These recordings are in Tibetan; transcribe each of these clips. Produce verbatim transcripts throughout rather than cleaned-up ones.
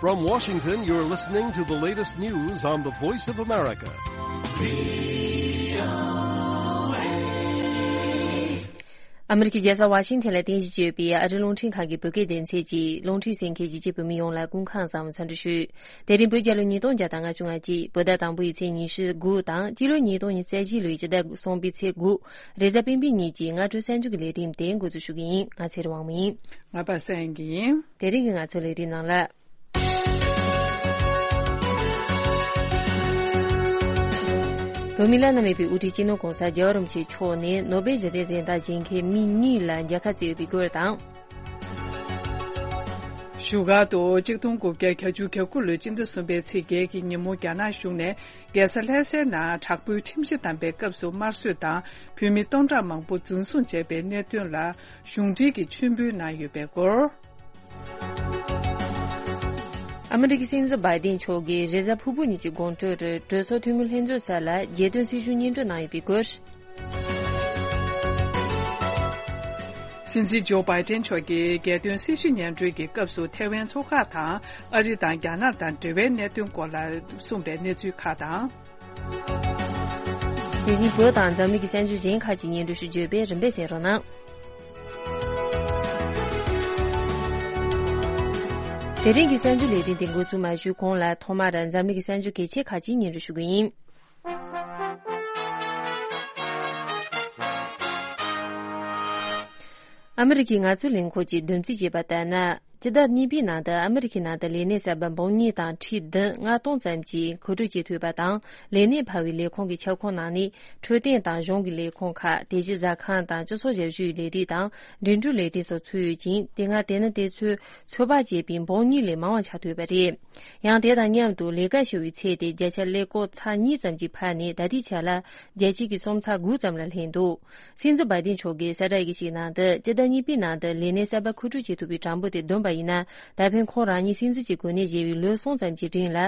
From Washington, you're listening to the latest news on the Voice of America. ཨ་མི་རི་ཀའི་རྒྱལ་ས་ཝ་ཤིང་ཐན་ལ་རྟེན་གཞི་བྱས་པའི་ཨ་རིའི་རླུང་འཕྲིན་ཁང་གི་བོད་སྐད་སྡེ་ཚན་གྱིས་རླུང་འཕྲིན་གསན་མཁན་གཞིས་བྱེས་བོད་མི་ཡོངས་ལ་སྐུ་ཁམས་བཟང་བའི་འཚམས་འདྲི་ཞུ། དེ་རིང་བོད་རྒྱལ་ལོ་ཉིས་སྟོང་བརྒྱ་དང་ལྔ་བཅུ་ང་གཅིག་བོད་ཟླ་དང་པོ་ཡི་ཚེས་ཉི་ཤུ་དགུ་དང་སྤྱི་ལོ་ཉིས་སྟོང་ཉི་ཤུ་རྩ་བཞི་ལོའི་སྤྱི་ཟླ་གསུམ་པའི་ཚེས་དགུ། རེས་གཟའ་སྤེན་པའི་ཉིན་གྱི་སྔ་དྲོའི་གསར་འགྱུར་གྱི་ལས་རིམ་དེ་འགོ་འཛུགས་ཞུ་གི་ཡིན། ང་ཚེ་རིང་དབང་མོ་ཡིན། ང་པ་སངས་ཡིན། དེ་རིང་གི་ང་ཚོའི་ལས་རིམ་ནང་ལ། བོད་མི་བླ་ན་མེད་པའི་དབུ་ཁྲིད་སྤྱི་ནོར་༧གོང་ས་༧རྒྱལ་བ་རིན་པོ་ཆེ་མཆོག་ནས་ནོ་བེལ་ཞི་བདེའི་གཟེངས་རྟགས་བཞེས་མཁན་མི་གཉིས་ལ་མཇལ་ཁ་བསྩལ་ཡོད་པའི་སྐོར་དང་། བཞུགས་སྒར་དུ་གཅིག་སྟོང་དགུ་བརྒྱ་གྱ་དགུ་ལོའི་སྤྱི་ཟླ་གསུམ་པའི་ཚེས་བརྒྱད་ཀྱི་ཉིན་མོ་རྒྱ་ནག་གཞུང་ནས་རྒྱལ་ས་ལྷ་སའི་ནང་དྲག་པོའི་ཁྲིམས་གཞི་བསྡམས་པའི་སྐབས་སུ་དམར་གསོད་དང་བོད་མི་སྟོང་ཕྲག་མང་པོ་འཛིན་བཟུང་བྱས་པའི་གནད་དོན་ལ་གཞུང་འབྲེལ་གྱི་མཆོད་འབུལ་གནང་ཡོད་པའི་སྐོར། ཨ་མི་རི་ཀའི་སྲིད་འཛིན་བྷའི་ཏིན་མཆོག་གིས་རེས་གཟའ་ཕུར་བུ་ཉིན་གྱི་དགོང་དྲོར་གྲོས་ཚོགས་འཐུས་མི་ལྷན་ཚོགས་སར་ལ་རྒྱལ་དོན་སྲི་ཞུ་སྙན་སྒྲོན་གནང་ཡོད་པའི་སྐོར། སྲིད་འཛིན་ཇོ་བྷའི་ཏིན་མཆོག་གིས་རྒྱལ་དོན་སྲི་ཞུ་སྙན་སྒྲོན་གྱི་སྐབས་སུ་ཐེ་ཝན་མཚོ་འགག་དང་ཨ་རི་དང་རྒྱ་ནག་དང་འབྲེལ་བའི་གནད་དོན་སྐོར་ལ་གསུངས་པའི་གནས་ཚུལ་ཁག་དང་། དེ་བཞིན་བོད་དང་འཛམ་གླིང་གི་གསར་འགྱུར་གཞན་ཁག་ཅིག་སྙན་སྒྲོན་ཞུ་རྒྱུ་ཡོད་པས་རིམ་པས་གསན་རོགས་གནང་། དེ་རིང་གི་གསར་འགྱུར་ལས་རིམ་དེ་འགོ་འཛུགས་མ་ཞུས་གོང་ལ་ཐོག་མར་འཛམ་གླིང་གི་གསར་འགྱུར་གལ་ཆེ་ཁག་ཅིག་སྙན་སྒྲོན་ཞུ་གི་ཡིན། ཨ་མི་རི་ཀའི་ངལ་རྩོལ་ལས་ཁུངས་ཀྱིས་བསྡོམས་རྩིས་བྱས་པ་ལྟར་ན། སྤྱི་ཟླ་གཉིས་པའི་ནང་དུ་ཨ་མི་རི་ཀའི་ནང་དུ་ལས་གནས་གསར་པ་འབུམ་གཉིས་དང་ཁྲི་བདུན་ལྔ་སྟོང་ཙམ་གྱིས་མཁོ་སྤྲོད་བྱེད་ཐུབ་པ་དང་། ལས་གནས་འཕར་བའི་ལས་ཁུངས་ཀྱི་ཁྱབ་ཁོངས་ནང་ནས་འཕྲོད་བསྟེན་དང་གཞུང་གི་ལས་ཁུངས་ཁག་དེ་བཞིན་ཟ་ཁང་དང་སྤྱི་ཚོགས་ཞབས་ཞུའི་ལས་རིགས་དང་འགྲིམ་འགྲུལ་ལས་རིགས་སོགས་ཚུད་ཡོད་ཅིང་། དེ་སྔ་དེ་ནི་དེ་ཚོས་ཚོད་དཔག་བྱས་པའི་འབུམ་གཉིས་ལས་མང་བ་ཆགས་ཐུབ་པ་རེད། ཡང་དེ་དང་མཉམ་དུ་ལས་ཀ་ཞུ་བའི་ཚད་དེ་བརྒྱ་ཆ་ཀླད་ཀོར་ཚེག་གཉིས་ཙམ་གྱིས་འཕར་ནས་ད་ལྟའི་ཆ་ལ་བརྒྱ་ཆ་གི་སུམ་ཚེག་དགུ་ཙམ་ལ་སླེབས་འདུག་སྲིད་འཛིན་བྷའི་ཏིན་མཆོག་གིས་གསལ་བསྒྲགས་ཡི་གེ་ཞིག་ནང་དུ། སྤྱི་ཟླ་གཉིས་པའི་ནང་དུ་ལས་གནས་གསར་པ་མཁོ་སྤྲོད་བྱེད་ཐུབ་པའི་གྲངས་འབོར་དེ་བསྡོམས་པ་ཡིན་ན། ད་ཕན་ཁོང་རང་ཉིད་སྲིད་འཛིན་གྱི་གོ་གནས་བཞེས་པའི་ལོ་གསུམ་ཙམ་གྱི་རིང་ལ་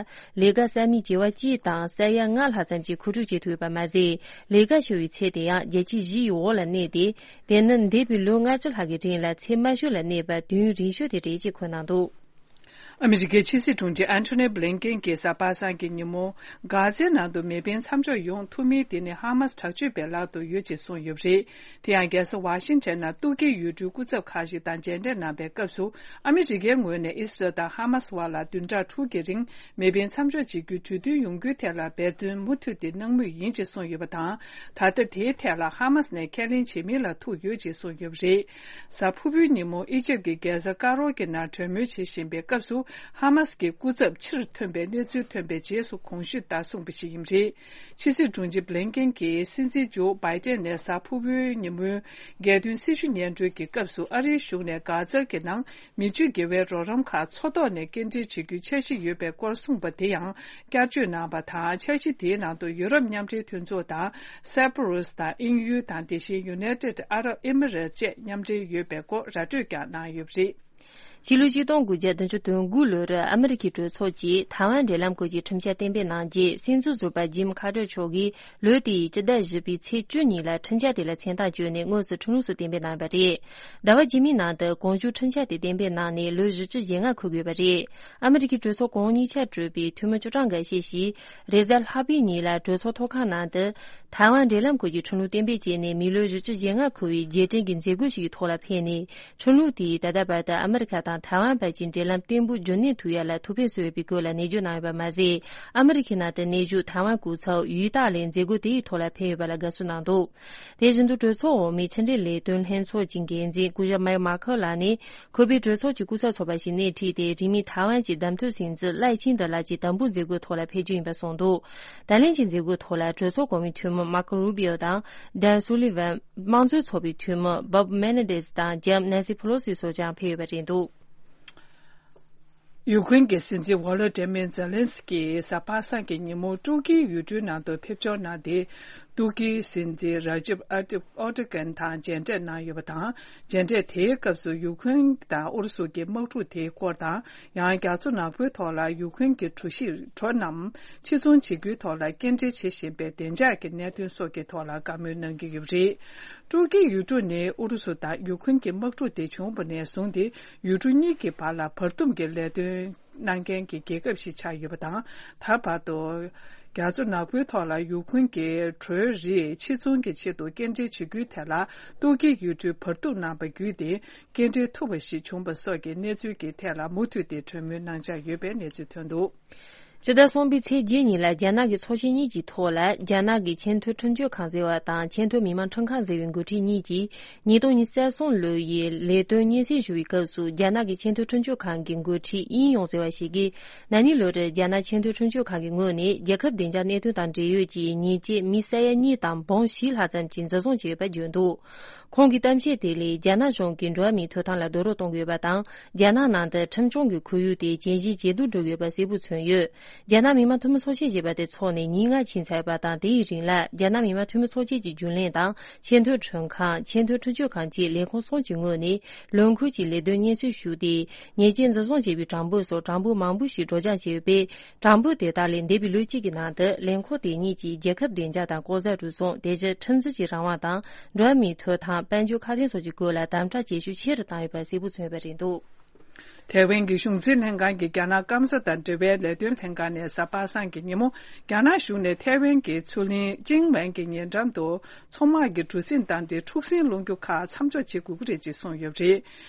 ལས་ཀ་གསར་མའི་བྱེ་བ་གཅིག་དང་ས་ཡ་ལྔ་ལྷག་ཙམ་ཞིག་མཁོ་སྤྲོད་བྱེད་ཐུབ་ཡོད་པ་མ་ཟད། ལས་ཀ་ཞུ་བའི་ཚད་དེ་ཡང་བརྒྱ་ཆ་བཞི་ཡི་འོག་ལ་གནས་ཏེ། དེ་ནི་འདས་པའི་ལོ་ལྔ་བཅུ་ལྷག་གི་རིང་ལ་ཚད་དམའ་ཤོས་ལ་གནས་པ་དུས་ཡུན་རིང་ཤོས་དེ་རེད་ཅེས་འཁོད་གནང་འདུག་ཨ་མི་རི་ཀའི་ཕྱི་སྲིད་དྲུང་ཆེ་ཨན་ཐོ་ནི་བྷི་ལིན་ཀེན་གྱིས་གཟའ་པ་སངས་ཀྱི་ཉིན་མོ། གྷ་ཛའི་ནང་དུ་མེ་འཕེན་མཚམས་འཇོག་ཡོང་ཐུབ་མིན་དེ་ནི་ཧ་མ་སི་དྲག་སྤྱོད་པའི་ལག་ཏུ་ཡོད་ཅེས་གསུངས་ཡོད་པ་རེད། དེ་ཡང་རྒྱལ་ས་ཝ་ཤིང་ཊོན་ནང་ཏུར་ཀིའི་ཡུལ་གྲུའི་སྐུ་ཚབ་ཁག་ཅིག་དང་མཇལ་འཕྲད་གནང་པའི་སྐབས་སུ། ཨ་མི་རི་ཀའི་ངོས་ནས་ཨི་སི་རལ་དང་ཧ་མ་སི་བར་ལ་བདུན་ཕྲག་དྲུག་གི་རིང་མེ་འཕེན་མཚམས་འཇོག་བྱེད་རྒྱུའི་གྲོས་མཐུན་ཡོང་རྒྱུའི་ཐད་ལ་འབད་བརྩོན་མུ་མཐུད་དེ་གནང་མུས་ཡིན་ཅེས་གསུངས་ཡོད་པ་དང་། ད་ལྟ་དེའི་ཐད་ལ་ཧ་མ་སི་ནས་ཁས་ལེན་བྱེད་མིན་ལ་ཐུག་ཡོད་ཅེས་གསུངས་ཡོད་པ་རེད། གཟའ་ཕུར་བུའི་ཉིན་མོ་ཨི་ཇེབ་ཀྱི་རྒྱལ་ས་ཀ་རོ་གི་ནང་གྲོས་མོལ་བྱེད་བཞིན་པའི་སྐབས་སུ། ཧ་མ་སི་ཀྱི་སྐུ་ཚབ་ཕྱིར་ཐོན་པའི་གནས་ཚུལ་ཐོན་པའི་རྗེས་སུ་གོང་ཞུས་ལྟར་གསུངས་པ་ཞིག་ཡིན་པ་རེད། ཕྱི་སྲིད་དྲུང་ཆེ་བྷི་ལིན་ཀེན་གྱིས་སྲིད་འཛིན་ཇོ་བྷའི་ཏན་ནས་གཟའ་ཕུར་བུའི་ཉིན་མོའི་རྒྱལ་དོན་སྲི་ཞུ་སྙན་སྒྲོན་གྱི་སྐབས་སུ། ཨ་རིའི་གཞུང་ནས་གྷ་ཛ་གི་ནང་མི་སྤྱོད་དགེ་བའི་རོགས་རམ་ཁག་མཚོ་ཐོག་ནས་སྐྱེལ་འདྲེན་བྱེད་རྒྱུའི་འཆར་གཞི་ཡོད་པའི་སྐོར་གསུངས་པ་དེ་ཡང་བསྐྱར་བརྗོད་གནང་པ་དང་། འཆར་གཞི་དེའི་ནང་དུ་ཡུ་རོབ་མཉམ་འབྲེལ་མཐུན་ཚོགས་དང་། སེ་པ་རུ་སི་དང་དབྱིན་ཡུལ་དང་། དེ་བཞིན་ཡུ་ནའི་ཊེཌ་ཨ་རབ་ཨི་མི་རེཊ་བཅས་མཉམ་འབྲེལ་ཡོད་པའི་སྐོར་ར་སྤྲོད་ཀྱང་གནང་ཡོད་པ་རེད། ཕྱི་ལོ་ཆིག་སྟོང་དགུ་བརྒྱ་བདུན་ཅུ་དོན་དགུ་ལོར་ཨ་མི་རི་ཀའི་གྲོས་ཚོགས་ཀྱིས་ཐའེ་ཝན་འབྲེལ་ལམ་སྐོར་གྱི་ཁྲིམས་འཆར་གཏན་འབེབས་གནང་རྗེས། སྲིད་འཛིན་ཟུར་པ་ཇིམ་ཁ་ཏར་མཆོག་གིས་ལོ་དེའི་སྤྱི་ཟླ་བཞི་པའི་ཚེས་བཅུ་ཉིན་ལ་ཁྲིམས་འཆར་དེ་ལ་མཚན་རྟགས་བཅོལ་ནས་དངོས་སུ་ཁྲིམས་ལུགས་སུ་གཏན་འབེབས་གནང་བ་རེད། ཟླ་བ་རྗེས་མའི་ནང་དུ་གོང་ཞུས་ཁྲིམས་འཆར་དེ་གཏན་འབེབས་གནང་ནས་ལོ་བཞི་བཅུ་ཞེ་ལྔ་འཁོར་དགོས་པ་རེད། ཨ་མི་རི་ཀའི་གྲོས་ཚོགས་གོང་གཉིས་ཆ་གྲུབ་པའི་འཐུས་མི་ཅུ་ཀྲང་འགའ་ཤས་ཤིག་རེས་གཟའ་ལྷག་པའི་ཉིན་ལ་གྲོས་ཚོགས་ཐོག་ཁང་ནང་དུ་ཐའེ་ཝན་འབྲེལ་ལམ་སྐོར་གྱི་ཁྲིམས་ལུགས་གཏན་འབེབས་བྱས་ནས། མི་ལོ་བཞི་བཅུ་ཞེ་ལྔ་འཁོར་བའི་རྗེས་དྲན་གྱི་མཛད་སྒོ་ཞིག་གི་ཐོག་ལ་ཕེབས་ནས། ཁྲིམས་ལུགས་དེས་ད་ལྟ་བར་དུ་ཨ་མི་རི་ཁ་དང་ཐའེ་ཝན་བར་གྱི་འབྲེལ་ལམ་བརྟན་པོ་རྒྱུན་གནས་ཐུབ་ཡ་ལ་ཐུགས་ཕན་གསོས་ཡོད་པའི་སྐོར་ལ་ནན་བརྗོད་གནང་ཡོད་པ་མ་ཟད། ཨ་མི་རི་ཁའི་ནང་དུ་གནས་བཞུགས་ཐའེ་ཝན་སྐུ་ཚབ་ཡུས་ཏཱ་ལིན་མཛད་སྒོ་དེའི་ཐོག་ལ་ཕེབས་ཡོད་པ་ལ་དགའ་བསུ་གནང་འདུག་དེ་བཞིན་དུ་གྲོས་ཚོགས་འོག་མའི་ཕྱི་འབྲེལ་ལས་དོན་ལྷན་ཚོགས་ཀྱི་འགན་འཛིན་སྐུ་ཞབས་མེག་མཱ་ཁེལ་ལགས་ནས། ཁོ་པས་གྲོས་ཚོགས་ཀྱི་སྐུ་ཚབ་ཚོགས་པ་ཞིག་སྣེ་ཁྲིད་དེ། རིང་མིན་ཐའེ་ཝན་གྱི་བདམས་ཐོན་སྲིད་འཛིན་ལའེ་ཆིང་ཏེ་ལགས་ཀྱི་དམ་འབུལ་མཛད་སྒོའི་ཐོག་ལ་ཕེབས་རྒྱུ་ཡིན་པ་གསུངས་འདུག་ད་ལན་གྱི་མཛད་སྒོའི་ཐོག་ལ་གྲོས་ཚོགས་གོང་མའི་འཐུས་མི་མར་ཀོ་རུ་བྷི་ཨོ་དང་། ཌན་སུ་ལི་ཝན། དམངས་གཙོའི་ཚོགས་པའི་འཐུས་མི་བོབ་མེ་ནེ་ཌེ་སི་དང་། ལྕམ་ནན་སི་ཕེ་ལོ་སི་སོགས་ཀྱང་ཕེབས་ཡོད་པ་རེད་འདུག་ཡུ་ཀེ་རེན་གྱི་སྲིད་འཛིན་ཝོ་ལོ་ཏི་མིར་ཛེ་ལན་སི་ཀི་གཟའ་པ་སངས་ཀྱི་ཉིན་མོ་ཏུར་ཀིའི་ཡུལ་གྲུའི་ནང་དུ་ཕེབས་འབྱོར་གནང་སྟེ། ཏུར་ཀིའི་སྲིད་འཛིན་ར་ཇིབ་ཨར་ཏིབ་ཨོ་ཏི་ཀན་དང་མཇལ་འཕྲད་གནང་ཡོད་པ་དང་། མཇལ་འཕྲད་དེའི་སྐབས་སུ་ཡུ་ཁུན་དང་ཨུ་རུ་སུ་གྱི་དམག་འཁྲུག་དེའི་སྐོར་དང་། ཡང་རྒྱ་མཚོ་ནག་པོའི་ཐོག་ལ་ཡུ་ཁུན་གྱི་གྲུ་བཞི་གྲུ་རྣམས་ཕྱིར་ཚོང་བྱེད་རྒྱུའི་ཐོག་ལ་སྐྱེལ་འདྲེན་བྱེད་བཞིན་པའི་བདེ་འཇགས་ཀྱི་གནད་དོན་སོགས་ཀྱི་ཐོག་ལ་བཀའ་མོལ་གནང་གི་ཡོད་པ་རེད། ཏུར་ཀིའི་ཡུལ་གྲུ་ནི་ཨུ་རུ་སུ་དང་ཡུ་ཁུན་གྱི་དམག་འཁྲུག་དེ་བྱུང་བ་ནས་བཟུང་སྟེ་ཡུལ་གྲུ་གཉིས་ཀྱི་བར་ལ་བར་འདུམ་གྱི་ལས་དོན་གནང་མཁན་གྱི་རྒྱལ་ཁབ་ཞིག་ཆགས་ཡོད་པ་དང་། ད་བར་དུ་རྒྱ་མཚོ་ནག་པོའི་ཐོག་ལ་ཡུ་ཁུན་གྱི་གྲོའི་རིགས་ཕྱིར་ཚོང་གི་ཆེད་དུ་སྐྱེལ་འདྲེན་བྱེད་རྒྱུའི་ཐད་ལ་ཏུར་ཀིའི་ཡུལ་གྲུས་བར་འདུམ་གནང་བ་བརྒྱུད་དེ་སྐྱེལ་འདྲེན་ཐུབ་པ་ཞིག་བྱུང་བ་སོགས་ཀྱི་གནས་ཚུལ་གྱི་ཐད་ལ་མུ་མཐུད་དེ་གྲོས་མོལ་གནང་འཆར་ཡོད་པའི་གནས་ཚུལ་ཐོན་འདུག། སྤྱི་ཟླ་གསུམ་པའི་ཚེས་བརྒྱད་ཉིན་ལ་རྒྱ་ནག་གི་ཚོགས་ཆེན་གཉིས་ཀྱི་ཐོག་ལ་རྒྱ་ནག་གི་ཆེས་མཐོའི་ཁྲིམས་གཅོད་ཁང་ཟེར་བ་དང་ཆེས་མཐོའི་མི་དམངས་ཁྲིམས་ཁང་ཟེར་བའི་འགོ་ཁྲིད་གཉིས་ཀྱིས་ཉིས་སྟོང་ཉི་ཤུ་རྩ་གསུམ་ལོའི་ལས་དོན་སྙན་སེང་ཞུ་བའི་སྐབས་སུ་རྒྱ་ནག་གི་ཆེས་མཐོའི་ཁྲིམས་གཅོད་ཁང་གི་འགོ་ཁྲིད་དབྱིན་ཡོང་ཟེར་བ་ཞིག་གིས་ན་ནིང་ལོ་རེར་རྒྱ་ནག་ཆེས་མཐོའི་ཁྲིམས་གཅོད་ཁང་གི་ངོས་ནས་རྒྱལ་ཁབ་བདེ་འཇགས་གནད་དོན་དང་འབྲེལ་ཡོད་ཀྱི་ཉེས་ཆད་མི་ས་ཡ་གཉིས་དང་འབུམ་བཞི་ལྷག་ཙམ་གྱིས་འཛིན་བཟུང་བྱས་ཡོད་པ་བརྗོད་འདུག། ཁོང་གི་གཏམ་བཤད་དེ་ལས་རྒྱ་ནག་གཞུང་གིས་འགྲོ་བ་མིའི་ཐོབ་ཐང་ལ་རྡོག་རོལ་གཏོང་གི་ཡོད་པ་དང་། རྒྱ་ནག་ནང་དུ་ཁྲིམས་སྐྱོང་གི་ཁོར་ཡུག་དེ་ཇེ་ཞན་ཇེ་སྡུག་འགྲོ་གི་ཡོད་པ་གསལ་པོ་མཚོན་ཡོད། རྒྱ་ནག་མི་དམངས་འཐུས་མི་ཚོགས་ཆེན་ཞེས་པ་དེ་འཚོགས་ནས་ཉིན་ལྔ་ཕྱིན་ཚར་བ་དང་། དེའི་རིང་ལ་རྒྱ་ནག་མི་དམངས་འཐུས་མི་ཚོགས་ཆེན་གྱི་རྒྱུན་ལས་དང་ཆེས་མཐོའི་ཁྲིམས་ཁང་། ཆེས་མཐོའི་ཁྲིམས་གཅོད་ཁང་བཅས་ལས་ཁུངས་གསུམ་གྱི་ངོས་ནས་ལོ་འཁོར་གྱི་ལས་དོན་སྙན་སེང་ཞུས་ཏེ། ཉེས་ཅན་འཛིན་བཟུང་བྱས་པའི་གྲངས་འབོར་སོགས་གྲངས་འབོར་མང་པོ་ཞིག་སྒྲོག་སྦྱང་བྱས་ཡོད་པས། གྲངས་འབོར་དེ་དག་ལས་འདས་པའི་ལོ་གཅིག་གི་ནང་དུ་ལས་ཁུངས་དེ་གཉིས་ཀྱིས་རྒྱལ་ཁབ་བདེ་འཇགས་དང་ལྐོག་ཟ་རུལ་སུངས། དེ་བཞིན་ཁྲིམས་འཛིན་གྱི་རང་དབང་དང་འགྲོ་བ་མིའི་ཐོབ་ཐང་། དཔལ་འབྱོར་ཁ་གཏད་སོགས་ཀྱི་སྐོར་ལ་དམ་དྲག་བྱེད་ཤུགས་ཆེ་རུ་བཏང་ཡོད་པ་གསལ་པོ་མཚོན་པ་རེད་འདུག། ཐའེ་ཝན་གྱི་གཞུང་འཛིན་ལྷན་ཁང་གིས་རྒྱ་ནག་སྐམ་ས་དང་འབྲེལ་བའི་ལས་དོན་ལྷན་ཁང་ནས་གཟའ་པ་སངས་ཀྱི་ཉིན་མོ། རྒྱ་ནག་གཞུང་ནས་ཐའེ་ཝན་གྱི་མཚོ་གླིང་ཅིང་ཝན་གྱི་ཉེ་འགྲམ་དུ་མཚོ་དམག་གིས་གྲུ་གཟིངས་བཏང་སྟེ་འཁྲུག་ཟིང་སློང་རྒྱུ་ཁག་མཚམས་འཇོག་བྱེད་དགོས་ཀྱི་རེད་ཅེས་གསུངས་ཡོད་པ་རེད།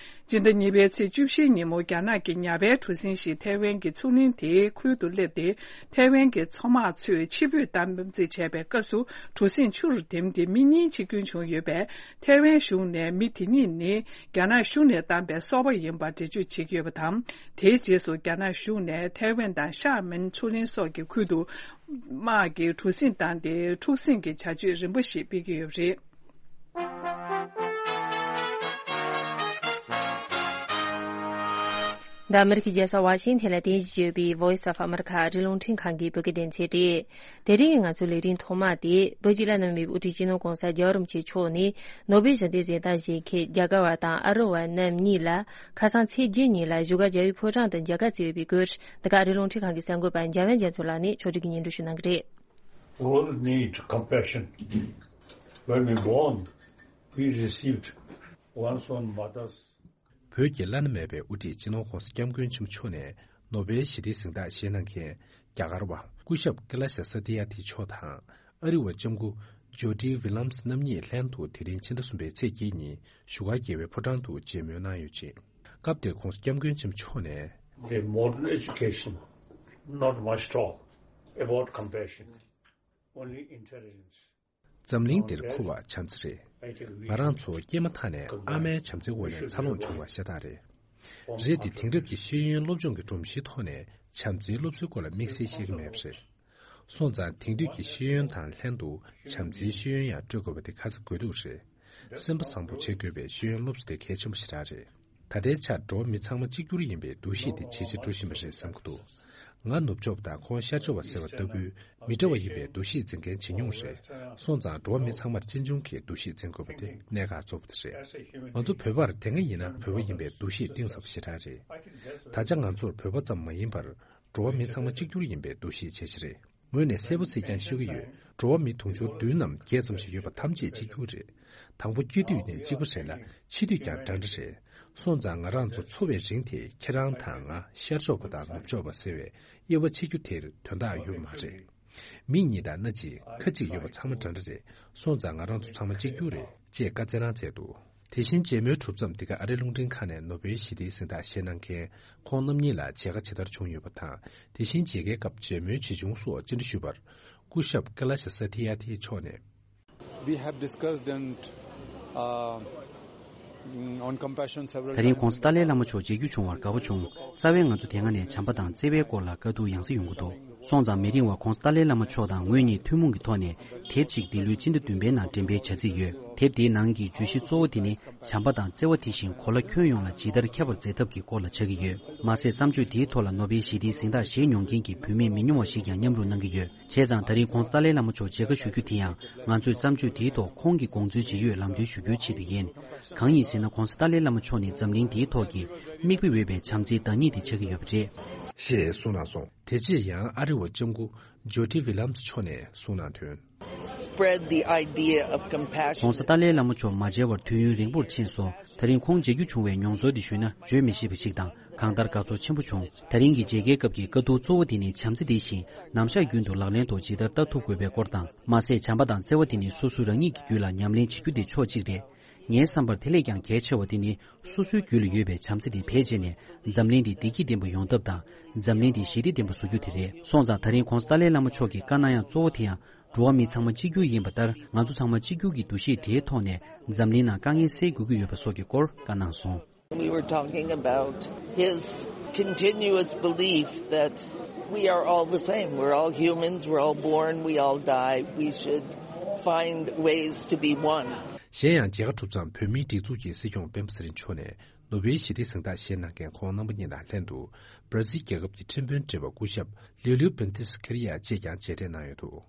སྤྱི་ཟླ་གཉིས་པའི་ཚེས་བཅུ་བཞིའི་ཉིན་མོ། རྒྱ་ནག་གི་ཉ་པའི་གྲུ་གཟིངས་ཤིག་ཐའེ་ཝན་གྱི་མཚོ་གླིང་དེའི་ཁུལ་དུ་སླེབས་ཏེ། ཐའེ་ཝན་གྱི་མཚོ་དམག་ཚོས་ཕྱིར་འབུད་གཏམ་རྩིས་བྱས་པའི་སྐབས་སུ། གྲུ་གཟིངས་ཆུ་རུ་ཐིམ་སྟེ་མི་གཉིས་འཆི་སྐྱོན་བྱུང་ཡོད་པས། ཐའེ་ཝན་གཞུང་ནས་མི་དེ་གཉིས་ནི་རྒྱ་ནག་གཞུང་ནས་བཏང་པའི་སོ་པ་ཡིན་པར་འགྲེལ་བརྗོད་བྱེད་ཀྱི་ཡོད་པ་དང་། དེའི་རྗེས་སུ་རྒྱ་ནག་གཞུང་ནས་ཐའེ་ཝན་དང་ཤར་མིན་མཚོ་གླིང་སོགས་ཀྱི་ཁུལ་དུ་དམག་གིས་གྲུ་གཟིངས་བཏང་སྟེ། འཁྲུག་ཟིང་གི་བྱ་སྤྱོད་རིམ་པ་ཞིག་སྤེལ་གྱི་ཡོད་པ་རེད། འདི་ཨ་མི་རི་ཀའི་རྒྱལ་ས་ཝ་ཤིང་ཐན་ལ་རྟེན་གཞི་བྱས་ཡོད་པའི་Voice of America ཨ་རིའི་རླུང་འཕྲིན་ཁང་གི་བོད་སྐད་སྡེ་ཚན་རེད། དེ་རིང་གི་ང་ཚོའི་ལས་རིམ་ཐོག་མ་དེ་བོད་ཀྱི་བླ་ན་མེད་པའི་དབུ་ཁྲིད་སྤྱི་ནོར་༧གོང་ས་༧རྒྱལ་བ་རིན་པོ་ཆེ་མཆོག་ནས་ནོ་བེལ་ཞི་བདེའི་གཟེངས་རྟགས་བཞེས་མཁན་རྒྱ་གར་བ་དང་ཨ་རི་བ་རྣམ་གཉིས་ལ་ཁ་སང་ཚེས་བརྒྱད་ཉིན་ལ་བཞུགས་སྒར་རྒྱལ་བའི་ཕོ་བྲང་དུ་མཇལ་ཁ་བསྩལ་ཡོད་པའི་སྐོར། འདི་ག་ཨ་རིའི་རླུང་འཕྲིན་ཁང་གི་གསར་འགོད་པ་འཇམ་དབྱངས་རྒྱ་མཚོ་ལགས་ནས་ཕྱོགས་སྒྲིག་གིས་སྙན་སྒྲོན་ཞུ་གནང་གི་རེད། All need compassion. When we born, we received one's own mother's བོད་ཀྱི་བླ་ན་མེད་པའི་དབུ་ཁྲིད་སྤྱི་ནོར་༧གོང་ས་༧སྐྱབས་མགོན་ཆེན་པོ་མཆོག་ནས་ནོ་བེལ་ཞི་བདེའི་གཟེངས་རྟགས་བཞེས་གནང་མཁན་རྒྱ་གར་བ་སྐུ་ཞབས་ཀེ་ལ་ཤ་ས་ཏི་ཡ་ཐི་མཆོག་དང་ཨ་རི་བ་ལྕམ་སྐུ་ཇོ་ཌི་ཝི་ལམ་སི་རྣམ་གཉིས་ལྷན་དུ་དེ་རིང་ཕྱི་ཟླ་གསུམ་པའི་ཚེས་བརྒྱད་ཉིན་བཞུགས་སྒར་རྒྱལ་བའི་ཕོ་བྲང་དུ་མཇལ་མོལ་གནང་ཡོད་ཅིང་། སྐབས་དེར་༧གོང་ས་༧སྐྱབས་མགོན་ཆེན་པོ་མཆོག་ནས། A modern education, not much talk about compassion, only intelligence. འཛམ་གླིང་འདིར་མཁོ་བ་བྱམས་བརྩེ་རེད། ང་རང་ཚོ་སྐྱེས་མ་ཐག་ནས་ཨ་མའི་བྱམས་བརྩེའི་འོག་ནས་འཚར་ལོངས་བྱུང་བ་ཤ་སྟག་རེད། རེད་དེ་དེང་རབས་ཀྱི་ཤེས་ཡོན་སློབ་སྦྱོང་གི་སྒྲོམ་གཞིའི་ཐོག་ནས་བྱམས་བརྩེའི་སློབ་གསོའི་སྐོར་ལ་དམིགས་བསལ་ཤེས་ཀྱི་མེད་པ་རེད། སོང་ཙང་དེང་དུས་ཀྱི་ཤེས་ཡོན་དང་ལྷན་དུ་བྱམས་བརྩེའི་ཤེས་ཡོན་ཡང་སྤྲོད་དགོས་པ་དེ་ཁ་ཚ་དགོས་གཏུགས་རེད། སེམས་པ་བཟང་པོ་བྱེད་དགོས་པའི་ཤེས་ཡོན་སློབ་གསོ་དེ་གལ་ཆེན་པོ་ཞེ་དྲག་རེད། ད་ལྟའི་ཆར་འགྲོ་བ་མི་ཚང་མ་གཅིག་གྱུར་ཡིན་པའི་འདུ་ཤེས་དེ་ཇེ་ཆེར་འགྲོ་བཞིན་པ་རེད་བསམ་གྱི་འདུག། ང་ནུབ་ཕྱོགས་པ་དང་ཁོང་ཤར་ཕྱོགས་པ་ཟེར་བ་ལྟ་བུའི་མི་འདྲ་བ་ཡིན་པའི་འདུ་ཤེས་འཛིན་མཁན་ཇེ་ཉུང་རེད། སོང་ཙང་འགྲོ་བ་མི་ཚང་མར་གཅེས་འཇོན་གྱི་འདུ་ཤེས་འཛིན་དགོས་པ་དེ་གནད་འགག་གཙོ་བོ་དེ་རེད། ང་ཚོ་བོད་པར་དེ་སྔ་ཡིན་ན་བོད་པ་ཡིན་པའི་འདུ་ཤེས་གཏིང་ཟབ་པོ་ཞེ་དྲག་རེད། ད་ཆ་ང་ཚོར་བོད་པ་ཙམ་མ་ཡིན་པར། འགྲོ་བ་མི་ཚང་མ་གཅིག་གྱུར་ཡིན་པའི་འདུ་ཤེས་ཇེ་ཆེ་རེད། ངོས་ནས་གསལ་པོ་ཚིག་རྐྱང་ཤོད་ཀྱི་ཡོད། འགྲོ་བ་མི་དུང་ཕྱུར་བདུན་ནམ་བརྒྱད་ཙམ་ཞིག་ཡོད་པ་ཐམས་ཅད་གཅིག་གྱུར་རེད། དང་པོ་སྐྱེ་དུས་ནས་གཅིག་པ་རེད་ལ་འཆི་དུས་ཀྱང་འདྲ་འདྲ་རེད། སོང་ཙང་ང་རང་ཚོ་འཚོ་བའི་རིང་དེ་ཁྱེད་རང་དང་ང་ཤར་ཕྱོགས་པ་དང་ནུབ་ཕྱོགས་པ་ཟེར་བའི་དབྱེ་བ་ཕྱེ་རྒྱུ་དེར་དོན་དག་ཡོད་མ་རེད། མིག་གཉིས་དང་སྣ་གཅིག་ཁ་གཅིག་ཡོད་པ་ཚང་མ་འདྲ་འདྲ་རེད། སོང་ཙང་ང་རང་ཚོ་ཚང་མ་གཅིག་གྱུར་རེད། ཅེས་བཀའ་སྩལ་གནང་མཛད་འདུག། དེ་བཞིན་མཇལ་མོལ་གྲུབ་མཚམས་འདི་ག་ཨ་རིའི་རླུང་འཕྲིན་ཁང་ནས་ནོ་བེལ་ཞི་བདེའི་གཟེངས་རྟགས་བཞེས་གནང་མཁན་ཁོང་རྣམ་གཉིས་ལ་མཇལ་ཁ་ཇི་ལྟར་བྱུང་ཡོད་པ་དང་། དེ་བཞིན་མཇལ་ཁའི་སྐབས་མཇལ་མོལ་ཇི་བྱུང་སོགས་སྤྱན་འདྲི་ཞུས་པར། སྐུ་ཞབས་ཀེ་ལ་ཤ་ས་ཐི་ཡ་ཐི་མཆོག་ནས། We have discussed and, uh, on compassion several times. ད་རིང་༧གོང་ས་ཏཱ་ལའི་བླ་མ་མཆོག་མཇལ་རྒྱུ་བྱུང་བར་དགའ་པོ་བྱུང་། རྩ་བའི་ང་ཚོ་དེ་སྔ་ནས་བྱམས་པ་དང་བརྩེ་བའི་སྐོར་ལ་དཀའ་སྡུག་ཡང་སེ་ཡོང་གི་འདུག། སོང་ཙང་མི་རིང་བར་༧གོང་ས་ཏཱ་ལའི་བླ་མ་མཆོག་དང་ངོས་གཉིས་ཐུན་མོང་གི་ཐོག་ནས་དེབ་ཅིག་འདི་ལོའི་སྤྱི་ཟླ་བདུན་པའི་ནང་འགྲེམས་སྤེལ་བྱ་རྩིས་ཡོད། དེབ་དེའི་ནང་གི་བརྗོད་གཞི་གཙོ་བོ་དེ་ནི་བྱམས་པ་དང་བརྩེ་བ་དེ་བཞིན་གོ་ལ་ཁྱོན་ཡོངས་ལ་ཇི་ལྟར་ཁྱབ་པར་མཛད་ཐབས་ཀྱི་སྐོར་ལ་ཆགས་ཀྱི་ཡོད། མ་ཟད་བརྩམས་ཆོས་དེའི་ཐོག་ལ་ནོ་བེལ་ཞི་བདེའི་གཟེངས་རྟགས་བཞེས་མྱོང་མཁན་གྱི་བུད་མེད་མི་ཉུང་བ་ཞིག་ཀྱང་མཉམ་རུབ་གནང་གི་ཡོད། བྱས་ཙང་ད་རིང་༧གོང་ས་ཏཱ་ལའི་བླ་མ་མཆོག་མཇལ་ཁ་ཞུ་རྒྱུ་དེ་ཡང་ང་ཚོས་བརྩམས་ཆོས་དེའི་ཐོག་ཁོང་གི་དགོངས་ཚུལ་ཇི་ཡོད་ལམ་སྟོན་ཞུ་རྒྱུའི་ཆེད་དུ་ཡིན། གང་ཡིན་ཟེར་ན་༧གོང་ས་ཏཱ་ལའི་བླ་མ་མཆོག་ནི་འཛམ་གླིང་འདིའི་ཐོག་གི་མིག་དཔེ་འོས་པའི་བྱམས་བརྩེའི་བདག་ཉིད་དེ་ཆགས་ཀྱི་ཡོད་པ་རེད། ཞེས་གསུངས་གནང་སོང་། དེ་རྗེས་ཡང་ཨ་རི་བ་ལྕམ་སྐུ་ཇོ་ཊི་ཝི་ལམ་སི་མཆོག་ནས་གསུངས་གནང་དོན། Spread the idea of compassion. ༧གོང་ས་ཏཱ་ལའི་བླ་མ་མཆོག་མ་མཇལ་བར་དུས་ཡུན་རིང་པོར་ཕྱིན་སོང་། ད་རིང་ཁོང་མཇལ་རྒྱུ་བྱུང་བའི་མྱོང་ཚོར་འདི་ཞུས་ན་བརྗོད་མི་ཤེས་པ་ཞིག་དང་གང་ལྟར་དགའ་ཚོར་ཆེན་པོ་བྱུང་། ད་རིང་གི་མཇལ་ཁའི་སྐབས་ཀྱི་དཀའ་སྡུག་གཙོ་བོ་དེ་ནི་བྱམས་བརྩེ་དེ་བཞིན་ནམ་ཞག་རྒྱུན་དུ་ལག་ལེན་ཐོག་ཇི་ལྟར་བསྟར་ཐུབ་དགོས་པའི་སྐོར་དང་། མ་ཟད་བྱམས་པ་དང་བརྩེ་བ་དེ་ནི་སོ་སོ་རང་ཉིད་ཀྱི་རྒྱུད་ལ་ཉམས་ལེན་བྱེད་རྒྱུ་དེ་ཕྱོགས་གཅིག་རེད། ངའི་བསམ་པར་དེ་ལས་ཀྱང་གལ་ཆེ་བ་དེ་ནི་སོ་སོའི་རྒྱུད་ལ་ཡོད་པའི་བྱམས་བརྩེ་དེ་བེད་སྤྱད་ནས་འཛམ་གླིང་འདི་བདེ་སྐྱིད་ལྡན་པ་ཡོང་ཐབས་དང་། འཛམ་གླིང་འདི་ཞི་བདེ་ལྡན་པ་བཟོ་རྒྱུ་དེ་རེད། སོང་ཙང་ད་རིང་༧གོང་ས་ཏཱ་ལའི་བླ་མ་མཆོག་གི་བཀའ་གནང་ཡག་གཙོ་བོ་དེ་ཡང་འགྲོ་བ་མི་ཚང་མ་གཅིག་གྱུར་ཡིན་པ་ལྟར་ང་ཚོ་ཚང་མ་གཅིག་གྱུར་གྱི་འདུ་ཤེས་དེའི་ཐོག་ནས་འཛམ་གླིང་ནང་དཀའ་ངལ་སེལ་དགོས་ཀྱི་ཡོད་པ་སོགས་ཀྱི་སྐོར་བཀའ་གནང་སོང་། We were talking about his continuous belief that we are all the same. We're all humans, we're all born, we all die. We should find ways to be one. གཞན་ཡང་མཇལ་ཁ་གྲུབ་མཚམས་བོད་མིའི་སྒྲིག་འཛུགས་ཀྱི་སྲིད་སྐྱོང་སྤེན་པ་ཚེ་རིང་མཆོག་ནས་ནོ་བེལ་ཞི་བདེའི་གཟེངས་རྟགས་བཞེས་གནང་མཁན་ཁོང་རྣམ་པ་གཉིས་དང་ལྷན་དུ་བར་ཛིལ་རྒྱལ་ཁབ་ཀྱི་ཁྲིམས་དཔོན་བགྲེས་པ་སྐུ་ཞབས་ལིའུ་ལིའུ་བེན་ཏིས་ཁེ་རི་ཡ་བཅས་ཀྱང་མཇལ་འཕྲད་གནང་ཡོད་འདུག་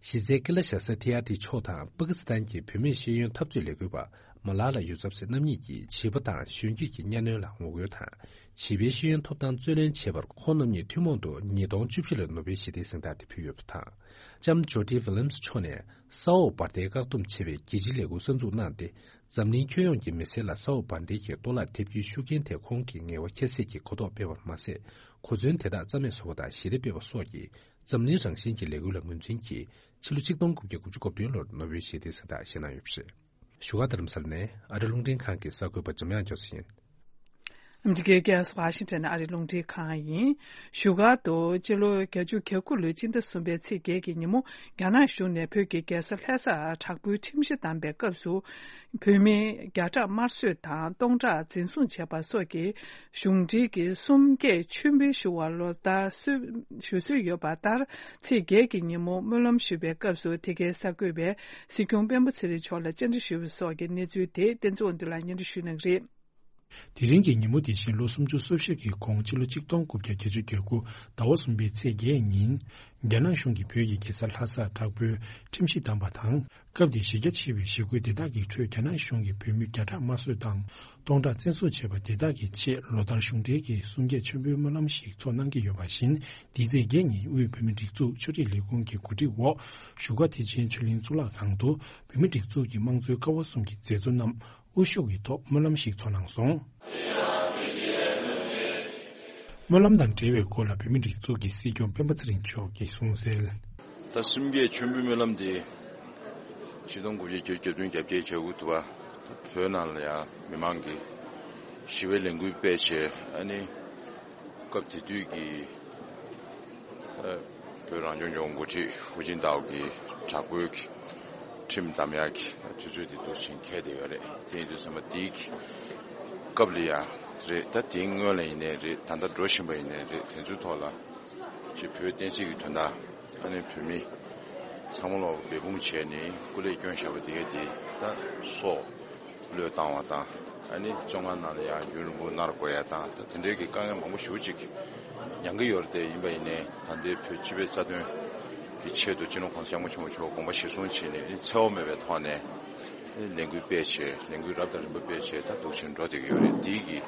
གཞི་རྩའི་ཀི་ལ་ཤ་ས་ཐི་ཨ་ཏི་མཆོག་དང་པ་ཀི་སི་ཐན་གྱི་བུད་མེད་ཤེས་ཡོན་འཐབ་རྩོད་ལས་འགུལ་པ་མ་ལ་ལ་ཡུ་སབ་སི་རྣམ་གཉིས་ཀྱིས་བྱིས་པ་དང་གཞོན་སྐྱེས་ཀྱི་གཉའ་གནོན་ལ་ངོ་རྒོལ་དང་། བྱིས་པའི་ཤེས་ཡོན་ཐོབ་ཐང་རྩོད་ལེན་བྱེད་པར་ཁོང་རྣམ་གཉིས་ཐུན་མོང་དུ་ཉིས་སྟོང་བཅུ་བཞི་ལོའི་ནོ་བེལ་ཞི་བདེའི་གཟེངས་རྟགས་དེ་ཕུལ་ཡོད་པ་དང་། ལྕམ་ཇོ་ཌི་ཝི་ལམ་སི་མཆོག་ནས་ས་འོག་འབར་མདེལ་བཀག་སྡོམ་བྱེད་པའི་རྒྱལ་སྤྱིའི་ལས་འགུལ་གསར་འཛུགས་གནང་སྟེ། འཛམ་གླིང་ཁྱོན་ཡོངས་ཀྱི་མི་སེར་ལ་ས་འོག་འབར་མདེལ་གྱི་གཏོར་བརླག་ཐེབས་རྒྱུའི་ཤུགས་རྐྱེན་དེ་ཁོང་གིས་ངལ་བ་ཁྱད་བསད་ཀྱིས་གོ་རྟོགས་སྤེལ་བ་མ་ཟད། གོ་མཚོན་དེ་དག་རྩ་མེད་བཟོ་བ་དང་ཞི་བདེ་སྤེལ་བ་སོགས་ཀྱི་འཛམ་གླིང་རང་བཞིན་གྱི་ལས་འགུལ་ལ་ངོས་འཛིན་གྱིས་ཕྱི་ལོ་ཆིག་སྟོང་དགུ་བརྒྱ་དགུ་བཅུ་གོ་བདུན་ལོར་ནོ་བེལ་ཞི་བདེའི་གཟེངས་རྟགས་བཞེས་གནང་ཡོད་པ་རེད། བཞུགས་སྒར་རྡ་རམ་ས་ལ་ནས་ཨ་རི་རླུང་འཕྲིན་ཁང་གི་གསར་འགོད་པ་འཇམ་དབྱངས་ཅོ་སི་ཡིན། ཨ་མི་རི་ཀའི་རྒྱལ་ས་ཝ་ཤིང་ཊོན་ནས་ཨ་རི་རླུང་འཕྲིན་ཁང་ཡིན། བཞུགས་སྒར་དུ་སྤྱི་ལོ་བརྒྱད་ཅུ་གྱ་དགུ་ལོའི་སྤྱི་ཟླ་གསུམ་པའི་ཚེས་བརྒྱད་ཀྱི་ཉིན་མོ་རྒྱ་ནག་གཞུང་ནས་བོད་ཀྱི་རྒྱལ་ས་ལྷ་སར་དྲག་པོའི་ཁྲིམས་གཞི་བསྡམས་པའི་སྐབས་སུ། བོད་མི་བརྒྱ་ཕྲག་དམར་གསོད་དང་སྟོང་ཕྲག་འཛིན་བཟུང་བྱས་པ་སོགས་ཀྱི་གཞུང་འབྲེལ་གྱི་གསུམ་བརྒྱད་མཆོད་འབུལ་ཞུ་བ་ལོ་ལྟར་སྲོལ་ཞུ་སྲོལ་ཡོད་པ་ལྟར། ཚེས་བརྒྱད་ཀྱི་ཉིན་མོ་སྨོན་ལམ་ཞུ་བའི་སྐབས་སུ་དེ་གའི་གསར་འགོད་པས་སྲིད་སྐྱོང་སྤེན་པ་ཚེ་རིང་མཆོག་ལ་བཅར་འདྲི་ཞུས་པ་སོགས་ཀྱི་གནས་ཚུལ་དེ་བསྟན་འཛིན་དབང་འདུས་ལགས་སྙན་སྒྲོན་ཞུ་གནང་གི་རེད། དེ་རིང་གི་ཉིན་མོ་དེ་བཞིན་ལོ་སུམ་ཅུ་སོ་བཞི་གི་གོང་ཕྱི་ལོ་ཆིག་སྟོང་དགུ་བརྒྱ་བརྒྱད་ཅུ་གྱ་དགུ་ཟླ་བ་གསུམ་པའི་ཚེས་བརྒྱད་ཉིན། རྒྱ་ནག་གཞུང་གིས་བོད་ཀྱི་རྒྱལ་ས་ལྷ་སར་དྲག་པོའི་ཁྲིམས་གཞི་བསྡམས་པ་དང་། སྐབས་དེའི་གཞི་རྒྱ་ཆེ་བའི་ཞི་རྒོལ་དེ་དག་གི་ཁྲོད་རྒྱ་ནག་གཞུང་གིས་བོད་མི་བརྒྱ་ཕྲག་དམར་གསོད་དང་སྟོང་ཕྲག་བཙན་བཟུང་བྱས་པ་དེ་དག་གི་ཆེད་ལོ་ལྟར་གཞུང་འབྲེལ་གྱི་གསུམ་བརྒྱད་མཆོད་འབུལ་སྨོན་ལམ་ཞིག་ཚོགས་གནང་གི་ཡོད་པ་བཞིན། དེའི་ཚེས་བརྒྱད་ཉིན་དབུས་བོད་མིའི་སྒྲིག་འཛུགས་ཆོས་རིག་ལས་ཁུངས་ཀྱི་གོ་སྒྲིག་འོག་བཞུགས་སྒར་བདེ་ཆེན་ཆོས་གླིང་གཙུག་ལག་ཁང་དུ་བོད་མིའི་སྒྲིག་འཛུགས་ཀྱི་དམངས་གཙོའི་ཀ་བ་གསུམ་གྱི་མཛད་གཙོ་རྣམས་དབུ་བཞུགས་ཀྱི་ཐོག་སྨོན་ལམ་ཞིག་ཚོགས་གནང་སོང་། སྨོན་ལམ་དང་འབྲེལ་བའི་སྐོར་ལ་བོད་མིའི་སྒྲིག་འཛུགས་ཀྱི་སྲིད་སྐྱོང་སྤེན་པ་ཚེ་རིང་མཆོག་གིས་གསུངས་གསལ། ད་གསུམ་བརྒྱད་མཆོད་འབུལ་སྨོན་ལམ་འདི་ཆིག་སྟོང་དགུ་བརྒྱ་བརྒྱད་ཅུ་གྱ་བདུན་གྱ་བརྒྱད་གྱ་དགུ་དུ་བ་བོད་ནང་ལ་ཡང་མི་མང་གི་ཞི་བའི་ལས་འགུལ་སྤེལ་བྱས། ཨ་ནི་སྐབས་དེ་དུས་ཀྱི་ད་བོད་རང་སྐྱོང་ལྗོངས་འགོ་ཁྲིད་ཧུའུ་ཅིན་ཏའོ་གིས་དྲག་པོའི་ཁྲིམས་བསྡམས་ཡག་གི་དུས་ཚོད་དེ་འདུག་ཕྱིན་འཁེལ་བསྡད་ཡོད་རེད། དེ་ཡིན་དུས་ཙམ་པ་དེའི་སྐབས་ལ་ཡང་རེད། ད་དེའི་སྔོན་ལ་ཡིན་ནའི་རེད། ད་ལྟ་འགྲོ་བཞིན་པ་ཡིན་ནའི་རེད། དེ་ཚོའི་ཐོག་ལ་ཅིག་བོད་བསྟན་སྲིད་ཀྱི་དོན་དག་ཨ་ནི་བོད་མི་ཚང་མ་ལོག་འབད་འབུངས་བྱས་ནས་སྐུ་ལས་བསྐྱོན་བཞག་པ་དེ་ག་དེ་ད་སྲོག་བློས་བཏང་བ་དང་། ཨ་ནི་བཙོན་ཁང་ནང་ལ་ཡང་རྒྱུན་རིང་པོ་མནར་དགོས་ཡ་དང་། ད་དེ་འདྲའི་གི་དཀའ་ངལ་མང་པོ་ཞེ་པོ་ཅིག་མྱངས་ཀྱི་ཡོད་རེད། དེ་ཡིན་པ་ཡིན་ནའི་ད་ལྟའི་བོད་སྤྱི་པའི་རྩ་དོན་གྱི་ཆེད་དུ་སྤྱི་ནོར་༧གོང་ས་༧སྐྱབས་མགོན་ཆེན་པོ་མཆོག་དགོངས་པ་གཞིར་བཟུང་བྱས་ནས་འཚེ་བ་མེད་པའི་ཐོག་ནས་ལས་འགུལ་སྤེལ་བྱས། ལས་འགུལ་རབ་དང་རིམ་པ་སྤེལ་བྱས། ད་འདུག་བཞིན་འགྲོ་བསྡད་ཀྱི་ཡོད་རེད། དེའི་གི་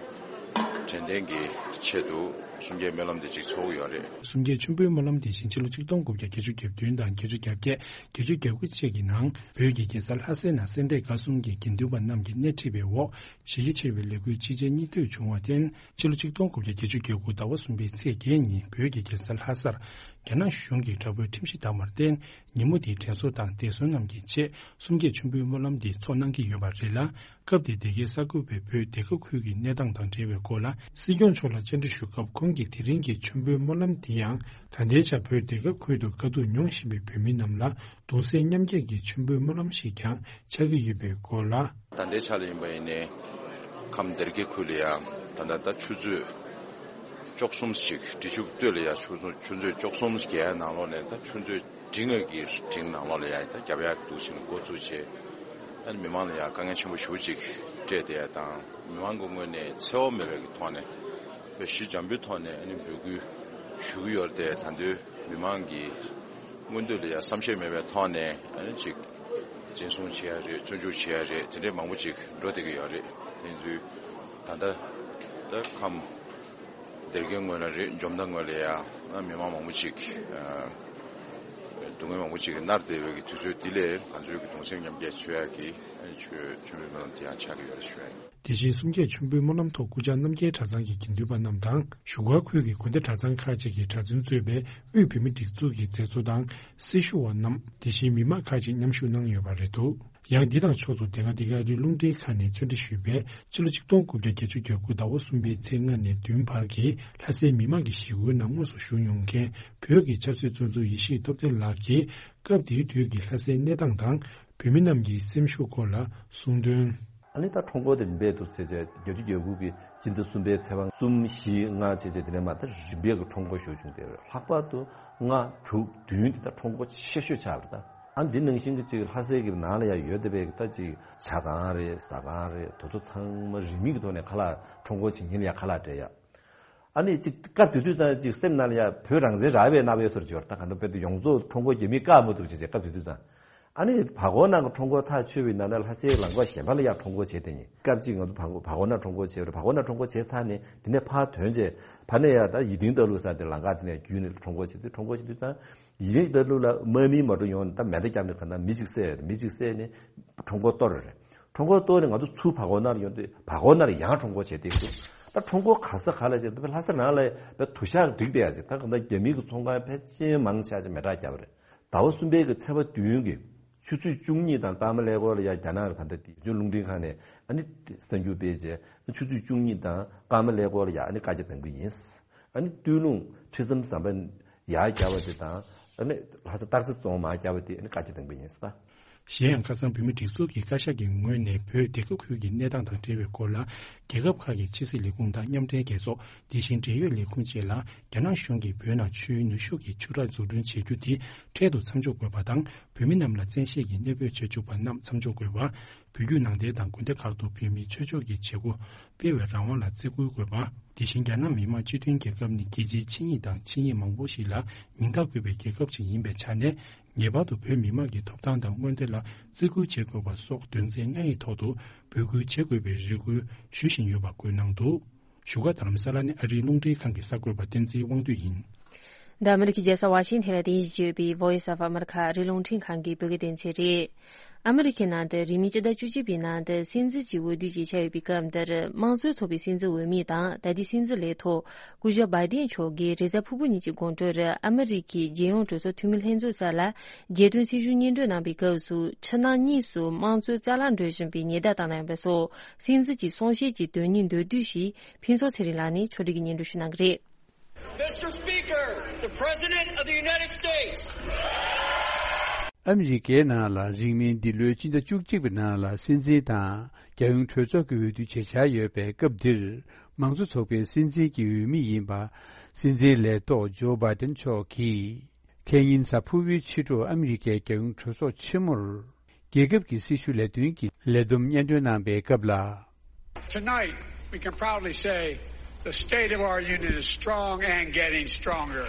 དྲན་རྟེན་གྱི་ཆེད་དུ་གསུམ་བརྒྱད་སྨོན་ལམ་འདི་གཅིག་ཚོགས་ཀྱི་ཡོད་རེད། གསུམ་བརྒྱད་མཆོད་འབུལ་སྨོན་ལམ་དེ་བཞིན་ཕྱི་ལོ་ཆིག་སྟོང་དགུ་བརྒྱ་བརྒྱད་ཅུ་གྱ་བདུན་དང་བརྒྱད་ཅུ་གྱ་བརྒྱད། བརྒྱད་ཅུ་གྱ་དགུ་བཅས་ཀྱི་ནང་བོད་ཀྱི་རྒྱལ་ས་ལྷ་སའི་ནང་སེ་འབྲས་དགའ་གསུམ་གྱི་དགེ་འདུན་པ་རྣམས་ཀྱིས་སྣེ་ཁྲིད་པའི་འོག་གཞི་རྒྱ་ཆེ་བའི་ལས་འགུལ་ཅི་བྱེད་གཉིས་ཐོས་བྱུང་བར་བརྟེན། ཕྱི་ལོ་ཆིག་སྟོང་དགུ་བརྒྱ་བརྒྱད་ཅུ་གྱ་དགུ་ཟླ་བ་གསུམ་པའི་ཚེས་བརྒྱད་ཉིན་བོད་ཀྱི་རྒྱལ་ས་ལྷ་སར་རྒྱ་ནག་གཞུང་གིས་དྲག་པོའི་ཁྲིམས་གཞི་བསྡམས་པར་བརྟེན། ཉིན་མོ་དེའི་དྲན་གསོ་དང་འདས་གསོན་རྣམས་ཀྱི་ཆེད་གསུམ་བརྒྱད་མཆོད་འབུལ་སྨོན་ལམ་འདི་ཚོགས་གནང་གི་ཡོད་པ་རེད་ལ། སྐབས་དེའི་དེ་གའི་གསར་འགོད་པས་བོད་སྡེ་ཁག་ཁུལ་གྱི་གནས་སྟངས་དང་འབྲེལ་བའི་སྐོར་ལ་སྲིད་སྐྱོང་མཆོག་ལ་བཅར་འདྲི་ཞུ་སྐབས། ཁོང་གིས་དེ་རིང་གི་མཆོད་འབུལ་སྨོན་ལམ་འདི་ཡང་ད་ལྟའི་ཆར་བོད་སྡེ་ཁག་ཁུལ་དུ་དཀའ་སྡུག་མྱོང་བཞིན་པའི་བོད་མི་རྣམས་ལ་གདུང་སེམས་མཉམ་སྐྱེད་ཀྱི་མཆོད་འབུལ་སྨོན་ལམ་ཞིག་ཀྱང་ཆགས་ཀྱི་ཡོད་པའི་སྐོར་ལ། ད་ལྟའི་ཆ་ལ་ཡིན་པ་ཡིན་ནའི་ཁམས་སྡེ་དགེ་ཁུལ་ལ་ཡང་ད་ལྟ་ད་ཆུ་ཚོད་བཅུ་གསུམ་ཞིག་བྲིས་ཆུ་སྟོད་ལ་ཡང་ཆུ་ཚོད་ཆུ་ཚོད་བཅུ་གསུམ་བརྒྱད་ནང་ལོགས་ནས་ད་ཆུ་ཚོད་འབྲིང་ངེས་ཀྱི་འབྲིང་ནང་ལོགས་ལ་ཡང་ད་རྒྱབ་ཡག་འདུག་ཕྱིན་འགོ་བཙུགས་བྱས། ཨ་ནི་མི་མང་ལ་ཡང་དཀའ་ངལ་ཆེན་པོ་ཞེ་པོ་ཅིག་སྤྲད་དེ་དང་མི་མང་གི་ངོས་ནས་འཚེ་བ་མེད་པའི་གི་ཐོག་ནས་དཔེ་ཞི་འཇམ་པོའི་ཐོག་ནས་ཨ་ནི་འབོད་སྐུལ་ཞུ་གི་ཡོད་རེད་དེ། ད་དུང་མི་མང་གི་མངོན་འདོད་ལ་ཡང་བསམ་ཤེས་མེད་པའི་ཐོག་ནས་ཨ་ནི་ཅིག་འཛིན་བཟུང་བྱེད་ཡ་རེད། བཙོན་འཇུག་བྱེད་ཡ་རེད། དེ་འདྲའི་མང་པོ་ཅིག་འགྲོ་བསྡད་ཀྱི་ཡོད་རེད། དེ་ཚོའི་ད་ལྟ་ད་ཁམས་སྡེ་དགེ་ངོས་ལ་རེད། འཇོ་མདའ་ངོས་ལ་ཡང་མི་མང་མང་པོ་ཅིག་སྡུག་བསྔལ་མང་པོ་ཅིག་མནར་བསྡད་པའི་གི་དུས་ཚོད་འདི་ལས་ང་ཚོའི་གི་གདུང་སེམས་མཉམ་སྐྱེད་བྱེད་ཡ་གི་ཆོས་མཆོད་འབུལ་སྨོན་ལམ་དེ་ཡང་ཆགས་ཀྱི་ཡོད་རེད་ཞུ་ཡ་ཡིན། དེ་བཞིན་གསུམ་བརྒྱད་མཆོད་འབུལ་སྨོན་ལམ་ཐོག་སྐུ་བཅར་རྣམ་རྒྱལ་གྲྭ་ཚང་གི་དགེ་འདུན་པ་རྣམས་དང་བཞུགས་སྒར་ཁུལ་གྱི་དགོན་སྡེ་གྲྭ་ཚང་ཁག་ཅིག་གིས་གྲྭ་བཙུན་གཙོས་པའི་དབུས་བོད་མིའི་སྒྲིག་འཛུགས་ཀྱི་མཛད་གཙོ་དང་སྲི་ཞུ་བ་རྣམས། དེ་བཞིན་མི་མང་ཁག་ཅིག་མཉམ་ཞུགས་གནང་ཡོད་པ་རེད་འདུག་ཡང་འདི་དང་ཕྱོགས་མཚུངས་དེ་སྔ་འདི་ག་རི་རླུང་འཕྲིན་ཁང་ནས་འཚམས་འདྲི་ཞུས་པའི་ཕྱི་ལོ་ཆིག་སྟོང་དགུ་བརྒྱ་བརྒྱད་ཅུ་གྱ་དགུ་ཟླ་བ་གསུམ་པའི་ཚེས་ལྔ་ནས་བདུན་བར་གྱི་ལྷ་སའི་མི་མང་གི་ཞི་རྒོལ་ནང་དངོས་སུ་ཞུགས་མྱོང་མཁན་བོད་ཀྱི་ཆབ་སྲིད་བཙོན་ཟུར་ཡེ་ཤེས་སྟོབས་ལྡན་ལགས་ཀྱིས་སྐབས་དེའི་དུས་ཀྱི་ལྷ་སའི་གནས་སྟངས་དང་བོད་མི་རྣམས་ཀྱི་སེམས་ཤུགས་སྐོར་ལ་གསུངས་དོན། ཨ་ནི་ད་ཁྲོམ་སྐོར་དེ་རིམ་པས་འདུག་ཟེར་བྱས་བརྒྱད་ཅུ་གྱ་དགུ་གི་སྤྱི་ཟླ་གསུམ་པའི་ཚེས་པ་གསུམ་བཞི་ལྔ་བྱས་བྱས་དེ་ནས་མ་ད་རིམ་པས་ཀྱི་ཁྲོམ་སྐོར་ཞུགས་བྱུང་སྟེ་ལྷག་པར་དུ་ལྔ་དྲུག་བདུན་དེ་ད་ཁྲོམ་སྐོར་ཆེ་ཤོས་ཆགས་པ་རེད་ད། ཨ་འདི་ནང་བཞིན་གྱི་ཅིག་ལྷ་སའི་གི་ནང་ལ་ཡང་ཡོད་བསྡད་པའི་ད་ཅིག་ཇ་ཁང་རེད། ཟ་ཁང་རེད། དེ་ཚོ་ཚང་མ་རིན་མེད་ཀྱི་ཐོག་ནས་ཁ་ལག་ཁྲོམ་སྐོར་བྱེད་མཁན་ལ་ཡང་ཁ་ལག་སྤྲད་ཡ། ཨ་ནི་ཅིག་སྐབས་དེ་དུས་ཙང་ཅིག་སེམས་ནང་ལ་ཡང་བོད་རང་བཙན་རག་པའི་རྣམ་པའི་བཟོ་འདྲ་ཅིག་ཡོད་རེད་ད། གང་ལྟར་དཔེ་དེ་ཡོངས་རྫོགས་ཁྲོམ་སྐོར་རྒྱག་མི་བཀག་མ་ཐུབ་ཅིག་བྱས་སྐབས་དེ་དུས་ཙང་། ཨ་ནི་བར་སྐོར་ནང་གི་ཁྲོམ་སྐོར་ཐག་ཆོད་པའི་ནང་ནས་ལྷ་སའི་ལམ་ཁ་གཞན་པ་ལ་ཡང་ཁྲོམ་སྐོར་བྱས་བསྡད་མཁན། སྐབས་གཅིག་ང་ཚོ་བར་སྐོར་བར་སྐོར་ནང་ཁྲོམ་སྐོར་བྱས་པ་རེད། བར་སྐོར་ནང་ཁྲོམ་སྐོར་བྱས་ཚར་ནས་དེ་ནས་ཕར་ཐོན་རྗེས་ཕར་ནས་ཡང་ད་ཡིད་བརྟན་རྟ་ལུག་ཟེར་དེ་ལམ་ཁ་དེ་ནས་བརྒྱུད་ནས་ཁྲོམ་སྐོར་བྱེད་དུས་ཙང་། ཡིན་ད་ལུགས་ལ་དམག་མི་མ་འགྲོ་ཡོང་ད་མེ་མདའ་བརྒྱབ་ནས་གང་ལྟར་མི་གཅིག་བསད་རེད། མི་གཅིག་བསད་ནས་ཁྲོམ་སྐོར་གཏོར་རེད། ཁྲོམ་སྐོར་གཏོར་ནས་ང་ཚོ་ཚུར་བར་སྐོར་ནང་ལ་ཡོང་དུས་བར་སྐོར་ནང་ལ་ཡང་ཁྲོམ་སྐོར་བྱས་ཏེ་འདུག་ད་ཁྲོམ་སྐོར་ག་ས་ག་ལ་བྱས་ད་ལྷ་ས་ནང་ལ་བའི་དུ་ཞག་འགྲིག་བསྡད་ཡ་ཅིག་ད་གང་ལྟར་རྒྱ་མི་གི་ཚོང་ཁང་ཕལ་ཆེར་མང་ཆེ་བ་ཅིག་མེ་སྲེག་བརྒྱབ་པ་རེད། ཟླ་བ་གསུམ་པའི་གི་ཚེས་པ་བདུན་གི་ཆུ་ཚོད་བཅུ་གཉིས་དང་སྐར་མ་ཀླད་ཀོར་ལ་ཡ་རྒྱ་ནག་གི་ད་ལྟ་དེ་རྒྱུན་རླུང་འཕྲིན་ཁང་ནས་ཨ་ནི་གསར་འགྱུར་སྤེལ་རྗེས་ཆུ་ཚོད་བཅུ་གཉིས་དང་སྐར་མ་ཀླད་ཀོར་ལ་ཡ་ཨ་ནི་བཀའ་རྒྱ་གཏོང་གི་ཡིན། ཨ་ནི་སྟོད་ལུང་ཁྲི་ཟམ་ཟམ་པ་ཡར་བརྒྱབ་པ་དེ་དང་ཨ་ནི་ལྷ་ས་སྟག་རྩེ་རྫོང་མར་བརྒྱབ་པ་དེ་ཨ་ནི་བཀའ་རྒྱ་གཏོང་གི་ཡིན་ཟེར། གཞན་ཡང་ཁ་སང་བོད་མིའི་སྒྲིག་འཛུགས་ཀྱི་བཀའ་ཤག་གི་ངོས་ནས་བོད་སྡེ་ཁག་ཁུལ་གྱི་གནས་སྟངས་དང་འབྲེལ་བའི་སྐོར་ལ་རྒྱལ་ཁབ་ཁག་གི་ཕྱི་སྲིད་ལས་ཁུངས་དང་མཉམ་འབྲེལ་རྒྱལ་ཚོགས། དེ་བཞིན་འབྲེལ་ཡོད་ལས་ཁུངས་བཅས་ལ་རྒྱ་ནག་གཞུང་གིས་བོད་ནང་ཆུའི་ནུས་ཤུགས་ཀྱི་ཆུ་རགས་འཛུགས་སྐྲུན་བྱེད་རྒྱུ་དེ་འཕྲལ་དུ་མཚམས་འཇོག་དགོས་པ་དང་། བོད་མི་རྣམས་ལ་བཙན་ཤེད་ཀྱིས་གནོད་འབོད་བྱེད་བཅུག་པ་རྣམས་མཚམས་འཇོག་དགོས་པ། བོད་བརྒྱུད་ནང་བསྟན་དང་དགོན་སྡེ་ཁག་ཏུ་བོད་མིའི་ཆོས་ཕྱོགས་ཀྱི་བྱེད་སྒོ་སྤེལ་བའི་རང་དབང་ལ་བརྩི་བཀུར་དགོས་པ། དེ་བཞིན་རྒྱ་ནག་མི་དམངས་སྤྱི་མཐུན་རྒྱལ་ཁབ་ནི་རྒྱལ་སྤྱིའི་ཆིངས་ཡིག་དང་ཆིངས་ཡིག་མང་པོ་ཞིག་ལ་མིང་རྟགས་བཀོད་པའི་རྒྱལ་ཁབ་ཅིག་ཡིན་པའི་ཆ་ནས། ངེས་པར་དུ་བོད་མི་མང་གི་ཐོབ་ཐང་དང་མངོན་བདེ་ལ་བརྩི་བཀུར་བྱེད་དགོས་པ་སོགས་དོན་ཚན་ལྔ་ཡི་ཐོག་ཏུ་འབོད་སྐུལ་བྱེད་དགོས་པའི་རེ་སྐུལ་ཞུ་བཞིན་ཡོད་པ་བཀོད་གནང་འདུག་བཞུགས་སྒར་རྡ་རམ་ས་ལ་ནས་ཨ་རིའི་རླུང་འཕྲིན་ཁང་གི་གསར་འགོད་པ་བསྟན་འཛིན་དབང་འདུས་ཡིན། འདི་ཨ་མི་རི་ཀའི་རྒྱལ་ས་ཝ་ཤིང་ཐན་ལ་རྟེན་གཞི་བྱས་ཡོད་པའི་Voice of America ཨ་རིའི་རླུང་འཕྲིན་ཁང་གི་བོད་སྐད་སྡེ་ཚན་རེད། ཨ་མི་རི་ཁའི་ནང་དུ་རིང་མིན་སྤྱི་ཟླ་བཅུ་གཅིག་པའི་ནང་དུ་སྲིད་འཛིན་གྱི་འོས་བསྡུ་ཅིག་ཆགས་ཡོད་པའི་སྐབས་འདིར་དམངས་གཙོའི་ཚོགས་པའི་སྲིད་འཛིན་འོས་མི་དང་ད་ལྟའི་སྲིད་འཛིན་ལས་ཐོག་སྐུ་ཞབས་བྷའི་ཏིན་མཆོག་གིས་རེས་གཟའ་ཕུར་བུ་ཉིན་གྱི་དགོང་དྲོར་ཨ་མི་རི་ཁའི་རྒྱལ་ཡོངས་གྲོས་ཚོགས་འཐུས་མི་ལྷན་ཚོགས་སར་ལ་རྒྱལ་དོན་སྲིད་གཞུང་སྙན་སྒྲོན་གནང་པའི་སྐབས་སུ་ཕྱི་ནང་གཉིས་སུ་དམངས་གཙོའི་རྩ་ལག་འགྲོ་བཞིན་པའི་ཉེན་བརྡ་བཏང་གནང་བ་སོགས་སྲིད་འཛིན་གྱི་གསུང་བཤད་ཀྱི་དོན་སྙིང་མདོར་བསྡུས་ཤིག་ཕུན་ཚོགས་ཚེ་རིང་ལགས་ནས་ཕྱོགས་སྒྲིག་གིས་སྙན་སྒྲོན་ཞུ་གནང་གི་རེད། Mister Speaker, the President of the United States. ཨ་མི་རི་ཀའི་ནང་ལ་རིང་མིན་འདི་ལོའི་སྤྱི་ཟླ་བཅུ་གཅིག་པའི་ནང་ལ་སྲིད་འཛིན་དང་རྒྱལ་ཡོངས་གྲོས་ཚོགས་ཀྱི་འོས་བསྡུ་བྱེད་འཆར་ཡོད་པའི་སྐབས་འདིར། དམངས་གཙོ་ཚོགས་པའི་སྲིད་འཛིན་གྱི་འོས་མི་ཡིན་པ། སྲིད་འཛིན་ལས་ཐོག་ཇོ་བྷའི་ཏིན་མཆོག་གིས། ཁེ་ཉིན་གཟའ་ཕུར་བུའི་ཕྱི་དྲོ་ཨ་མི་རི་ཀའི་རྒྱལ་ཡོངས་གྲོས་ཚོགས་ཆེན་མོར། རྒྱལ་ཁབ་ཀྱི་སྲི་ཞུ་ལས་དོན་གྱི་ལས་བསྡོམས་སྙན་སྒྲོན་གནང་པའི་སྐབས་ལ། Tonight, we can proudly say the state of our union is strong and getting stronger.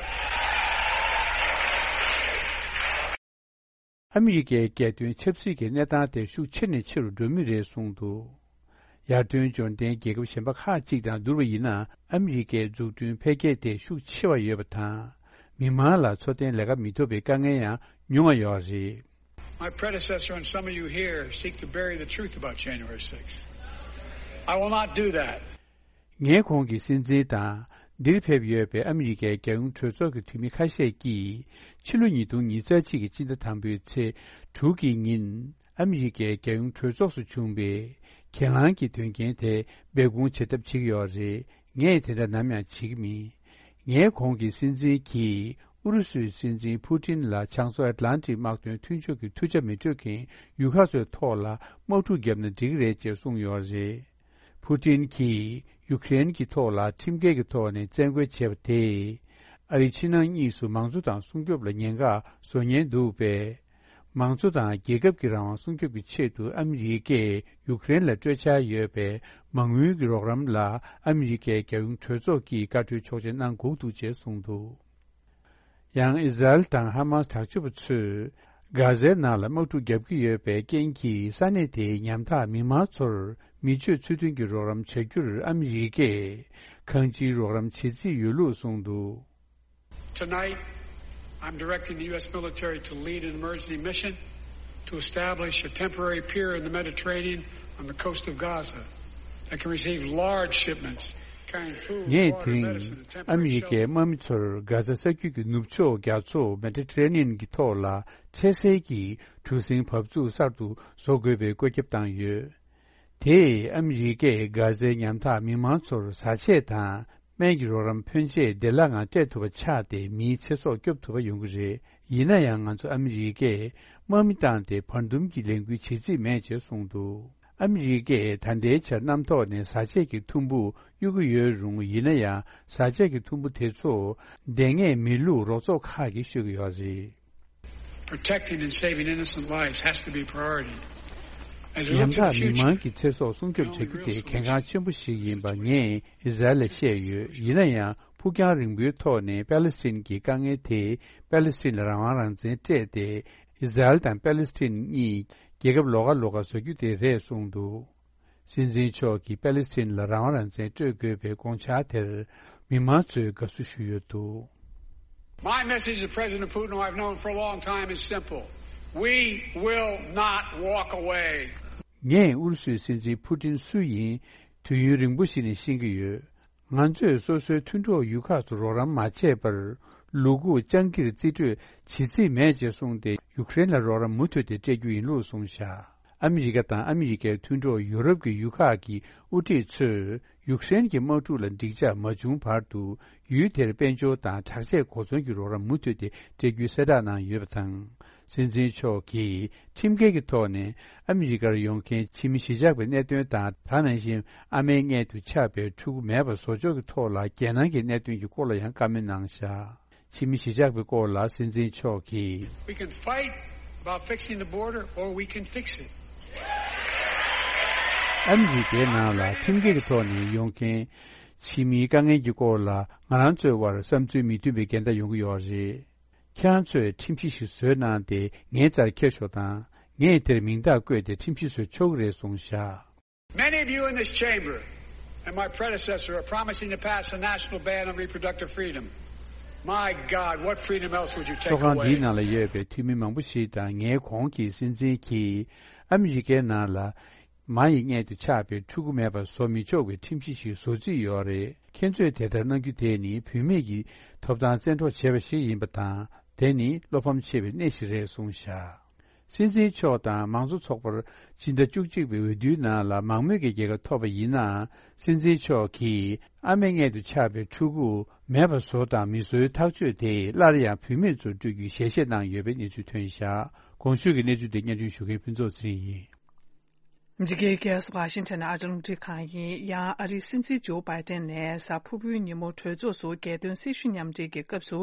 ཨ་མི་རི་ཀའི་རྒྱལ་དོན་ཆབ་སྲིད་ཀྱི་གནས་སྟངས་དེ་ཤུགས་ཆེ་ནས་ཆེ་རུ་འགྲོ་མུས་རེད་གསུངས་འདུག་ཡར་ཐོན་འབྱོར་ལྡན་རྒྱལ་ཁབ་གཞན་པ་ཁག་ཅིག་དང་བསྡུར་བ་ཡིན་ན། ཨ་མི་རི་ཀའི་འཛུགས་སྐྲུན་འཕེལ་རྒྱས་དེ་ཤུགས་ཆེ་བ་ཡོད་པ་དང་། མི་མང་ལ་འཚོ་རྟེན་ལས་ཀ་མི་ཐོབ་པའི་དཀའ་ངལ་ཡང་ཉུང་བ་ཡོད་རེད། My predecessor and some of you here seek to bury the truth about January sixth. I will not do that. ངས་གོང་གི་སྲིད་འཛིན་དང་། འདིར་ཕེབས་ཡོད་པའི་ཨ་མི་རི་ཀའི་རྒྱལ་ཡོངས་གྲོས་ཚོགས་ཀྱི་འཐུས་མི་ཁ་ཤས་ཀྱིས། ཕྱི་ལོ་ཉིས་སྟོང་ཉི་ཤུ་རྩ་གཅིག་གི་སྤྱི་ཟླ་དང་པོའི་ཚེས་དྲུག་གི་ཉིན། ཨ་མི་རི་ཀའི་རྒྱལ་ཡོངས་གྲོས་ཚོགས་སུ་བྱུང་བའི་གྱེན་ལངས་ཀྱི་དོན་རྐྱེན་དེ་སྦས་སྐུང་བྱེད་ཐབས་བྱེད་ཀྱི་ཡོད་རེད། ངས་དེ་འདྲ་ནམ་ཡང་བྱེད་ཀྱི་མིན། ངས་གོང་གི་སྲིད་འཛིན་གྱིས་ཨུ་རུ་སུའི་སྲིད་འཛིན་ཕུ་ཏིན་ལ་བྱང་མཚོ་ཨེཊ་ལན་ཊིག་དམག་དོན་མཐུན་ཕྱོགས་ཀྱི་མཐུ་ཆ་མི་སྤྲོད་མཁན་ཡུལ་ཁག་ཚོའི་ཐོག་ལ་དམག་འཁྲུག་བརྒྱབ་ན་འགྲིག་གི་རེད་ཅེས་གསུངས་ཡོད་རེད། ཕུ་ཏིན་གྱིས་ཡུ་ཀེ་རེན་གྱི་ཐོག་ལ་ཁྲིམས་འགལ་གྱི་ཐོག་ནས་བཙན་རྒོལ་བྱས་པ་དེས། ཨ་རིའི་ཕྱི་ནང་གཉིས་སུ་མང་གཙོ་དང་སྲུང་སྐྱོབ་ལ་ཉེན་ཁ་བཟོ་ཉེན་འདུག་པས། མང་གཙོ་དང་རྒྱལ་ཁབ་ཀྱི་རང་དབང་སྲུང་སྐྱོབ་ཀྱི་ཆེད་དུ་ཨ་མི་རི་ཀས་ཡུཀ་རེན་ལ་སྤྲོད་འཆར་ཡོད་པའི་མ་དངུལ་གྱི་རོགས་རམ་ལ་ཨ་མི་རི་ཀའི་རྒྱལ་ཡོངས་གྲོས་ཚོགས་ཀྱིས་བཀའ་འཁྲོལ་ཆོག་མཆན་གནང་དགོས་འདུག་ཅེས་གསུངས་འདུག། ཡང་ཨི་ཟ་རེལ་དང་ཧ་མ་སི་དྲག་སྤྱོད་པ་ཚོས་གྷ་ཟའི་ནང་ལ་དམག་འཁྲུག་བརྒྱབ་ཀྱི་ཡོད་པའི་རྐྱེན་གྱིས་ས་གནས་དེའི་ཉམ་ཐག་མི་མང་ཚོར་མི་སྤྱོད་ཚུལ་མཐུན་གྱི་རོགས་རམ་བྱ་རྒྱུར་ཨ་མི་རི་ཀས་གང་ཅིའི་རོགས་རམ་བྱེད་རྩིས་ཡོད་ལུགས་གསུངས་འདུག། Tonight, I'm directing the U S military to lead an emergency mission to establish a temporary pier in the Mediterranean on the coast of Gaza that can receive large shipments carrying food, ངས་water, དེ་རིང་medicine, and ཨ་མི་རི་temporary ཀའི་དམག་མི་ཚོར་གྷ་ཟ་ས་རྒྱུད་ཀྱི་ནུབ་ཕྱོགས་རྒྱ་མཚོ་མེ་ཏི་ཊ་རེ་ནི་ཡན་གྱི་ཐོག་ལ་འཕྲལ་སེལ་གྱི་གྲུ་གཟིངས་བབས་ཚུགས་གསར་དུ་བཟོ་དགོས་པའི་བཀོད་ཁྱབ་བཏང་ཡོད། དེས་ཨ་མི་རི་ཀས་གྷ་ཟའི་ཉམ་ཐག་མི་མང་ཚོར་བཟའ་ཆས་དང་སྨན་གྱི་རོགས་རམ་ཕོན་ཆེ་བདེ་བླག་ངང་སྤྲད་ཐུབ་པ་ཆགས་ཏེ་མིའི་ཚེ་སྲོག་སྐྱོབ་ཐུབ་པ་ཡོང་གི་རེད། ཡིན་ན་ཡང་ང་ཚོ་ཨ་མི་རི་ཀས་དམག་མི་བཏང་སྟེ་བར་འདུམ་གྱི་ལས་འགུལ་བྱེད་རྩིས་མེད་ཅེས་གསུངས་འདུག། ཨ་མི་རི་ཀས་ད་ལྟའི་ཆར་གནམ་ཐོག་ནས་བཟའ་ཆས་ཀྱི་ཐུམ་བུ་གཡུག་གི་ཡོད་རུང་། ཡིན་ན་ཡང་བཟའ་ཆས་ཀྱི་ཐུམ་བུ་དེ་ཚོ་འདེད་མཁན་མི་ལུགས་རོགས་ཚོགས་ཁག་གིས་ཤོད་ཀྱི་ཡོད་རེད། Protecting and saving innocent lives has to be priority. As we look ཉམ་to the ཐག་མི་future, མང་གི་ཚེ་སྲོག་སྲུང་སྐྱོབ་བྱ་རྒྱུ་དེ་གལ་འགངས་ཆེན་པོ་ཞིག་ཡིན་པ་ངས་ཨི་ཟ་རེལ་ལ་བཤད་ཡོད། ཡིན་ན་ཡང་ཕུགས་རྒྱང་རིང་པོའི་ཐོག་ནས་པ་ལི་སི་ཐན་གྱི་དཀའ་ངལ་དེ་པ་ལི་སི་ཐན་ལ་རང་དབང་རང་བཙན་སྤྲད་དེ་ཨི་ཟ་རེལ་དང་པ་ལི་སི་ཐན་གཉིས་རྒྱལ་ཁབ་ལོགས་ཀ་ལོགས་ཀ་བཟོ་རྒྱུ་དེ་རེད་གསུངས་འདུག། སྲིད་འཛིན་མཆོག་གིས་པ་ལི་སི་ཐན་ལ་རང་དབང་རང་བཙན་སྤྲོད་དགོས་པའི་དགོངས་འཆར་དེར་མི་མང་ཚོས་དགའ་བསུ་ཞུས་ཡོད་འདུག། My message to President Putin, who I've known for a long time, is simple. We will not walk away. ངས་ཨུ་རུ་སུའི་སྲིད་འཛིན་ཕུ་ཏིན་སུ་ཡིན་དུས་ཡུན་རིང་པོ་ཞིག་ནས་ཤེས་ཀྱི་ཡོད། ང་ཚོས་སོ་སོའི་མཐུན་གྲོགས་ཡུལ་ཁག་ཚོར་རོགས་རམ་མ་བྱས་པར་ལུ་གུ་སྤྱང་ཀིར་རྩིས་སྤྲོད་བྱེད་རྩིས་མེད་ཅེས་གསུངས་ཏེ། ཡུཀ་རེན་ལ་རོགས་རམ་མུ་མཐུད་དེ་སྤྲད་རྒྱུ་ཡིན་ལུགས་གསུངས་བཞག། ཨ་མི་རི་ཀ་དང་ཨ་མི་རི་ཀའི་མཐུན་གྲོགས་ཡུ་རོབ་ཀྱི་ཡུལ་ཁག་གི་དབུ་ཁྲིད་ཚོས་ཡུཀ་རེན་གྱི་དམག་འཁྲུག་ལ་འགྲིག་འཇགས་མ་བྱུང་བར་དུ་ཡུལ་དེར་དཔལ་འབྱོར་དང་དྲག་ཆས་གོ་མཚོན་གྱི་རོགས་རམ་མུ་མཐུད་དེ་སྤྲད་རྒྱུའི་གསལ་བསྒྲགས་གནང་ཡོད་པ་དང་། སྲིད་འཛིན་མཆོག་གིས་ཁྲིམས་འགལ་གྱི་ཐོག་ནས་ཨ་མི་རི་ཀར་ཡོང་མཁན་ཕྱི་མི་གཞིས་ཆགས་པའི་གནད་དོན་དང་། ད་ནང་བཞིན་ཨ་མའི་མངལ་དུ་ཆགས་པའི་ཕྲུ་གུ་མེད་པར་བཟོ་ཕྱོགས་ཀྱི་ཐོག་ལ་རྒྱལ་ནང་གི་གནད་དོན་གྱི་སྐོར་ལ་ཡང་བཀའ་མོལ་གནང་བཞག། ཕྱི་མི་གཞིས་ཆགས་པའི་སྐོར་ལ་སྲིད་འཛིན་མཆོག་གིས། We can fight about fixing the border, or we can fix it. ཨ་མི་རི་ཀའི་ནང་ལ་ཁྲིམས་འགལ་གྱི་ཐོག་ནས་ཡོང་མཁན་ཕྱི་མིའི་དཀའ་ངལ་གྱི་སྐོར་ལ་ང་རང་ཚོའི་དབར་བསམ་ཚུལ་མི་མཐུན་པའི་འགལ་ཟླ་ཡོང་གི་ཡོད་རེད། ཁྱེད་རང་ཚོས་ཁྲིམས་གཞི་ཞིག་བཟོས་གནང་སྟེ་ངའི་རྩར་འཁྱེར་ཤོག་དང་། ངས་དེར་མིང་རྟགས་བཀོད་དེ་ཁྲིམས་གཞི་བཟོ་ཆོག་གི་རེད་གསུངས་བཞག། Many of you in this chamber and my predecessor are promising to pass a national ban on reproductive freedom. My God, what freedom else would you take away? ཚོགས་ཁང་འདིའི་ནང་ལ་ཡོད་པའི་འཐུས་མི་མང་པོ་ཞིག་དང་ངའི་གོང་གི་སྲིད་འཛིན་གྱིས་ཨ་མི་རི་ཀའི་ནང་ལ་མ་ཡི་མངལ་དུ་ཆགས་པའི་ཕྲུ་གུ་མེད་པར་བཟོ་མི་ཆོག་པའི་ཁྲིམས་གཞི་ཞིག་བཟོ་རྩིས་ཡོད་རེད། ཁྱེད་ཚོས་དེ་ལྟར་གནང་རྒྱུ་དེ་ནི་བུད་མེད་ཀྱི་ཐོབ་ཐང་བཙན་འཕྲོག་བྱས་པ་ཞིག་ཡིན་པ་དང་། དེ་ནི་བློ་ཕམ་ཆེ་བའི་གནས་ཤིག་རེད་གསུངས་བཞག། སྲིད་འཛིན་མཆོག་དང་མང་གཙོ་ཚོགས་པར་སྤྱི་ཟླ་བཅུ་གཅིག་པའི་འོས་བསྡུའི་ནང་ལ་མང་མོས་ཀྱི་རྒྱལ་ཁ་ཐོབ་པ་ཡིན་ནའང་། སྲིད་འཛིན་མཆོག་གིས་ཨ་མའི་མངལ་དུ་ཆགས་པའི་ཕྲུ་གུ་མེད་པ་བཟོ་དང་མི་བཟོའི་ཐག་གཅོད་དེ་སླར་ཡང་བུད་མེད་ཚོར་སྤྲོད་རྒྱུའི་ཞལ་བཞེས་གནང་ཡོད་པའི་གནས་ཚུལ་ཐོན་བཞག། གོང་ཞུས་ཀྱི་གནས་ཚུལ་དེ་སྙན་སྒྲོན་ཞུ་མཁན་ཕུན་ཚོགས་ཚེ་རིང་ཡིན། ཨ་མི་རི་ཀའི་རྒྱལ་ས་ཝ་ཤིང་ཊོན་ནས་ཨ་རི་རླུང་འཕྲིན་ཁང་ཡིན། ཡང་ཨ་རིའི་སྲིད་འཛིན་ཇོ་བྷའི་ཏན་ནས་གཟའ་ཕུར་བུའི་ཉིན་མོ་གྲོས་ཚོགས་སུ་རྒྱལ་དོན་སྲི་ཞུ་མཉམ་འབྲེལ་གྱི་སྐབས་སུ།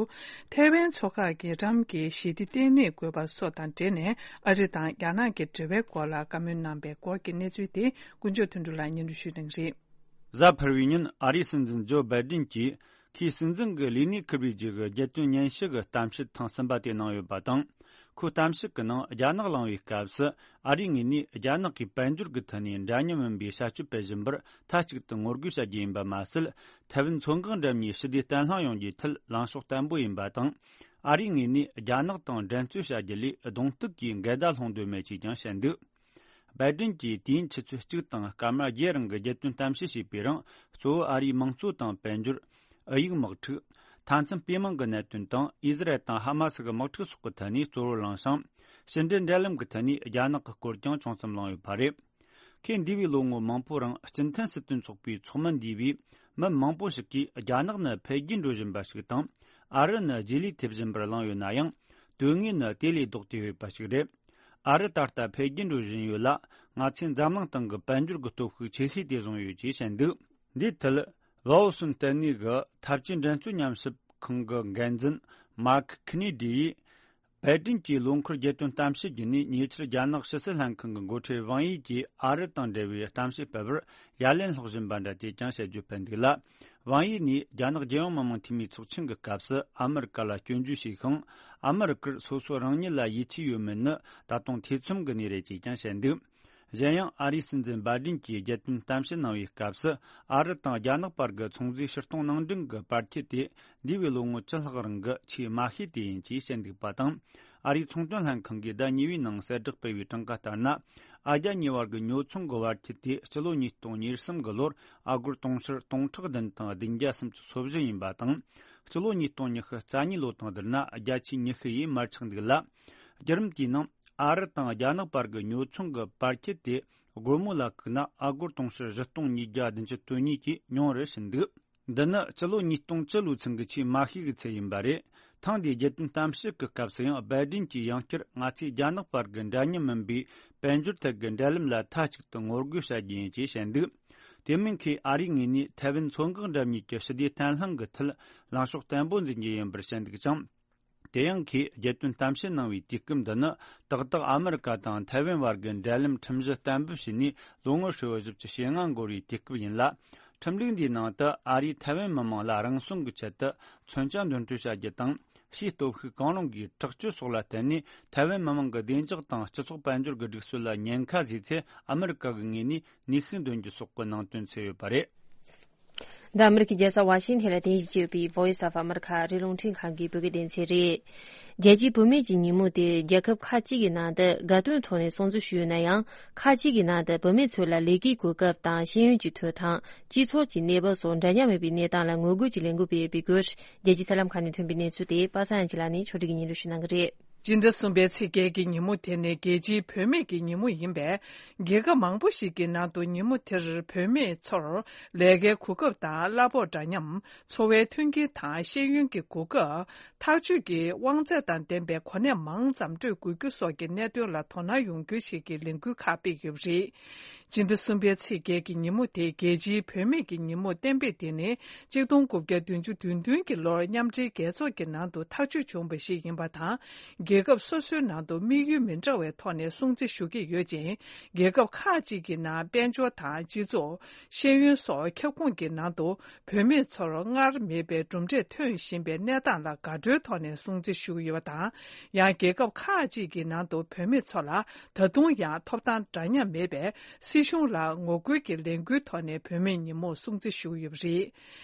ཐའེ་ཝན་མཚོ་འགག་གི་ཊམ་གྱི་ཞི་བདེ་བརྟན་ལྷིང་དགོས་པ་སོགས་དང་འབྲེལ་ནས་ཨ་རི་དང་རྒྱ་ནག་གི་འབྲེལ་བའི་སྐོར་ལ་བཀའ་མོལ་གནང་པའི་སྐོར་གྱི་གནས་ཚུལ་དེ་དཀོན་མཆོག་དོན་གྲུབ་ལགས་སྙན་སྒྲོན་ཞུ་གནང་གི་རེད། གཟའ་ཕུར་བུའི་ཉིན་ཨ་རིའི་སྲིད་འཛིན་ཇོ་བྷའི་ཏན་གྱིས། ཁོས་སྲིད་འཛིན་གྱི་ལས་གནས་འཁུར་བའི་རྗེས་ཀྱི་རྒྱལ་དོན་སྙན་ཞུ་གི་གཏམ་བཤད་ཐེངས་གསུམ་པ་དེ་གནང་ཡོད་པ་དང་། ཁོའི་གཏམ་བཤད་ཀྱི་ནང་རྒྱ་ནག་གླེང་བའི་སྐབས་སུ། ཨ་རིའི་ངོས་ནས་རྒྱ་ནག་གིས་དཔལ་འབྱོར་གྱི་ཐད་ནས་འདྲ་མཉམ་མིན་པའི་བྱ་སྤྱོད་སྤེལ་བཞིན་པར་མཐའ་གཅིག་ཏུ་ངོ་རྒོལ་བྱ་རྒྱུ་ཡིན་པ་མ་ཟད། ཐའེ་ཝན་མཚོ་འགག་འགྲམ་གཉིས་ཞི་བདེ་བརྟན་ལྷིང་ཡོང་རྒྱུའི་ཐད་ལངས་ཕྱོགས་བརྟན་པོ་ཡིན་པ་དང་། ཨ་རིའི་ངོས་ནས་རྒྱ་ནག་དང་འགྲན་རྩོད་བྱ་རྒྱུ་ལས་གདོང་གཏུག་གིས་འགལ་ཟླ་སློང་འདོད་མེད་ཅེས་ཀྱང་བཤད་འདུག། བྷའི་ཏིན་གྱིས་དུས་ཡུན་ཆུ་ཚོད་གཅིག་དང་སྐར་མ་བརྒྱད་རིང་གི་རྒྱལ་དོན་གཏམ་བཤད་བྱས་པའི་རིང་། གཙོ་བོ་ཨ་རིའི་དམངས་གཙོ་དང་དཔལ་འབྱོར། ཨུ་ཡིག་དམག་འཁྲུག་མཐའ་མཚམས་སྤེལ་མང་གི་གནད་དོན་དང་། ཨི་ཟི་རལ་དང་ཧ་མ་སི་གི་དམག་འཁྲུག་སོགས་ཀྱི་ཐད་ནས་གཙོ་བོར་བླངས་ཤིང་། ཕྱི་འབྲེལ་འབྲེལ་ལམ་གྱི་ཐད་ནས་རྒྱ་ནག་གི་སྐོར་ཀྱང་ཅུང་ཙམ་གླེང་ཡོད་པ་རེད། ཁོས་འདས་པའི་ལོ་ངོ་མང་པོའི་རིང་། སྤྱི་མཐུན་སྲིད་དོན་ཚོགས་པའི་ཚོགས་མི་འདས་པའི་མི་མང་པོ་ཞིག་གིས། རྒྱ་ནག་ནི་འཕེལ་རྒྱས་འགྲོ་བཞིན་པ་ཞིག་དང་། ཨ་རི་ནི་རྗེས་ལུས་ཐེབས་བཞིན་པར་གླེང་ཡོད་ན་ཡང་། དོན་དངོས་ནི་དེ་ལས་ལྡོག་སྟེ་ཡོད་པ་ཞིག་རེད། ཨ་རི་ད་ལྟ་འཕེལ་རྒྱས་འགྲོ་བཞིན་ཡོད་ལ། ང་ཚོས་འཛམ་གླིང་སྟེང་གི་དཔལ་འབྱོར་གྱི་སྟོབས་ཤུགས་ཆེ་ཤོས་དེ་བཟུང་ཡོད་ཅེས་བཤད་འདུག། འདིའི་ཐད། ཝ་ཨོ་སོན་ལྟེ་གནས་ཀྱི་འཐབ་ཇུས་འགྲན་རྩོད་ཉམས་ཞིབ་ཁང་གི་འགན་འཛིན་མཱར་ཁི་ཁི་ནི་ཌི་ཡིས། པེ་ཏིན་གྱི་ལོ་འཁོར་རྒྱལ་དོན་གཏམ་བཤད་བརྒྱུད་ནས། ཉེ་ཆར་རྒྱ་ནག་ཕྱི་སྲིད་ལྷན་ཁང་གི་འགོ་ཁྲིད་ཝང་ཡི་གིས་ཨ་རི་དང་འབྲེལ་བའི་གཏམ་བཤད་སྤེལ་བར་ཡ་ལན་སློག་བཞིན་པ་འདྲ་ཅེས་ཀྱང་བཤད་རྒྱུ་ཕེབས་འདུག་ལ། ཝང་ཡི་ནས་རྒྱ་ནག་རྒྱལ་ཡོངས་མི་དམངས་འཐུས་མིའི་ཚོགས་ཆེན་གྱི་སྐབས་སུ་ཨ་མི་རི་ཀ་ལ་སྐྱོན་བརྗོད་བྱས་ཤིང་། ཨ་མི་རི་ཀར་སོ་སོ་རང་ཉིད་ལ་ཡིད་ཆེས་ཡོད་མེད་ནི་ད་དུང་ཐེ་ཚོམ་གྱི་གནས་རེད་ཅེས་ཀྱང་བཤད་འདུག། གཞན་ཡང་ཨ་རིའི་སྲིད་འཛིན་བྷའི་ཌེན་གྱིས་རྒྱལ་དོན་གཏམ་བཤད་གནང་བའི་སྐབས་སུ། ཨ་རི་དང་རྒྱ་ནག་བར་གྱི་ཚོང་རྫས་ཕྱིར་གཏོང་ནང་འདྲེན་གྱི་བར་ཁྱད་དེ་འདས་པའི་ལོ་ངོ་བཅུ་ལྷག་རིང་གི་ཆེས་དམའ་ཤོས་དེ་ཡིན་ཅེས་བཤད་འདུག་པ་དང་། ཨ་རིའི་ཚོང་དོན་ལྷན་ཁང་གིས་ཟླ་གཉིས་པའི་ནང་གསལ་བསྒྲགས་སྤེལ་བའི་གྲངས་ཀ་ལྟར་ན། ཨ་རྒྱ་གཉིས་བར་གྱི་ཉོ་ཚོང་གི་བར་ཁྱད་དེ་སྤྱི་ལོ་ཉིས་སྟོང་ཉེར་གསུམ་གྱི་ལོར་ཨ་སྒོར་དུང་ཕྱུར་སྟོང་ཕྲག་བདུན་དང་བདུན་བརྒྱ་སུམ་ཅུ་སོ་བཞི་ཡིན་པ་དང་། སྤྱི་ལོ་ཉིས་སྟོང་ཉི་ཤུ་རྩ་གཉིས་ལོ་དང་བསྡུར་ན་བརྒྱ་ཆའི་ཉི་ཤུ་ཡིས་མར་ཆག་འདུག་ལ། བརྒྱུད་རིམ་དེའི་ནང་ཨ་རི་དང་རྒྱ་ནག་བར་གྱི་ཉོ་ཚོང་གི་བར་ཁྱད་དེ་སྒོར་མོ་ལ་བཀུག་ན་ཨ་སྒོར་དུང་ཕྱུར་བཞི་སྟོང་ཉིས་བརྒྱ་བདུན་ཅུ་དོན་གཉིས་ཀྱིས་ཉུང་རུ་ཕྱིན་འདུག། འདི་ནི་སྤྱི་ལོ་ཉིས་སྟོང་བཅུ་ལོའི་ཚུན་གྱི་ཆེས་དམའ་ཤོས་ཀྱི་ཚད་ཡིན་པ་རེད། ཐེངས་འདིའི་རྒྱལ་དོན་གཏམ་བཤད་ཀྱི་སྐབས་སུ་ཡང་བྷའི་ཌེན་གྱིས་ཡང་བསྐྱར་ང་ཚོས་རྒྱ་ནག་བར་གྱི་འདྲ་མཉམ་མིན་པའི་དཔལ་འབྱོར་ཐད་ཀྱི་འབྲེལ་ལམ་ལ་མཐའ་གཅིག་ཏུ་ངོ་རྒོལ་བྱ་རྒྱུ་ཡིན་ཅེས་བཤད་འདུག། དེ་མིན་ཁོས་ཨ་རིའི་ངོས་ནས་ཐའེ་ཝན་མཚོ་འགག་འགྲམ་གཉིས་ཀྱི་ཞི་བདེ་བརྟན་ལྷིང་གི་ཐད་ལངས་ཕྱོགས་བརྟན་པོ་འཛིན་རྒྱུ་ཡིན་པར་བཤད་འདུག་ཅིང་། དེ་ཡང་ཁོས་རྒྱལ་དོན་གཏམ་བཤད་གནང་བའི་དུས་སྐབས་འདི་ནི་ཏག་ཏག་ཨ་མི་རི་ཀ་དང་ཐའེ་ཝན་བར་གྱི་འབྲེལ་ལམ་ཁྲིམས་གཞི་གཏན་འབེབས་བྱས་ནས་ལོ་ངོ་ཧྲིལ་བོ་བཞི་བཅུ་ཞེ་ལྔ་འགོར་བའི་དུས་སྐབས་ཡིན་ལ། ཁྲིམས་ལུགས་འདིའི་ནང་དུ་ཨ་རིས་ཐའེ་ཝན་མི་དམངས་ལ་རང་སྲུང་གི་ཆེད་དུ་མཚོན་ཆ་འདོན་སྤྲོད་བྱ་རྒྱུ་དང་། ཕྱིའི་སྟོབས་ཤུགས་གང་རུང་གིས་དྲག་སྤྱོད་སོགས་ལ་བརྟེན་ནས་ཐའེ་ཝན་མི་དམངས་ཀྱི་བདེ་འཇགས་དང་སྤྱི་ཚོགས་དཔལ་འབྱོར་གྱི་སྒྲིག་སྲོལ་ལ་ཉེན་ཁ་བཟོས་ཚེ། ཨ་མི་རི་ཀ་གི་ངོས་ནས་ནུས་ཤུགས་འདོན་རྒྱུ་སོགས་ཀྱི་ནང་དོན་ཚུད་ཡོད་པ་རེད། འདི་ཨ་མི་རི་ཀའི་རྒྱལ་ས་ཝ་ཤིང་ཐན་ལ་རྟེན་གཞི་བྱས་ཡོད་པའི་Voice of America ཨ་རིའི་རླུང་འཕྲིན་ཁང་གི་བོད་སྐད་སྡེ་ཚན་རེད། རྒྱལ་སྤྱིའི་བུད་མེད་ཀྱི་ཉིན་མོ་དེ་རྒྱལ་ཁབ་ཁག་ཅིག་གི་ནང་དུ་དགའ་སྟོན་ཐོག་ནས་སྲུང་བརྩི་ཞུས་ཡོད་ན་ཡང་། ཁག་ཅིག་གི་ནང་དུ་བུད་མེད་ཚོ་ལ་ལས་ཀའི་གོ་སྐབས་དང་ཤེས་ཡོན་གྱི་ཐོབ་ཐང་། སྤྱི་ཚོགས་ཀྱི་གནས་བབ་སོགས་འདྲ་མཉམ་མེད་པའི་གནས་སྟངས་ལ་ངོ་རྒོལ་གྱི་ལས་འགུལ་སྤེལ་ཡོད་པའི་སྐོར། རྒྱལ་སྤྱིའི་གསར་ལམ་ཁག་ནས་ཐོན་པའི་གནས་ཚུལ་དེ་པ་སངས་ཡང་ཆོས་ལགས་ནས་ཕྱོགས་སྒྲིག་གིས་སྙན་སྒྲོན་ཞུ་གནང་གི་རེད། སྤྱི་ཟླ་གསུམ་པའི་ཚེས་བརྒྱད་ཀྱི་ཉིན་མོ་དེ་ནི་རྒྱལ་སྤྱིའི་བུད་མེད་ཀྱི་ཉིན་མོ་ཡིན་པས། རྒྱལ་ཁབ་མང་པོ་ཞིག་གི་ནང་དུ་ཉིན་མོ་དེར་བུད་མེད་ཚོར་ལས་ཀའི་གོ་སྐབས་དང་གླ་ཕོགས་འདྲ་མཉམ། འཚོ་བའི་མཐུན་རྐྱེན་དང་ཤེས་ཡོན་གྱི་གོ་སྐབས། ཐག་གཅོད་ཀྱི་དབང་ཚད་དང་ལྡན་པའི་གོ་གནས་མང་ཙམ་སྤྲོད་དགོས་རྒྱུ་སོགས་ཀྱི་གནད་དོན་ལ་དོ་སྣང་ཡོང་རྒྱུ་ཞིག་གི་ལས་འགུལ་ཁག་སྤེལ་ཡོད་པ་རེད། སྤྱི་ཟླ་གསུམ་པའི་ཚེས་བརྒྱད་ཀྱི་ཉིན་མོ་དེ་རྒྱལ་སྤྱིའི་བུད་མེད་ཀྱི་ཉིན་མོ་གཏན་འབེབས་དེ་ནི་གཅིག་སྟོང་དགུ་བརྒྱ་བདུན་ཅུ་དོན་བདུན་གྱི་ལོར་མཉམ་འབྲེལ་རྒྱལ་ཚོགས་ཀྱི་ནང་དུ་ཐག་གཅོད་བྱུང་བ་ཞིག་ཡིན་པ་དང་། རྒྱལ་ཁབ་སོ་སོའི་ནང་དུ་དམིགས་ཡུལ་མི་འདྲ་བའི་ཐོག་ནས་སྲུང་བརྩི་ཞུ་གི་ཡོད་ཅིང་། རྒྱལ་ཁབ་ཁག་ཅིག་གི་ནང་དཔལ་འབྱོར་དང་སྤྱི་ཚོགས། ཤེས་ཡོན་སོགས་ཁྱབ་ཁོངས་ཀྱི་ནང་དུ་བུད་མེད་ཚོར་སྔར་མེད་པའི་གྲུབ་འབྲས་ཐོན་བཞིན་པའི་གནས་སྟངས་ལ་དགའ་སྤྲོའི་ཐོག་ནས་སྲུང་བརྩི་ཞུ་གི་ཡོད་པ་དང་། ཡང་རྒྱལ་ཁབ་ཁག་ཅིག་གི་ནང་དུ་བུད་མེད་ཚོ་ལ་ད་དུང་ཡང་ཐོབ་ཐང་འདྲ་མཉམ་མེད་པས། སྲིད་གཞུང་ལ་ངོ་རྒོལ་གྱི་ལས་འགུལ་ཐོག་ནས་བུད་མེད་ཉིན་མོ་སྲུང་བརྩི་ཞུ་གི་ཡོད་པ་རེད།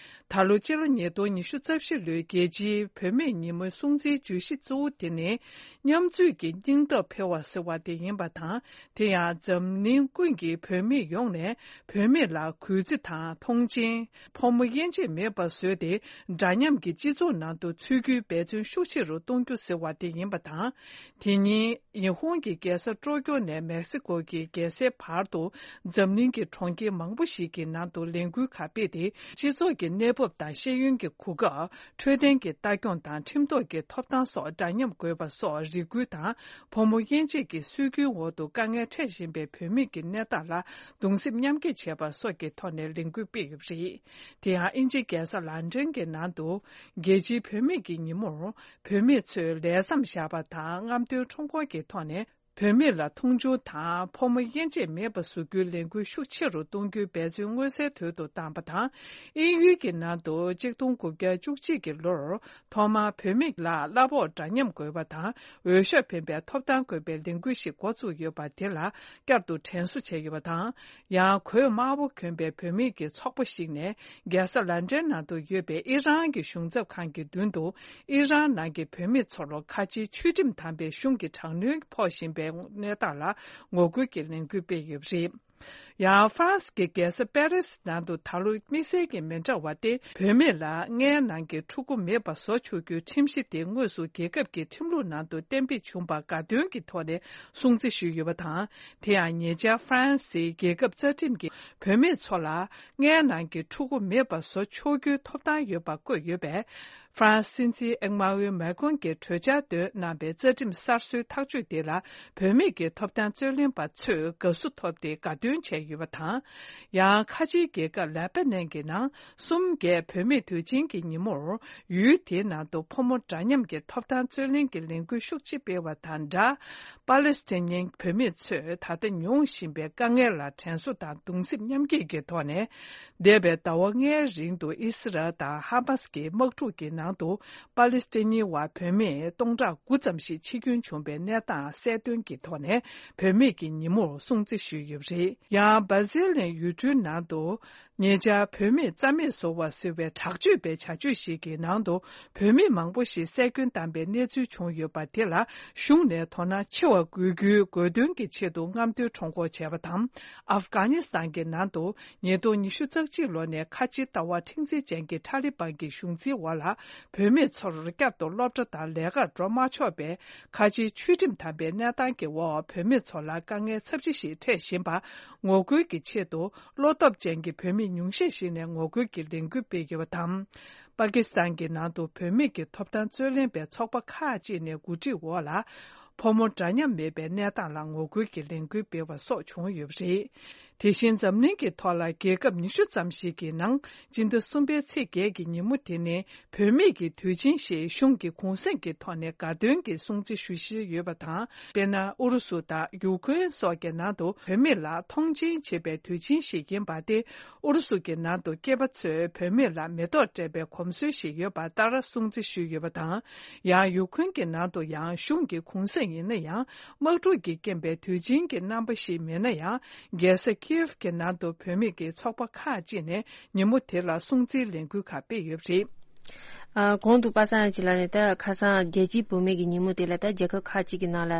ད་ལོ་སྤྱི་ལོ་ཉིས་སྟོང་ཉི་ཤུ་རྩ་བཞི་ལོའི་རྒྱལ་སྤྱིའི་བུད་མེད་ཉིན་མོའི་སྲུང་བརྩིའི་བརྗོད་གཞི་གཙོ་བོ་དེ་ནི། མཉམ་འཛུལ་གྱི་སྙིང་སྟོབས་འཕེལ་བ་ཟེར་བ་དེ་ཡིན་པ་དང་། དེ་ཡང་འཛམ་གླིང་ཀུན་གྱི་བུད་མེད་ཡོངས་ནས་བུད་མེད་ལ་གུས་བརྩི་དང་མཐོང་ཆེན། ཕོ་མོ་དབྱེ་འབྱེད་མེད་པར་བཟོས་ཏེ། འདྲ་མཉམ་གྱི་སྤྱི་ཚོགས་ནང་དུ་ཚུད་རྒྱུའི་འབད་བརྩོན་ཤུགས་ཆེ་རུ་གཏོང་རྒྱུ་ཟེར་བ་དེ་ཡིན་པ་དང་། དེ་ཉིན་ཉི་ཧོང་གི་རྒྱལ་ས་ཀྲོ་ཀྱོ་ནས་མེག་སི་ཀོ་གི་རྒྱལ་སའི་བར་དུ་འཛམ་གླིང་གི་གྲོང་ཁྱེར་མང་པོ་ཞིག་གི་ནང་དུ་ལས་འགུལ་ཁག་སྤེལ་ཏེ། སྤྱི་ཚོགས་ཀྱི་གནས་བབ་དང་ཤེས་ཡོན་གྱི་གོ་སྐབས། འཕྲོད་བསྟེན་གྱི་ལྟ་སྐྱོང་དང་ཁྲིམས་ཐོག་གི་ཐོབ་ཐང་སོགས་འདྲ་མཉམ་དགོས་པ་སོགས་རེ་སྐུལ་དང་། ཕོ་མོ་དབྱེ་འབྱེད་ཀྱི་སྲོལ་རྒྱུན་འོག་ཏུ་དཀའ་ངལ་འཕྲད་བཞིན་པའི་བུད་མེད་ཀྱི་གནས་སྟངས་ལ་གདུང་སེམས་མཉམ་སྐྱེད་བྱེད་པ་སོགས་ཀྱི་ཐོག་ནས་ལས་འགུལ་སྤེལ་ཡོད་པ་རེད། དེ་ཡང་དབྱིན་ཇིའི་རྒྱལ་ས་ལན་ཀྲན་གྱི་ནང་དུ་རྒྱལ་སྤྱིའི་བུད་མེད་ཀྱི་ཉིན་མོར། བུད་མེད་ཚོས་ལས་མཚམས་བཞག་པ་དང་རྔམ་སྟོན་ཁྲོམ་སྐོར་གྱི་ཐོག་ནས། བུད་མེད་ལ་མཐོང་ཆུང་དང་ཕོ་མོ་དབྱེ་འབྱེད་མེད་པ་བཟོ་རྒྱུའི་ལས་འགུལ་ཤུགས་ཆེ་རུ་གཏོང་རྒྱུའི་འབད་བརྩོན་མངོན་གསལ་དོད་དུ་བཏང་བ་དང་། དབྱིན་ཡུལ་གྱི་ནང་དུ་གཅིག་སྟོང་དགུ་བརྒྱ་བཅུ་གཅིག་གི་ལོར་ཐོག་མར་བུད་མེད་ལ་གླ་ཕོགས་འདྲ་མཉམ་དགོས་པ་དང་། འོས་ཤོག་འཕེན་པའི་ཐོབ་ཐང་དགོས་པའི་ལས་འགུལ་ཞིག་འགོ་བཙུགས་ཡོད་པ་དེ་ལ་བསྐྱར་དུ་དྲན་གསོ་བྱས་ཡོད་པ་དང་། ཡང་གོས་དམར་པོ་གྱོན་པའི་བུད་མེད་ཀྱི་ཚོགས་པ་ཞིག་ནས་རྒྱལ་ས་ལན་ཀྲན་ནང་དུ་ཡོད་པའི་ཨི་རན་གྱི་གཞུང་ཚབ་ཁང་གི་མདུན་དུ། ཨི་རན་ནང་གི་བུད་མེད་ཚོར་ཁ་ཆེའི་ཆོས་ཁྲིམས་དམ་པའི་གཞུང་གི་དྲག་གནོན་ཕོག་བཞིན་པའི་གནས་སྟངས་ལ་ངོ་རྒོལ་གྱི་ལས་འགུལ་སྤེལ་ཡོད་པ་རེད། ཡང་ཧྥ་རན་སི་གི་རྒྱལ་ས་པེ་རི་སི་ནང་དུ་ད་ལོ་དམིགས་བསལ་གྱི་མི་འདྲ་བ་སྟེ། བུད་མེད་ལ་མངལ་ནང་གི་ཕྲུ་གུ་མེད་པ་བཟོ་ཆོག་རྒྱུའི་ཁྲིམས་གཞི་དེ་དངོས་སུ་རྒྱལ་ཁབ་ཀྱི་ཁྲིམས་ལུགས་ནང་དུ་གཏན་འབེབས་བྱུང་བར་དགའ་སྟོན་གྱི་ཐོག་ནས་སྲུང་བརྩི་ཞུས་ཡོད་པ་དང་། དེ་ཡང་ཉེ་ཆར་ཧྥ་རན་སིའི་རྒྱལ་ཁབ་རྩ་ཁྲིམས་ཀྱིས་བུད་མེད་ཚོ་ལ་མངལ་ནང་གི་ཕྲུ་གུ་མེད་པ་བཟོ་ཆོག་རྒྱུའི་ཐོབ་ཐང་ཡོད་པ་བཀོད་ཡོད་པས། ཧྥ་རན་སི་སྲིད་འཛིན་ཨེག་མཱ་ཝེ་མེ་ཀོན་གྱིས་གྲོས་འཆར་འདོན་གནང་བའི་རྩ་ཁྲིམས་གསར་བཟོའི་ཐག་གཅོད་དེ་ལ་བུད་མེད་ཀྱི་ཐོབ་ཐང་རྩོད་ལེན་པ་ཚོས་དགའ་བསུ་ཐོབ་སྟེ་དགའ་སྟོན་བྱས་ཡོད་པ་དང་། ཡང་ཁ་ཆེའི་རྒྱལ་ཁབ་ལེ་པ་ནན་གྱི་ནང་གསུམ་བརྒྱད་བུད་མེད་དུས་ཆེན་གྱི་ཉིན་མོར། ཡུལ་དེའི་ནང་དུ་ཕོ་མོ་འདྲ་མཉམ་གྱི་ཐོབ་ཐང་རྩོད་ལེན་གྱི་ལས་འགུལ་ཤུགས་ཆེ་སྤེལ་བ་དང་སྦྲགས། པ་ལེ་སི་ཐན་ཉིན་བུད་མེད་ཚོས་ད་ལྟ་མྱོང་བཞིན་པའི་དཀའ་ངལ་ལ་དྲན་གསོ་དང་གདུང་སེམས་མཉམ་སྐྱེད་ཀྱི་ཐོག་ནས། འདས་པའི་ཟླ་བ་ལྔའི་རིང་དུ་ཨི་སི་རལ་དང་ཧ་མཱ་སི་ཀྱི་དམག་འཁྲུག་གི་ནང་དུ་པ་ལེ་སི་ཐན་ཉི་བ་བུད་མེད་སྟོང་ཕྲག་དགུ་ཙམ་ཞིག་འཆི་སྐྱོན་བྱུང་བའི་གནས་སྟངས་གསལ་སྟོན་གྱི་ཐོག་ནས་བུད་མེད་ཀྱི་ཉིན་མོར་སྲུང་བརྩི་ཞུས་ཡོད་པ་རེད། ཡང་། སྦ་ཟི་ལིན་ཡུལ་གྲུའི་ནང་དུ། ཉེ་ཆར་བུད་མེད་རྩ་མེད་བཟོ་བ་ཟེར་བའི་དྲག་སྤྱོད་པའི་བྱ་སྤྱོད་ཞིག་གི་ནང་དུ། བུད་མེད་མང་པོ་ཞིག་བསད་སྐྱོན་བཏང་པའི་གནས་ཚུལ་བྱུང་ཡོད་པ་དེ་ལ། གཞུང་ནས་དོ་སྣང་ཆེ་བ་དགོས་རྒྱུའི་དགོས་འདུན་གྱི་ཆེད་དུ་རྔམ་སྟོན་ཁྲོམ་སྐོར་བྱས་པ་དང་། ཨབ་གྷ་ནི་སི་ཐན་གྱི་ནང་དུ། ཉིས་སྟོང་ཉི་ཤུ་རྩ་གཅིག་ལོ་ནས་ཁ་ཆེའི་ལྟ་བ་མཁྲེགས་འཛིན་ཅན་གྱི་ཐ་ལི་བན་གྱི་གཞུང་འཛིན་འོག་ལ། བུད་མེད་ཚོར་བསྐྱར་དུ་སློབ་གྲྭ་དང་ལས་ཀར་འགྲོ་མ་ཆོག་པའི་ཁ་ཆེའི་ཆོས་ཁྲིམས་དམ་པའི་གནས་སྟངས་ཀྱི་འོག་བུད་མེད་ཚོ་ལ་དཀའ་ངལ་ཚབས་ཆེ་ཞིག་འཕྲད་བཞིན་པ་ངོ་རྒོལ་གྱི་ཆེད་དུ། བློ་སྟོབས་ཅན་གྱི་བུད་མེད་ཉུང་ཤས་ཤིག་ནས་ངོ་རྒོལ་གྱི་ལས་འགུལ་སྤེལ་ཡོད་པ་དང་། པ་ཀི་སི་ཐན་གྱི་ནང་དུ་བུད་མེད་ཀྱི་ཐོབ་ཐང་རྩོད་ལེན་པའི་ཚོགས་པ་ཁག་ཅིག་ནས་གོ་སྒྲིག་འོག་ལ། ཕོ་མོ་འདྲ་མཉམ་མེད་པའི་གནས་སྟངས་ལ་ངོ་རྒོལ་གྱི་ལས་འགུལ་སྤེལ་བ་སོགས་བྱུང་ཡོད་པ་རེད། དེ་བཞིན་འཛམ་གླིང་གི་ཐོག་ལ་རྒྱལ་ཁབ་ཉི་ཤུ་ཙམ་ཞིག་གི་ནང་སྤྱི་ཟླ་གསུམ་པའི་ཚེས་བརྒྱད་ཀྱི་ཉིན་མོ་དེ་ནི་བུད་མེད་ཀྱི་དུས་ཆེན་ཞེས་གཞུང་གི་གུང་སེང་གི་ཐོག་ནས་དགའ་སྟོན་གྱི་སྲུང་བརྩི་ཞུ་བཞིན་ཡོད་པ་དང་། དཔེར་ན། ཨུ་རུ་སུ་དང་ཡུ་ཁུ་རེན་སོགས་ཀྱི་ནང་དུ་བུད་མེད་ལ་མཐོང་ཆེན་བྱེད་པའི་དུས་ཆེན་ཞིག་ཡིན་པ་སྟེ། ཨུ་རུ་སུ་གྱི་ནང་དུ་སྐྱེས་པ་ཚོས་བུད་མེད་ལ་མེ་ཏོག་སྤྲད་པའི་གོམས་སྲོལ་ཞིག་ཡོད་པ་ལྟར་སྲུང་བརྩི་ཞུས་ཡོད་པ་དང་། ཡང་ཡུ་ཁུ་རེན་གྱི་ནང་དུ་ཡང་གཞུང་གི་གུང་སེང་ཡིན་ན་ཡང་། དམག་འཁྲུག་གི་རྐྱེན་པས་དུས་ཆེན་གྱི་རྣམ་པ་ཞིག་མེད་ན་ཡང་། རྒྱལ་ས་ཁིའེབ་ཀྱི་ནང་དུ་བུད་མེད་ཀྱི་ཚོགས་པ་ཁག་ཅིག་ནས་ཉིན་མོ་དེ་ལ་སྲུང་བརྩིའི་ལས་འགུལ་ཁག་སྤེལ་ཡོད་པ་རེད། ཨ། གོང་དུ་པ་སངས་ཡ་ཅི་ལ་ནས་ད་ཁ་སང་རྒྱལ་སྤྱིའི་བུད་མེད་ཀྱི་ཉིན་མོ་དེ་ལ་ད་རྒྱལ་ཁབ་ཁག་ཅིག་གི་ནང་ལ་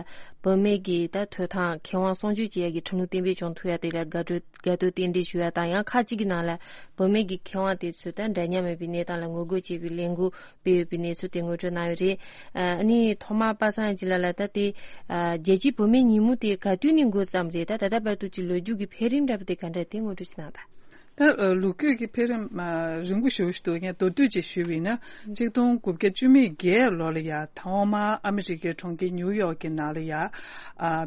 བུད་མེད་ཀྱི་ད་ཐོབ་ཐང་ཁེ་དབང་སྲུང་སྐྱོབ་བྱེད་ཡག་གི་ཁྲིམས་ལུགས་གཏན་འབེབས་བྱུང་ཐུབ་ཡག་དེ་ལ་དགའ་སྤྲོ་དགའ་སྤྲོ་རྟེན་འབྲེལ་ཞུ་ཡག་དང་། ཡང་ཁག་ཅིག་གི་ནང་ལ་བུད་མེད་ཀྱི་ཁེ་དབང་དེ་ཚོ་ད་འདྲ་མཉམ་མེད་པའི་གནས་སྟངས་ལ་ངོ་རྒོལ་བྱེད་པའི་ལས་འགུལ་སྤེལ་ཡོད་པའི་གནས་ཚུལ་དེ་ངོ་སྤྲོད་གནང་ཡོད་རེད། ཨ་ནི་ཐོག་མར་པ་སངས་ཡ་ཅི་ལ་ལ་ད་དེ་ཨ་རྒྱལ་སྤྱིའི་བུད་མེད་ཉིན་མོ་དེ་ག་དུས་ནས་འགོ་བརྩམས་རེད། ད་ད་ལྟ་བར་དུ་གྱི་ལོ་རྒྱུས་ཀྱི་འཕེལ་རིམ་འདྲ་པོ་དེ་ག་འདྲ་དེ་ངོ་སྤྲོད་ཅིག་གནང་དང་། ད་ཨ་ལོ་རྒྱུས་ཀྱི་འཕེལ་རིམ་ཨ་རིང་པོ་ཞེ་པོ་ཞིག་འདུག་ངས་མདོར་བསྡུས་ཅིག་ཞུས་པ་ཡིན་ན། ཆིག་སྟོང་དགུ་བརྒྱ་བཅུ་མེད་བརྒྱད་ལོ་ལ་ཡ་ཐོག་མར་ཨ་མི་རི་ཀའི་གྲོང་ཁྱེར་ནིའུ་ཡོག་གི་ནང་ལ་ཡ་ཨ་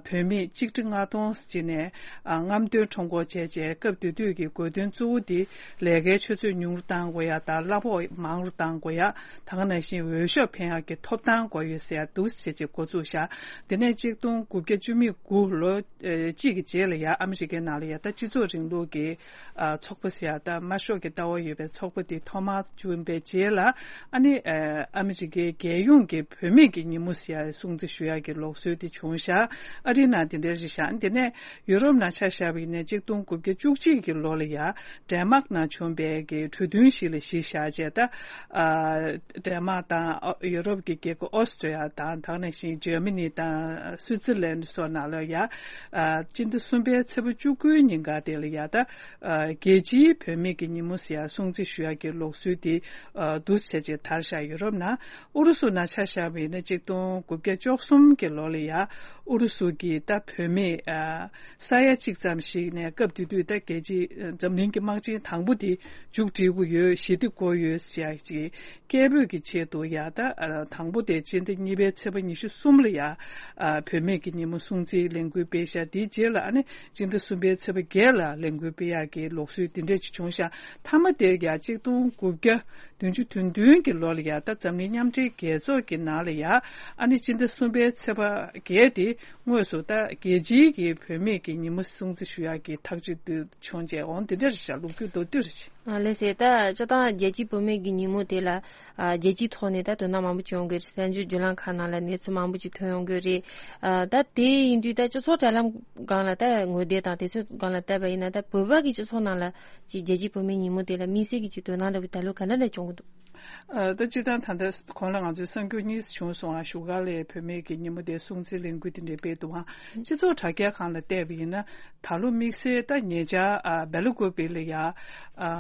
བུད་མེད་ཆིག་ཁྲི་ལྔ་སྟོང་ཅིག་ནས་ཨ་རྔམ་སྟོན་ཁྲོམ་སྐོར་བྱས་རྗེས། སྐབས་དེ་དུས་ཀྱི་དགོས་འདུན་གཙོ་བོ་དེ་ལས་ཀའི་ཆུ་ཚད་ཉུང་རུ་གཏང་དགོས་ཡ་དང་། གླ་ཕོགས་མང་རུ་གཏང་དགོས་ཡ། ད་ག་ནང་བཞིན་འོས་ཤོག་འཕེན་ཡག་གི་ཐོབ་ཐང་དགོས་ཡོད་ཟེར་ཡ་འདུག་སེ་བྱས་རྗེས་འགོ་བཙུགས་ཤག་དེ་ནས་ཆིག་སྟོང་དགུ་བརྒྱ་བཅུ་མེད་དགུ་ལོ་ཨེ་གཅིག་གི་རྗེས་ལ་ཡ་ཨ་མི་རི་ཀའི་ནང་ལ་ཡ་ད་སྤྱི་ཚོགས་རིང་ལུགས་ཀྱི་ཨ་ཚོགས་པ་ཟེར་ཡ་ད་དམར་ཤོག་གི་ལྟ་བ་ཡོད་པའི་ཚོགས་པ་དེ་ཐོག་མར་བྱུང་བའི་རྗེས་ལ། ཨ་ནི་ཨ་ཨ་མི་རི་ཀའི་རྒྱལ་ཡོངས་ཀྱི་བུད་མེད་ཀྱི་ཉིན་མོ་ཟེར་ཡ་སྲུང་བརྩི་ཞུ་ཡ་གི་ལུགས་སྲོལ་དེ་བྱུང་ཤག་ཨ་རིའི་ནང་དེ་འདྲ་རེད་ཤག་དེ་ནས་ཡུ་རོབ་ནང་ཆ་བཞག་པ་ཡིན་ན་ཆིག་སྟོང་དགུ་བརྒྱ་བཅུ་གཅིག་གི་ལོ་ལ་ཡ་ཌེན་མཱག་ནང་བྱུང་བའི་གི་གྲོས་མཐུན་ཞིག་ལ་གཞི་བཞག་བྱས། ད་ཨ་ཌེན་མཱག་དང་ཨ་ཡུ་རོབ་ཀྱི་རྒྱལ་ཁབ་ཨོ་སི་ཀྲི་ཡ་དང་། ད་ག་ནང་བཞིན་ཇར་མ་ནི་དང་སུའི་ཙི་ལན་སོགས་ནང་ལ་ཡ་ཨ་སྤྱི་ཟླ་གསུམ་པའི་ཚེས་པ་བཅུ་དགུའི་ཉིན་ག་དེ་ལ་ཡ་ད་ཨ་རྒྱལ་སྤྱིའི་བུད་མེད་ཀྱི་ཉིན་མོ་ཟེར་ཡ་སྲུང་བརྩི་ཞུ་ཡ་གི་ལུགས་སྲོལ་དེ་ཨ་འདུག་སེ་བྱས་དར་ཤག་ཡུ་རོབ་ནང་། ཨུ་རུ་སུ་ནང་ཆ་བཞག་པ་ཡིན་ན་ཆིག་སྟོང་དགུ་བརྒྱ་བཅུ་གསུམ་གྱི་ལོ་ལ་ཡ་ཨུ་རུ་སུ་གི་ད་བུད་མེད་ཨ་ས་ཡ་གཅིག་ཙམ་ཞིག་ནས། སྐབས་དེ་དུས་ད་རྒྱལ་སྤྱི་འཛམ་གླིང་གི་དམག་ཆེན་དང་པོ་དེ་མཇུག་སྒྲིལ་གྱི་ཡོད། ཞི་བདེ་དགོས་ཡོད་ཟེར་ཡ་ཅིག་སྐད་འབོད་ཀྱི་ཆེད་དུ་ཡ་ད་ཨ་དང་པོ་དེ་སྤྱི་ཟླ་གཉིས་པའི་ཚེས་པ་ཉི་ཤུ་གསུམ་ལ་ཡ་ཨ་བུད་མེད་ཀྱི་ཉིན་མོ་སྲུང་བརྩིའི་ལས་འགུལ་སྤེལ་ཤག་དེའི་རྗེས་ལ་ཨ་ནི་སྤྱི་ཟླ་གསུམ་པའི་ཚེས་པ་བརྒྱད་ལ་ལས་འགུལ་སྤེལ་ཡག་གི་ལུགས་སྲོལ་དེ་འདྲ་ཅིག་བྱུང་ཤག་མཐའ་མ་དེར་ཡ་ཆིག་སྟོང་དགུ་བརྒྱ་བདུན་ཅུ་དོན་བདུན་གྱི་ལོ་ལ་ཡ་ད་འཛམ་གླིང་མཉམ་འབྲེལ་རྒྱལ་ཚོགས་ཀྱི་ནང་ལ་ཡ་ཨ་ནི་སྤྱི་ཟླ་གསུམ་པའི་ཚེས་པ་བརྒྱད་དེ་དངོས་སུ་ད་རྒྱལ་སྤྱིའི་གི་བུད་མེད་ཀྱི་ཉིན་མོ་སྲུང་བརྩི་ཞུ་ཡག་གི་ཐག་གཅོད་དུ་བྱུང་རྗེས། འོང་དེ་འདྲ་རེད་ཤག་ལོ་རྒྱུས་མདོར་བསྡུས་རེད་ཤག་ཨ་ལགས་སེ། ད་སྤྱིར་བཏང་རྒྱལ་སྤྱིའི་བུད་མེད་ཀྱི་ཉིན་མོ་དེ་ལ་ཨ་རྒྱལ་སྤྱིའི་ཐོག་ནས་ད་དོ་སྣང་མང་པོ་བྱུང་གི་རེད། གསར་འགྱུར་བརྒྱུད་ལམ་ཁག་ནང་ལ་གནས་ཚུལ་མང་པོ་ཅིག་ཐོན་ཡོང་གི་རེད། ཨ་ད་དེ་ཡིན་དུས་ད་སྤྱི་ཚོགས་དྲ་ལམ་སྒང་ལ་ད་ངོ་དེབ་དང་དེ་ཚོའི་སྒང་ལ་བལྟས་པ་ཡིན་ན། ད་བོད་པ་གི་སྤྱི་ཚོགས་ནང་ལ་ཅིག་རྒྱལ་སྤྱིའི་བུད་མེད་ཉིན་མོ་དེ་ལ་དམིགས་བསལ་གྱི་ཅིག་དོ་སྣང་འདྲ་བོ་ད་ལོ་ག་འདྲ་འདྲ་བྱུང་གི་འདུག་ཨ་ད་སྤྱིར་བཏང་ད་ལྟ་གོང་ལ་ང་ཚོའི་གསར་འགྱུར་གཉིས་བྱུང་སོང་ང་། བཞུགས་སྒར་ལ་བུད་མེད་ཀྱི་ཉིན་མོ་དེ་སྲུང་བརྩིའི་ལས་འགུལ་དེ་འདྲ་སྤེལ་འདུག་ཨང་། སྤྱི་ཚོགས་དྲ་རྒྱ་སྒང་ལ་བལྟས་པ་ཡིན་ན། ད་ལོ་དམིགས་བསལ་ད་ཉེ་ཆར་ཨ་སྦེ་ལ་ཀུ་པེ་ལ་ཡ་ཨ་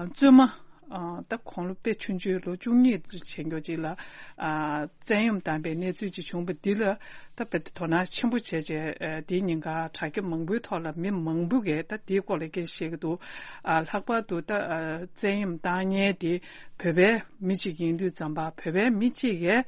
བཙུན་མ་ ཨ་ད་དགུང་ལོ་དཔེ་ཆུང་ཆུང་ལོ་བཅུ་གཉིས་བྱེད་མཁན་ཅིག་ལ་ཨ་བཙན་གཡེམ་བཏང་པའི་གནས་ཚུལ་ཅིག་བྱུང་བ་འདི་ལ་ད་དཔེ་དོ་སྣང་ཆེན་པོ་བྱས་བྱས་ཨ་འདིའི་ཉེན་ཁ་དྲ་རྒྱ་མང་པོའི་ཐོག་ལ་མི་མང་པོ་གིས་ད་འདིའི་སྐོར་ལ་སྐད་ཆ་བཤད་ཀྱི་འདུག་ཨ་ལྷག་པར་དུ་ད་ཨ་བཙན་གཡེམ་བཏང་མཁན་དེ་བོད་པའི་མི་གཅིག་ཡིན་དུས་ཙམ་པ་བོད་པའི་མི་གཅིག་གིས་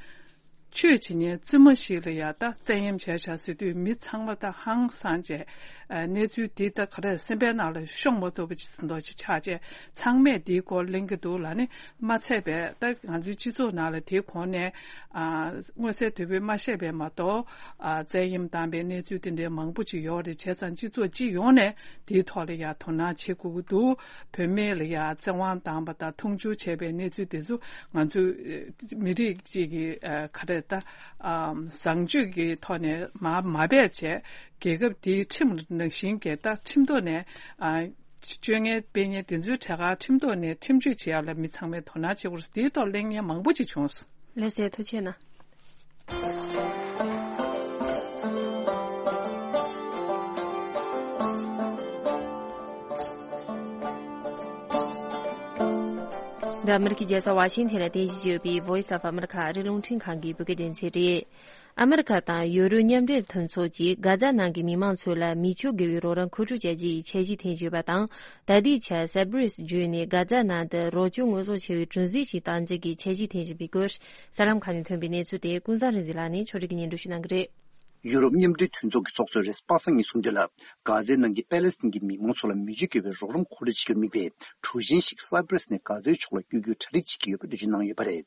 ཆོས་བྱེད་མཁན་བཙུན་མ་ཞིག་ལ་ཡང་ད་བཙན་གཡེམ་བྱས་བཞག་ཟེར་དུས་མི་ཚང་མ་ད་ཧང་སངས་བྱས་ཨ་གནས་ཚུལ་འདི་ད་ག་རེ་སེམས་པའི་ནང་ལ་ཤོང་མ་ཐུབ་པ་ཅིག་ཟིན་མདོག་ཅིག་ཆགས་བྱས་ཚང་མས་འདིའི་སྐོར་གླེང་གི་འདུག་ལ་ནི་མ་ཚད་པས་ད་ང་ཚོའི་སྤྱི་ཚོགས་ནང་ལ་དེའི་གོང་ནས་ཨ་མངོན་གསལ་དོད་པོས་མ་བཤད་པས་མ་གཏོགས་ཨ་བཙན་གཡེམ་བཏང་པའི་གནས་ཚུལ་དེ་འདྲའི་མང་པོ་ཅིག་ཡོད་རེད། བྱས་ཙང་སྤྱི་ཚོགས་སྤྱི་ཡོངས་ནས་དེའི་ཐོག་ལ་ཡང་དོ་སྣང་བྱེད་དགོས་ཀྱི་འདུག་བུད་མེད་ལ་ཡང་བཙན་དབང་བཏང་པ་དང་མཐོང་ཆུང་བྱས་པའི་གནས་ཚུལ་དེ་ཚོ་ང་ཚོ་ཨ་མི་རིགས་གཅིག་གི་ཨ་ག་རེ་ད་ཨ་བཟང་སྤྱོད་ཀྱི་ཐོག་ནས་མ་མ་འབད་བྱས་རྒྱལ་ཁབ་དེའི་ཁྲིམས་ནང་བཞིན་གྱི་ད་ཁྲིམས་ཐོག་ནས་ཨ་སྤྱོད་ངན་སྤེལ་མཁན་དེ་ཚོའི་གྲས་ཁར་ཁྲིམས་ཐོག་ནས་ཁྲིམས་གཅོད་བྱེད་ཡག་ལ་མི་ཚང་མས་དོ་སྣང་བྱེད་དགོས་རེད། དེའི་ཐོག་གླེང་མཁན་མང་པོ་ཅིག་བྱུང་སོང་། ལགས་སོ། ཐུགས་རྗེ་གནང་། འདི་ཨ་མི་རི་ཀའི་རྒྱལ་ས་ཝ་ཤིང་ཐན་ལ་རྟེན་གཞི་བྱས་ཡོད་པའི་Voice of America ཨ་རིའི་རླུང་འཕྲིན་ཁང་གི་བོད་སྐད་སྡེ་ཚན་རེད། ཨ་མི་རི་ཀ་དང་ཡུ་རོབ་མཉམ་འབྲེལ་མཐུན་ཚོགས་ཀྱིས་གྷ་ཛ་ནང་གི་མི་མང་ཚོ་ལ་མི་ཆོས་དགེ་བའི་རོགས་རམ་མཁོ་སྤྲོད་བྱ་རྒྱུའི་འཆར་གཞི་འཐེན་བཞིན་ཡོད་པ་དང་། ད་ལྟའི་ཆར་སཱི་པི་རི་སི་བརྒྱུད་ནས་གྷ་ཛ་ནང་དུ་རོགས་སྐྱོར་དངོས་ཟོག་ཆེ་བའི་གྲུ་གཟིངས་ཤིག་གཏང་རྒྱུ་གི་འཆར་གཞི་འཐེན་བཞིན་པའི་སྐོར། གསར་ལམ་ཁག་ནས་ཐོན་པའི་གནས་ཚུལ་དེ་ཀུན་བཟང་རིག་འཛིན་ལགས་ནས་ཕྱོགས་སྒྲིག་གིས་སྙན་སྒྲོན་ཞུ་གནང་གི་རེད། ཡུ་རོབ་མཉམ་འབྲེལ་མཐུན་ཚོགས་ཀྱི་ཚོགས་གཙོས་རེས་གཟའ་པ་སངས་ཉིན་གསུངས་དོན་ལ། གྷ་ཛའི་ནང་གི་པེ་ལེ་སི་ཐན་གྱི་མི་མང་ཚོ་ལ་མི་ཆོས་དགེ་བའི་རོགས་རམ་མཁོ་སྤྲོད་བྱེད་རྒྱུར་དམིགས་པའི་གྲུ་གཟིངས་ཤིག་སཱི་པི་རི་སི་ནས་གྷ་ཛའི་ཕྱོགས་ལ་བསྐྱོད་རྒྱུའི་གྲ་སྒྲིག་བྱེད་ཀྱི་ཡོད་པའི་འགྲེལ་བརྗོད་གནང་ཡོད་པ་རེད།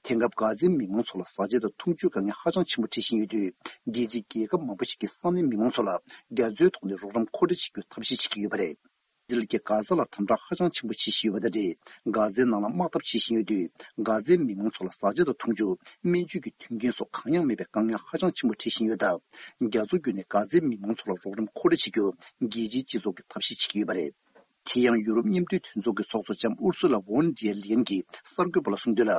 དེང་སྐབས་གྷ་ཛའི་མི་མང་ཚོ་ལ་བཟའ་བཅའ་དང་འཐུང་ཆུའི་དཀའ་ངལ་ཧ་ཅང་ཆེན་པོ་འཕྲད་བཞིན་ཡོད་དུས། རྒྱལ་སྤྱིའི་རྒྱལ་ཁབ་མང་པོ་ཞིག་གིས་ས་གནས་མི་མང་ཚོ་ལ་རྒྱ་མཚོའི་ཐོག་ནས་རོགས་རམ་མཁོ་སྤྲོད་བྱེད་རྒྱུའི་ཐབས་ཤེས་བྱེད་ཀྱི་ཡོད་པ་རེད། ཨི་ཟི་རལ་གྱིས་གྷ་ཛ་ལ་དམ་དྲག་ཧ་ཅང་ཆེན་པོ་བྱེད་བཞིན་ཡོད་པ་དང་འབྲེལ། གྷ་ཛའི་ནང་ལ་དམག་འཐབ་བྱེད་བཞིན་ཡོད་དུས། གྷ་ཛའི་མི་མང་ཚོ་ལ་བཟའ་བཅའ་དང་འཐུང་ཆུ། སྨན་བཅོས་ཀྱི་མཐུན་རྐྱེན་སོགས་གང་ཡང་མེད་པའི་དཀའ་ངལ་ཧ་ཅང་ཆེན་པོ་འཕྲད་བཞིན་ཡོད་སྟབས། རྒྱ་མཚོ་བརྒྱུད་ནས་གྷ་ཛའི་མི་མང་ཚོ་ལ་རོགས་རམ་མཁོ་སྤྲོད་བྱེད་རྒྱུར་རྒྱལ་སྤྱིའི་སྤྱི་ཚོགས་ཀྱིས་ཐབས་ཤེས་བྱེད་ཀྱི་ཡོད་པ་རེད། དེ་ཡང་ཡུ་རོབ་མཉམ་འབྲེལ་མཐུན་ཚོགས་ཀྱི་ཚོགས་གཙོ་ལྕམ་ཨུར་སུ་ལ་ཝོན་ཌེར་ལི་ཡན་གྱིས་གསར་འགོད་པ་ལ་གསུངས་དོན་ལ།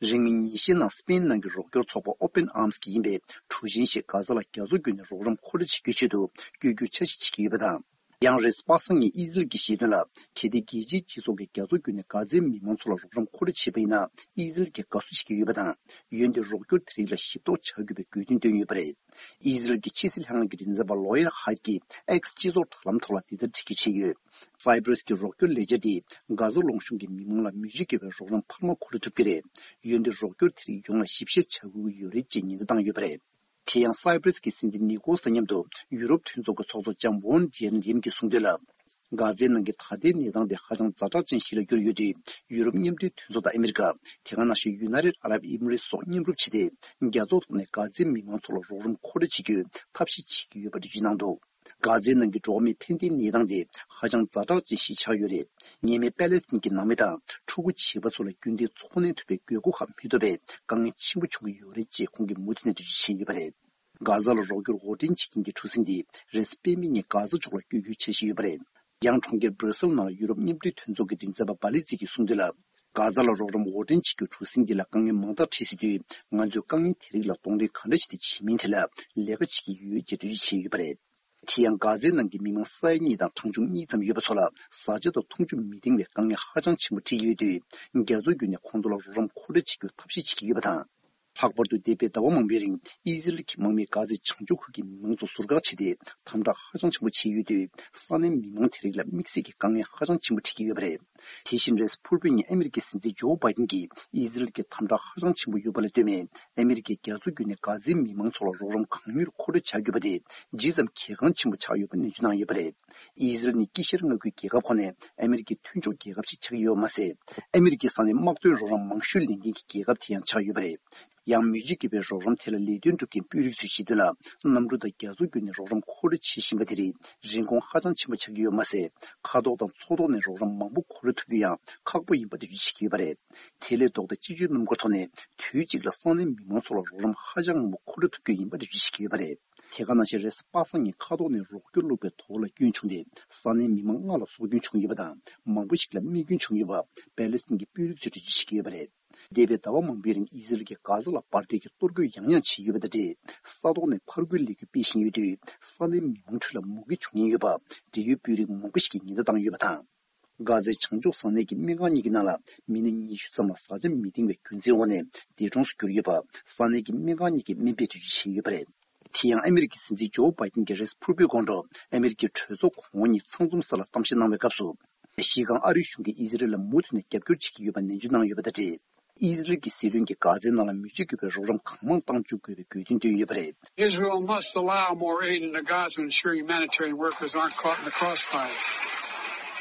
རིང་མིན་ཉིན་ཤས་ནང་སི་པེན་ནང་གི་རོགས་སྐྱོར་ཚོགས་པ་Open Arms གིས་ཡིན་པའི་གྲུ་གཟིངས་ཤིག་གྷ་ཛ་ལ་རྒྱ་མཚོ་བརྒྱུད་ནས་རོགས་རམ་མཁོ་སྤྲོད་བྱེད་རྒྱུའི་ཆེད་དུ་བསྐྱོད་རྒྱུའི་འཆར་གཞི་བྱེད་ཀྱི་ཡོད་པ་དང་། ཡང་རེས་གཟའ་པ་སངས་ཉིན་ཨི་ཟི་རལ་གྱིས་བཤད་དོན་ལ། གལ་ཏེ་རྒྱལ་སྤྱིའི་སྤྱི་ཚོགས་ཀྱིས་རྒྱ་མཚོ་བརྒྱུད་ནས་གྷ་ཛའི་མི་མང་ཚོ་ལ་རོགས་རམ་མཁོ་སྤྲོད་བྱས་པ་ཡིན་ན། ཨི་ཟི་རལ་གྱིས་དགའ་བསུ་བྱེད་ཀྱི་ཡོད་པ་དང་། འོན་ཏེ་རོགས་སྐྱོར་དེ་རིགས་ལ་ཞིབ་རྟོག་བྱ་དགོས་པའི་དགོས་འདུན་བཏོན་ཡོད་པ་རེད། ཨི་ཟི་རལ་གྱི་ཕྱི་སྲིད་ལྷན་ཁང་གི་མགྲིན་ཚབ་པ་ལོ་ཡར་ཧཱིད་ཀྱིས་ཨེག་སི་སྤྱི་ཚོགས་དྲ་ལམ་ཐོག་ལ་འདི་ལྟར་བྲིས་བརྗོད་བྱས་ཡོད། སཱི་པི་རི་སི་གི་རོགས་སྐྱོར་ལས་འཆར་དེས་གྷ་ཛ་ལུང་གཤོང་གི་མི་མང་ལ་མི་ཆོས་དགེ་བའི་རོགས་རམ་འཕར་མ་མཁོ་སྤྲོད་ཐུབ་ཀྱི་རེད། འོན་ཏེ་རོགས་སྐྱོར་དེ་རིགས་ཡོངས་ལ་ཞིབ་བཤེར་བྱ་དགོས་ཀྱི་ཡོད་རེད་ཅེས་ཉེན་བརྡ་བཏང་ཡོད་པ་རེད། དེ་ཡང་སཱི་པི་རི་སི་གི་སྲིད་འཛིན་ནི་ཀོ་ལ་ས་མཉམ་དུ་ཡུ་རོབ་མཐུན་ཚོགས་ཀྱི་ཚོགས་གཙོ་ལྕམ་ཝོན་ཌེར་ལི་ཡན་གྱིས་གསུངས་དོན་ལ། གྷ་ཛའི་ནང་གི་ད་ལྟའི་གནས་སྟངས་དེ་ཧ་ཅང་ཛ་དྲག་ཅན་ཞིག་ལ་གྱུར་ཡོད་དུས། ཡུ་རོབ་མཉམ་འབྲེལ་མཐུན་ཚོགས་དང་ཨ་མི་རི་ཀ། དེ་ག་ནང་བཞིན་ཡུ་ནའི་ཊེཌ་ཨ་རབ་ཨི་མི་རེ་ཊི་སོགས་མཉམ་རུབ་བྱས་ཏེ། རྒྱ་མཚོ་ཐོག་ནས་གྷ་ཛའི་མི་མང་ཚོ་ལ་རོགས་རམ་མཁོ་སྤྲོད་བྱེད་རྒྱུའི་ཐབས་ཤེས་བྱེད་ཀྱི་ཡོད་པ་འགྲེལ་བརྗོད་གནང་འདུག་གྷ་ཛའི་ནང་གི་འགྲོ་བ་མིའི་ཕན་བདེའི་གནས་སྟངས་དེ་ཧ་ཅང་ཛ་དྲག་ཅན་ཞིག་ཆགས་ཡོད་རེད། ཉེས་མེད་པེ་ལེ་སི་ཐན་གྱི་ནང་མི་དང་ཕྲུ་གུ་བྱིས་པ་ཚོ་ལ་རྒྱུན་ལྡན་འཚོ་གནས་ཐུབ་པའི་དགོས་མཁོ་ཁག་མི་ཐོབ་པའི་དཀའ་ངལ་ཆེན་པོ་བྱུང་གི་ཡོད་རེད་ཅེས་ཁོང་གིས་མུ་མཐུད་ནས་འགྲེལ་བརྗོད་བྱས་ཡོད་པ་རེད། གྷ་ཛ་ལ་རོགས་སྐྱོར་འོར་འདྲེན་བྱེད་མཁན་གྱི་གྲུ་གཟིངས་འདི་རེས་གཟའ་སྤེན་པའི་ཉིན་གྷ་ཛ་ཕྱོགས་ལ་བསྐྱོད་རྒྱུའི་འཆར་གཞི་ཡོད་པ་རེད། ཡང་གྲོང་ཁྱེར་སྦྲ་སིལ་ནང་ལ་ཡུ་རོབ་མཉམ་འབྲེལ་མཐུན་ཚོགས་ཀྱི་མགྲིན་ཚབ་པ་བྷ་ལི་ཙི་གིས་གསུངས་དོན་ལ། གྷ་ཛ་ལ་རོགས་རམ་འོར་འདྲེན་བྱེད་རྒྱུའི་གྲུ་གཟིངས་འདི་ལ་དཀའ་ངལ་མང་དག་འཕྲད་སྲིད་དུས། ང་ཚོས་དཀའ་ངལ་དེ་རིགས་ལ་གདོང་ལེན་ག་འདྲ་བྱས་ཏེ་བྱེད་མིན་ཐད་ལ་ལས་ཀ་བྱེད་ཀྱི་ཡོད་ཅེས་འགྲེལ་བརྗོད་བྱས་ཡོད་པ་རེད། དེ་ཡང་གྷ་ཛའི་ནང་གི་མི་མང་ས་ཡ་གཉིས་དང་གྲངས་ཆུང་གཉིས་ཙམ་ཡོད་པ་ཚོ་ལ་བཟའ་བཅའ་དང་འཐུང་ཆུ་མི་འདང་བའི་དཀའ་ངལ་ཧ་ཅང་ཆེན་པོ་འཕྲད་ཀྱི་ཡོད་དུས། རྒྱ་མཚོ་བརྒྱུད་ནས་ཁོང་ཚོ་ལ་རོགས་རམ་མཁོ་སྤྲོད་བྱེད་རྒྱུའི་ཐབས་ཤེས་བྱེད་ཀྱི་ཡོད་པ་དང་། ལྷག་པར་དུ་འདས་པའི་ཟླ་བ་མང་པོའི་རིང་ཨི་ཟི་རལ་གྱི་དམག་མིས་གྷ་ཛའི་བྱང་ཕྱོགས་ཁུལ་གྱི་མི་མང་ཚོ་ཟུར་བཀག་བྱས་ཏེ་དམ་དྲག་ཧ་ཅང་ཆེན་པོ་བྱས་ཡོད་དུས། ས་གནས་མི་མང་དེ་རིགས་ལ་དམིགས་བསལ་གྱི་དཀའ་ངལ་ཧ་ཅང་ཆེན་པོ་འཕྲད་ཀྱི་ཡོད་པ་རེད། དེ་བཞིན་རེས་གཟའ་ཕུར་བུའི་ཉིན་ཨ་མི་རི་ཀའི་སྲིད་འཛིན་ཇོ་བྷའི་ཌེན་གྱིས་ཨི་ཟི་རལ་གྱི་དམ་དྲག་ཧ་ཅང་ཆེན་པོ་ཡོད་པ་ལ་ལྟོས་མེད། ཨ་མི་རི་ཀས་རྒྱ་མཚོ་བརྒྱུད་ནས་གྷ་ཛའི་མི་མང་ཚོ་ལ་རོགས་རམ་གང་མྱུར་མཁོ་སྤྲོད་བྱ་དགོས་པ་དེ་ཇི་ཙམ་གལ་འགངས་ཆེན་པོ་ཆགས་ཡོད་པ་ནན་བརྗོད་གནང་ཡོད་པ་རེད། ཨི་ཟི་རལ་ནི་དཀྱིལ་ཤར་མངའ་ཁུལ་རྒྱལ་ཁབ་ཁག་ནས་ཨ་མི་རི་ཀའི་མཐུན་ཕྱོགས་རྒྱལ་ཁབ་ཞིག་ཆགས་ཀྱི་ཡོད་པ་མ་ཟད། ཨ་མི་རི་ཀའི་ས་གནས་དམག་དོན་རོགས་རམ་མང་ཤོས་ལེན་མཁན་གྱི་རྒྱལ་ཁབ་དེ་ཡང་ཆགས་ཡོད་པ་རེད། ཡང་མི་ཆོས་དགེ་བའི་རོགས་རམ་དེ་ལ་ལས་དོན་སྒྲུབ་མཁན་དཔོན་རིགས་ཚོས་བཤད་དོན་ལ། གནམ་གྲུ་དང་རྒྱ་མཚོ་བརྒྱུད་ནས་རོགས་རམ་མཁོ་སྤྲོད་བྱེད་བཞིན་པ་དེ་རིགས་རིན་གོང་ཧ་ཅང་ཆེན་པོ་ཆགས་ཀྱི་ཡོད་པ་མ་ཟད། མཁའ་ཐོག་དང་མཚོ་ཐོག་ནས་རོགས་རམ་མང་པོ་མཁོ་སྤྲོད་ཐུབ་རྒྱུ་ཡང་ཁག་པོ་ཡིན་པ་འགྲེལ་བརྗོད་བྱེད་ཀྱི་ཡོད་པ་རེད། དེ་ལས་ལྡོག་སྟེ་སྤྱི་སྤྱོད་སྣུམ་འཁོར་ཐོག་ནས་དུས་གཅིག་ལ་ས་གནས་མི་མང་ཚོ་ལ་རོགས་རམ་ཧ་ཅང་མང་པོ་མཁོ་སྤྲོད་ཐུབ་རྒྱུ་ཡིན་པ་འགྲེལ་བརྗོད་བྱེད་ཀྱི་ཡོད་པ་རེད། དེ་ག་ནང་བཞིན་རེས་གཟའ་པ་སངས་ཉིན་མཁའ་ཐོག་ནས་རོགས་སྐྱོར་བླུགས་པའི་དོ་ལ་སྐྱོན་བྱུང་སྟེ། ས་གནས་མི་མང་ལྔ་ལ་སྲོག་སྐྱོན་བྱུང་ཡོད་པ་དང་། མང་པོ་ཞིག་ལ་རྨས་སྐྱོན་བྱུང་ཡོད་པ་པེ་ལེ་སི་ཐན་གྱི་དཔོན་རིགས་ཚོས་འགྲེལ་བརྗོད་བྱེད་ཀྱི་ཡོད་པ་རེད། འདས་པའི་ཟླ་བ་མང་པོའི་རིང་ཨི་ཟི་རལ་གྱིས་གྷ་ཛ་ལ་འབར་མདེལ་གྱི་གཏོར་རྒོལ་ཡང་ཡང་བྱས་ཡོད་པ་དང་འབྲེལ། ས་ཐོག་ནས་ཕར་རྒོལ་ལས་འགུལ་སྤེལ་བཞིན་ཡོད་དུས། ས་གནས་མི་མང་ཁྲོད་ལ་མུ་གེ་བྱུང་ཉེན་ཡོད་པ་འབྲེལ་ཡོད་དཔོན་རིགས་མང་པོ་ཞིག་གིས་ཉེན་བརྡ་བཏང་ཡོད་པ་དང་། གྷ་ཛའི་བྱང་ཕྱོགས་ས་གནས་ཀྱི་སྨན་ཁང་གཉིས་ཀྱི་ནང་ལ་མི་སྣ་ཉི་ཤུ་ཙམ་ལ་བཟའ་ཆས་མི་འདང་བའི་རྒྱུ་མཚན་འོག་ནས་འདས་གྲོངས་སུ་གྱུར་ཡོད་པ་ས་གནས་ཀྱི་སྨན་ཁང་གཉིས་ཀྱིས་སྨན་པས་འགྲེལ་བརྗོད་བྱས་ཡོད་པ་རེད། དེ་ཡང་ཨ་མི་རི་ཀའི་སྲིད་འཛིན་ཇོ་བྷའི་ཏིན་གྱིས་རེས་ཕུར་བུའི་དགོང་དྲོ་ཨ་མི་རི་ཀའི་གྲོས་ཚོགས་གོང་འོག་གཉིས་ཚང་འཛོམས་ས་ལ་གཏམ་བཤད་གནང་བའི་སྐབས་སུ། གཞི་རྐང་ཨ་རིའི་གཞུང་གིས་ཨི་ཟི་རེལ་ལ་མུ་མཐུད་ནས་རྒྱབ་སྐྱོར་བྱེད་ཀྱི་ཡོད་པ་ནན་བརྗོད་གནང་ཡོད་པ་དང་འབྲེལ། ཨི་ཟི་རེལ་གྱི་སྲིད་བློན་གྱིས་གྷ་ཛའི་ནང་ལ་མི་སྤྱོད་དགོས་པའི་རོགས་རམ་གང་མང་གཏང་འཇུག་དགོས་པའི་དགོས་འདུན་བཏོན་ཡོད་པ་རེད། Israel must allow more aid into Gaza to ensure humanitarian workers aren't caught in the crossfire.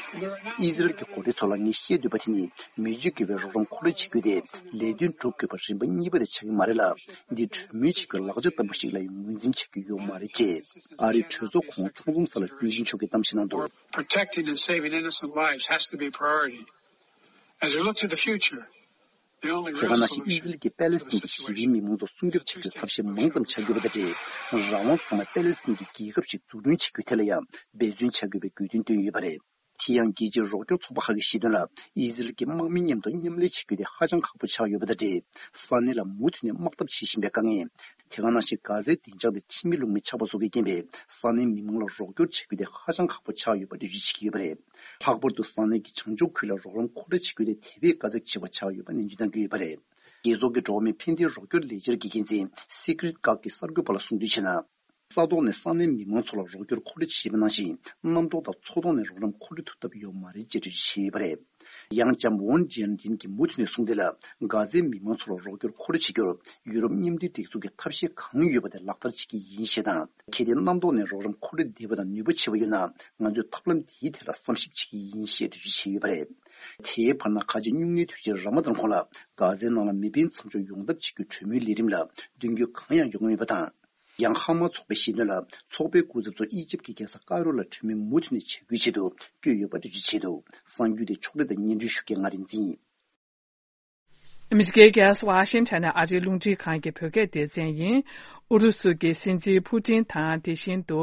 ཨི་ཟི་རེལ་གྱི་འགོ་ཁྲིད་ཚོ་ལ་ངས་བཤད་འདོད་པ་དེ་ནི་མི་སྤྱོད་དགོས་པའི་རོགས་རམ་མཁོ་སྤྲོད་བྱེད་རྒྱུ་དེ་ལས་དོན་སྒྲུབ་དགོས་པ་རིམ་པ་གཉིས་པ་དེ་ཆགས་ཀྱི་མ་རེད་ལ། འདི་གྲོས་མོལ་བྱེད་རྒྱུའི་ལག་ཆ་ལྟ་བུ་ཞིག་ལ་ཡང་ངོས་འཛིན་བྱ་རྒྱུ་ཡོད་མ་རེད་ཅེས་ཨ་རིའི་གྲོས་ཚོགས་གོང་ཚང་འཛོམས་ས་ལ་སྲིད་འཛིན་མཆོག་གིས་གཏམ་བཤད་གནང་འདུག Protecting and saving innocent lives has to be a priority. As we look to the future, the only real solution. དེ་ག་ནང་བཞིན་ཨི་ཟི་རེལ་གྱིས་པེ་ལེ་སི་ཐན་གྱི་ཞི་བའི་མི་མང་ཚོ་སྲུང་སྐྱོབ་བྱ་རྒྱུའི་ཐབས་ཤེས་མང་ཙམ་བྱ་དགོས་པ་དང་འབྲེལ། རང་དབང་ཚང་མ་པེ་ལེ་སི་ཐན་གྱི་རྒྱལ་ཁབ་ཅིག་འཛུགས་སྐྲུན་བྱེད་རྒྱུའི་ཐད་ལ་ཡང་འབད་བརྩོན་བྱ་དགོས་པའི་དགོས་འདུན་བཏོན་ཡོད་པ་རེད། དེ་ཡང་རྒྱལ་སྤྱིའི་རོགས་སྐྱོར་ཚོགས་པ་ཁག་གིས་བཤད་དོན་ལ། ཨི་ཟི་རེལ་གྱིས་དམག་མི་མཉམ་དུ་མཉམ་ལས་བྱེད་རྒྱུ་དེ་ཧ་ཅང་ཁག་པོ་ཆགས་ཡོད་པ་དང་འབྲེལ། ས་གནས་ལ་མུ་མཐུད་ནས་དམག་འཐབ་བྱེད་བཞིན་པའི་དཀའ་ངལ། དེ་ག་ནང་བཞིན་གྷ་ཛའི་བདེ་འཇགས་དང་ཁྲིམས་མེད་ལུགས་མེད་ཆགས་པ་སོགས་ཀྱི་རྐྱེན་པས། ས་གནས་མི་མང་ལ་རོགས་སྐྱོར་བྱེད་རྒྱུ་དེ་ཧ་ཅང་ཁག་པོ་ཆགས་ཡོད་པ་འགྲེལ་བརྗོད་བྱེད་ཀྱི་ཡོད་པ་རེད། ལྷག་པར་དུ་ས་གནས་ཀྱི་བྱང་ཕྱོགས་ཁུལ་ལ་རོགས་རམ་མཁོ་སྤྲོད་བྱེད་རྒྱུ་དེ་དེ་བས་དཀའ་ཚེགས་ཆེ་བ་ཆགས་ཡོད་པ་ནན་བརྗོད་གནང་གི་ཡོད་པ་རེད། རྒྱལ་ཚོགས་ཀྱི་འགྲོ་བ་མིའི་ཕན་བདེའི་རོགས་སྐྱོར་ལས་འཆར་གྱི་འགན་འཛིན་སི་ཀི་རིད་ཀག་གིས་གསར་འགོད་པ་ལ་གསུངས་དོན་བྱས་ན། ས་ཐོག་ནས་ས་གནས་མི་མང་ཚོ་ལ་རོགས་སྐྱོར་མཁོ་སྤྲོད་བྱེད་པ་ནང་བཞིན་གནམ་ཐོག་དང་མཚོ་ཐོག་ནས་རོགས་རམ་མཁོ་སྤྲོད་ཐུབ་ཐབས་ཡོད་མ་རེད་ཅེས་འགྲེལ་བརྗོད་བྱས་ཡོད་པ་རེད། ཡང་ལྕམ་ཝོན་ཇན་ཏིན་གྱིས་མུ་མཐུད་ནས་གསུངས་དོན་ལ། གྷ་ཛའི་མི་མང་ཚོ་ལ་རོགས་སྐྱོར་མཁོ་སྤྲོད་བྱེད་རྒྱུར་ཡུ་རོབ་མཉམ་འབྲེལ་སྒྲིག་འཛུགས་ཀྱིས་ཐབས་ཤེས་གང་ཡོད་པ་དེ་ལག་བསྟར་བྱེད་ཀྱི་ཡིན་ཞེས་དང་། གལ་ཏེ་གནམ་ཐོག་ནས་རོགས་རམ་མཁོ་སྤྲོད་བདེ་བ་དང་ནུས་པ་ཆེ་བ་ཡོད་ན། ང་ཚོས་ཐབས་ལམ་དེའི་ཐད་ལ་བསམ་གཞིག་བྱེད་ཀྱི་ཡིན་ཞེས་འགྲེལ་བརྗོད་བྱས་ཡོད་པ་རེད། དེའི་བར་ན་ཁ་ཆེ་སྨྱུང་གནས་དུས་ཆེན་ར་མ་དཱན་གོང་ལ་གྷ་ཛའི་ནང་ལ་མེ་འཕེན་མཚམས་འཇོག་ཡོང་ཐབས་བྱེད་རྒྱུའི་གྲོས་མོལ་ལས་རིམ་ལ་མདུན་སྐྱོད་གང་ཡང་ཡོང་གི་མེད་པ་དང་། ཡང་ཧ་མ་ཚོགས་པས་བཤད་དོན་ལ། ཚོགས་པའི་སྐུ་ཚབ་ཚོ་ཨི་ཇིབ་ཀྱི་རྒྱལ་ས་ཀའི་རོ་ལ་གྲོས་མོལ་མུ་མཐུད་ནས་བྱ་རྒྱུའི་ཆེད་དུ་བསྐྱོད་ཡོད་པ་འགྲེལ་བརྗོད་བྱས་འདུག་གསར་འགྱུར་དེ་ཕྱོགས་སྒྲིག་དང་སྙན་སྒྲོན་ཞུ་མཁན་ང་རིག་འཛིན་ཡིན། ཨ་མི་རི་ཀའི་རྒྱལ་ས་ཝ་ཤིང་ཊོན་ནས་ཨ་རིའི་རླུང་འཕྲིན་ཁང་གི་བོད་སྐད་སྡེ་ཚན་ཡིན། ཨུ་རུ་སུ་གི་སྲིད་འཛིན་ཕུ་ཏིན་དང་། དེ་བཞིན་དུ།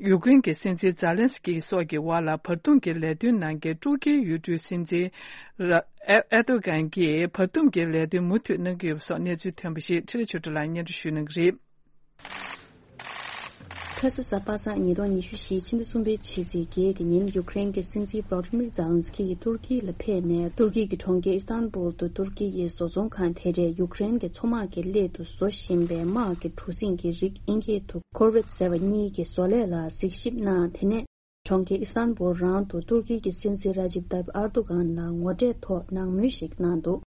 ཡུཀ་རེན་གྱི་སྲིད་འཛིན་ཛེ་ལན་སི་ཀི་སོགས་ཀྱི་དབར་ལ་བར་འདུམ་གྱི་ལས་དོན་གནང་མཁན་ཏུར་ཀིའི་ཡུལ་གྲུའི་སྲིད་འཛིན་ཨེ་ཨེར་ཏོ་གྷན་གྱིས་བར་འདུམ་གྱི་ལས་དོན་མུ་མཐུད་གནང་གི་ཡོད་པ་སོགས་གནས་ཚུལ་ཐོན་པ་ཞིག་ཁྲི་རེ་ཆོས་སྒྲོན་ལགས་སྙན་སྒྲོན་ཞུ་གནང་གི་རེད། ཁ་ས་གཟའ་པ་སངས་ཉིས་སྟོང་ཉི་ཤུ་རྩ་བཞི་ཕྱི་ཟླ་གསུམ་པའི་ཕྱི་ཚེས་བརྒྱད་ཀྱི་ཉིན་ཡུཀ་རེན་གྱི་སྲིད་འཛིན་ཝོ་ལོ་ཌི་མིར་ཛེ་ལན་སི་ཀི་ཡིས་ཏུར་ཀི་ལ་ཕེབས་ནས། ཏུར་ཀི་གི་གྲོང་ཁྱེར་ཨི་སྟན་བུལ་དུ་ཏུར་ཀི་ཡི་བཟོ་ཚོང་ཁང་དེ་གྲས་ཡུཀ་རེན་གྱི་མཚོ་དམག་གི་སླད་དུ་བཟོ་བཞིན་པའི་དམག་གི་གྲུ་གཟིངས་ཀྱི་རིགས་ཨིན་སྐད་དུ་ཁོར་ཝེཊ་ཟེར་བ་གཉིས་ཀྱི་བཟོ་ལས་ལ་གཟིགས་ཞིབ་གནང་། དེ་ནས་གྲོང་ཁྱེར་ཨི་སྟན་བུལ་རང་དུ་ཏུར་ཀི་གི་སྲིད་འཛིན་ར་ཇིབ་ཏཱིབ་ཨར་ཏོ་གྷན་ལ་ངོ་འཕྲད་ཐོག་ནང་མོལ་ཞིག་གནང་འདུག་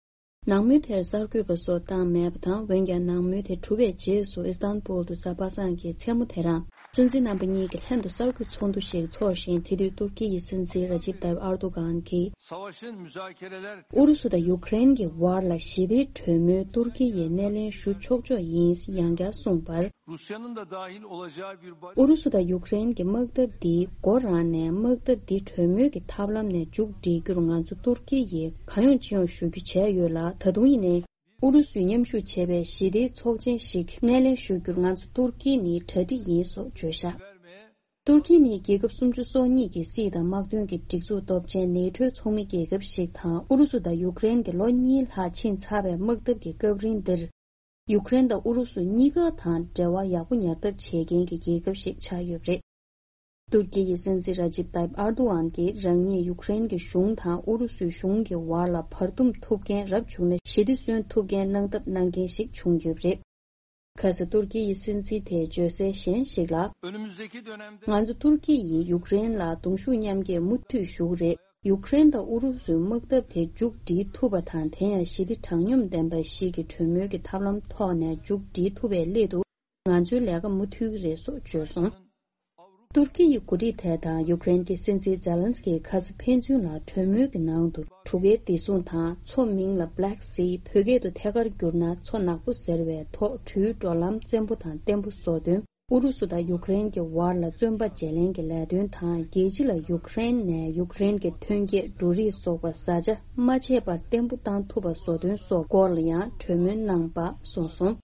ནང་མོལ་དེར་གསར་འགོད་པ་སོགས་བཏང་མེད་པ་དང་། འོན་ཀྱང་ནང་མོལ་དེ་གྲུབ་པའི་རྗེས་སུ་ཨི་སྟན་བུལ་དུ་གཟའ་པ་སངས་ཀྱི་མཚན་མོ་དེ་རང་སྲིད་འཛིན་རྣམ་པ་གཉིས་ཀྱི་ལྷན་དུ་གསར་འགོད་ཚོགས་འདུ་ཞིག་འཚོགས་ཤིང་། དེ་དུས་ཏུར་ཀི་ཡི་སྲིད་འཛིན་ར་ཇིབ་ཏཱིབ་ཨར་ཏོ་གྷན་གྱིས། Savaşın müzakereler ཨུ་རུ་སུ་དང་ཡུཀ་རེན་གྱི་དབར་ལ་ཞི་བདེའི་གྲོས་མོལ་ཏུར་ཀི་ཡིས་སྣེ་ལེན་ཞུ་ཆོག་ཆོག་ཡིན་ཡང་བསྐྱར་གསུངས་པར། Rusya'nın da dahil olacağı bir barış ཨུ་རུ་སུ་དང་ཡུཀ་རེན་གྱི་དམག་འཐབ་འདི་མགོ་རང་ནས་དམག་འཐབ་འདི་གྲོས་མོལ་གྱི་ཐབས་ལམ་ནས་མཇུག་སྒྲིལ་རྒྱུར་ང་ཚོ་ཏུར་ཀི་ཡིས་གང་ཡོང་ཅི་ཡོང་ཞུ་རྒྱུ་བྱས་ཡོད་ལ། ད་དུང་ཡིན་ནའི་ཨུ་རུ་སུས་མཉམ་ཞུགས་བྱས་པའི་ཞི་བདེའི་ཚོགས་ཆེན་ཞིག་སྣེ་ལེན་ཞུ་རྒྱུར་ང་ཚོ་ཏུར་ཀི་ནི་གྲ་སྒྲིག་ཡིན་སོགས་བརྗོད་བཞག་ཏུར་ཀི་ནི་རྒྱལ་ཁབ་སུམ་ཅུ་སོ་གཉིས་ཀྱི་སྲིད་དང་དམག་དོན་གྱི་སྒྲིག་འཛུགས་སྟོབས་ཆེན་ནེ་ཊོའི་ཚོགས་མི་རྒྱལ་ཁབ་ཞིག་དང་། ཨུ་རུ་སུ་དང་ཡུཀ་རེན་གྱི་ལོ་གཉིས་ལྷག་ཕྱིན་ཚར་བའི་དམག་འཐབ་ཀྱི་སྐབས་རིང་འདིར། ཡུཀ་རེན་དང་ཨུ་རུ་སུ་གཉིས་ཀ་དང་འབྲེལ་བ་ཡག་པོ་ཉར་ཐབས་བྱེད་མཁན་གྱི་རྒྱལ་ཁབ་ཞིག་ཆགས་ཡོད་པ་རེད། ཏུར་ཀི་ཡི་སྲིད་འཛིན་ར་ཇིབ་ཏཱིབ་ཨར་ཏོ་གྷན་གྱིས་རང་ཉིད་ཡུཀ་རེན་གྱི་གཞུང་དང་ཨུ་རུ་སུའི་གཞུང་གི་བར་ལ་བར་འདུམ་ཐུབ་མཁན་རབ་བྱུང་ན་ཞི་བདེ་སོན་ཐུབ་མཁན་གནང་ཐབས་གནང་མཁན་ཞིག་བྱུང་ཡོད་པ་རེད། ཁ་ས་ཏུར་ཀི་ཡི་སྲིད་འཛིན་དེས་བརྗོད་གསལ་གཞན་ཞིག་ལ། Önümüzdeki dönemde ང་ཚོ་ཏུར་ཀི་ཡིས་ཡུཀ་རེན་ལ་གདུང་ཤུགས་མཉམ་སྐྱེད་མུ་མཐུད་ཞུ་གི་རེད། ཡུཀ་རེན་དང་ཨུ་རུ་སུའི་དམག་འཐབ་དེ་མཇུག་སྒྲིལ་ཐུབ་པ་དང་། དེ་ཡང་ཞི་བདེ་དྲང་སྙོམས་ལྡན་པ་ཞིག་གི་གྲོས་མོལ་གྱི་ཐབས་ལམ་ཐོག་ནས་མཇུག་སྒྲིལ་ཐུབ་པའི་སླད་དུ་ང་ཚོའི་ལས་ཀ་མུ་མཐུད་ཀྱི་རེད་སོགས་བརྗོད་སོང་། ཏུར་ཀི་ཡི་འགོ་ཁྲིད་དེ་དང་ཡུཀ་རེན་གྱི་སྲིད་འཛིན་ཛེ་ལན་སི་ཀི་ཁ་ས་ཕན་ཚུན་ལ་གྲོས་མོལ་གྱི་ནང་དུ་གྲུ་ཁའི་བདེ་སྲུང་དང་། མཚོ་མིང་ལ་Black Sea། བོད་སྐད་དུ་ཐད་ཀར་བསྒྱུར་ན་མཚོ་ནག་པོ་ཟེར་བའི་ཐོག་འགྲུལ་འགྲོ་ལམ་བཙན་པོ་དང་བརྟན་པོ་བཟོ་དོན། ཨུ་རུ་སུ་དང་ཡུཀ་རེན་གྱི་བར་ལ་བཙོན་པ་བརྗེ་ལེན་གྱི་ལས་དོན་དང་། རྒྱལ་སྤྱི་ལ་ཡུཀ་རེན་ནས་ཡུཀ་རེན་གྱི་ཐོན་སྐྱེད་འབྲུ་རིགས་སོགས་པ་བཟའ་བཅའ་མ་ཆད་པར་བརྟན་པོ་བཏང་ཐུབ་པ་བཟོ་དོན་སོགས་སྐོར་ལ་ཡང་གྲོས་མོལ་གནང་པ་གསུངས་སོང་།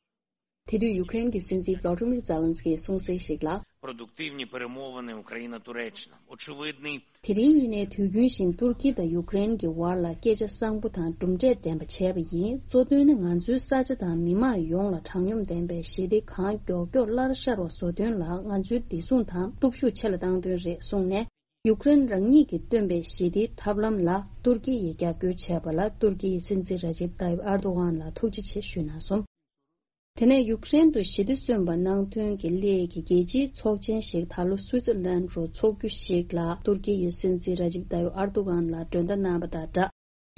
དེ་དུས་ཡུཀ་རེན་གྱི་སྲིད་འཛིན་ཝོ་ལོ་ཌི་མིར་ཛེ་ལན་སི་ཀིས་གསུངས་གསལ་ཞིག་ལ། Продуктивні перемовини Україна-Туреччина. Очевидний. དེ་རིང་ཡིན་ནའི་དུས་རྒྱུན་བཞིན་ཏུར་ཀི་དང་ཡུཀ་རེན་གྱི་བར་ལ་སྐད་ཆ་བཟང་པོ་དང་གྲུབ་འབྲས་ལྡན་པ་བྱས་པ་ཡིན། གཙོ་དོན་ནི་ང་ཚོའི་ས་ཆ་དང་མི་དམངས་ཡོངས་ལ་དྲང་སྙོམས་ལྡན་པའི་ཞི་བདེ་གང་མགྱོགས་མགྱོགས་སླར་ཤར་བ་བཟོ་དོན་ལ་ང་ཚོའི་བདེ་སྲུང་དང་སྟོབས་ཤུགས་ཆེ་ལ་གཏང་དོན་རེད་གསུངས་ནས། ཡུཀ་རེན་རང་ཉིད་ཀྱིས་བཏོན་པའི་ཞི་བདེའི་ཐབས་ལམ་ལ་ཏུར་ཀི་ཡིས་རྒྱབ་སྐྱོར་བྱས་པ་ལ་ཏུར་ཀི་ཡི་སྲིད་འཛིན་ར་ཇིབ་ཏཱ་ཡིབ་ཨར་དོ་གྷན་ལ་ཐུགས་རྗེ་ཆེ་ཞུས་གནང་སོང་། དེ་ནས་ཡུཀ་རེན་དུ་ཞི་བདེ་སོན་པ་གནང་དོན་གྱི་སླད་ཀྱི་རྒྱལ་སྤྱིའི་ཚོགས་ཆེན་ཞིག་ད་ལོ་སུའི་ཙི་ལན་རུ་འཚོགས་རྒྱུ་ཞིག་ལ་ཏུར་ཀི་ཡི་སྲིད་འཛིན་ར་ཇིབ་ཏཱ་ཡིབ་ཨར་དོ་གྷན་ལ་མགྲོན་བརྡ་གནང་བ་དང་སྦྲགས།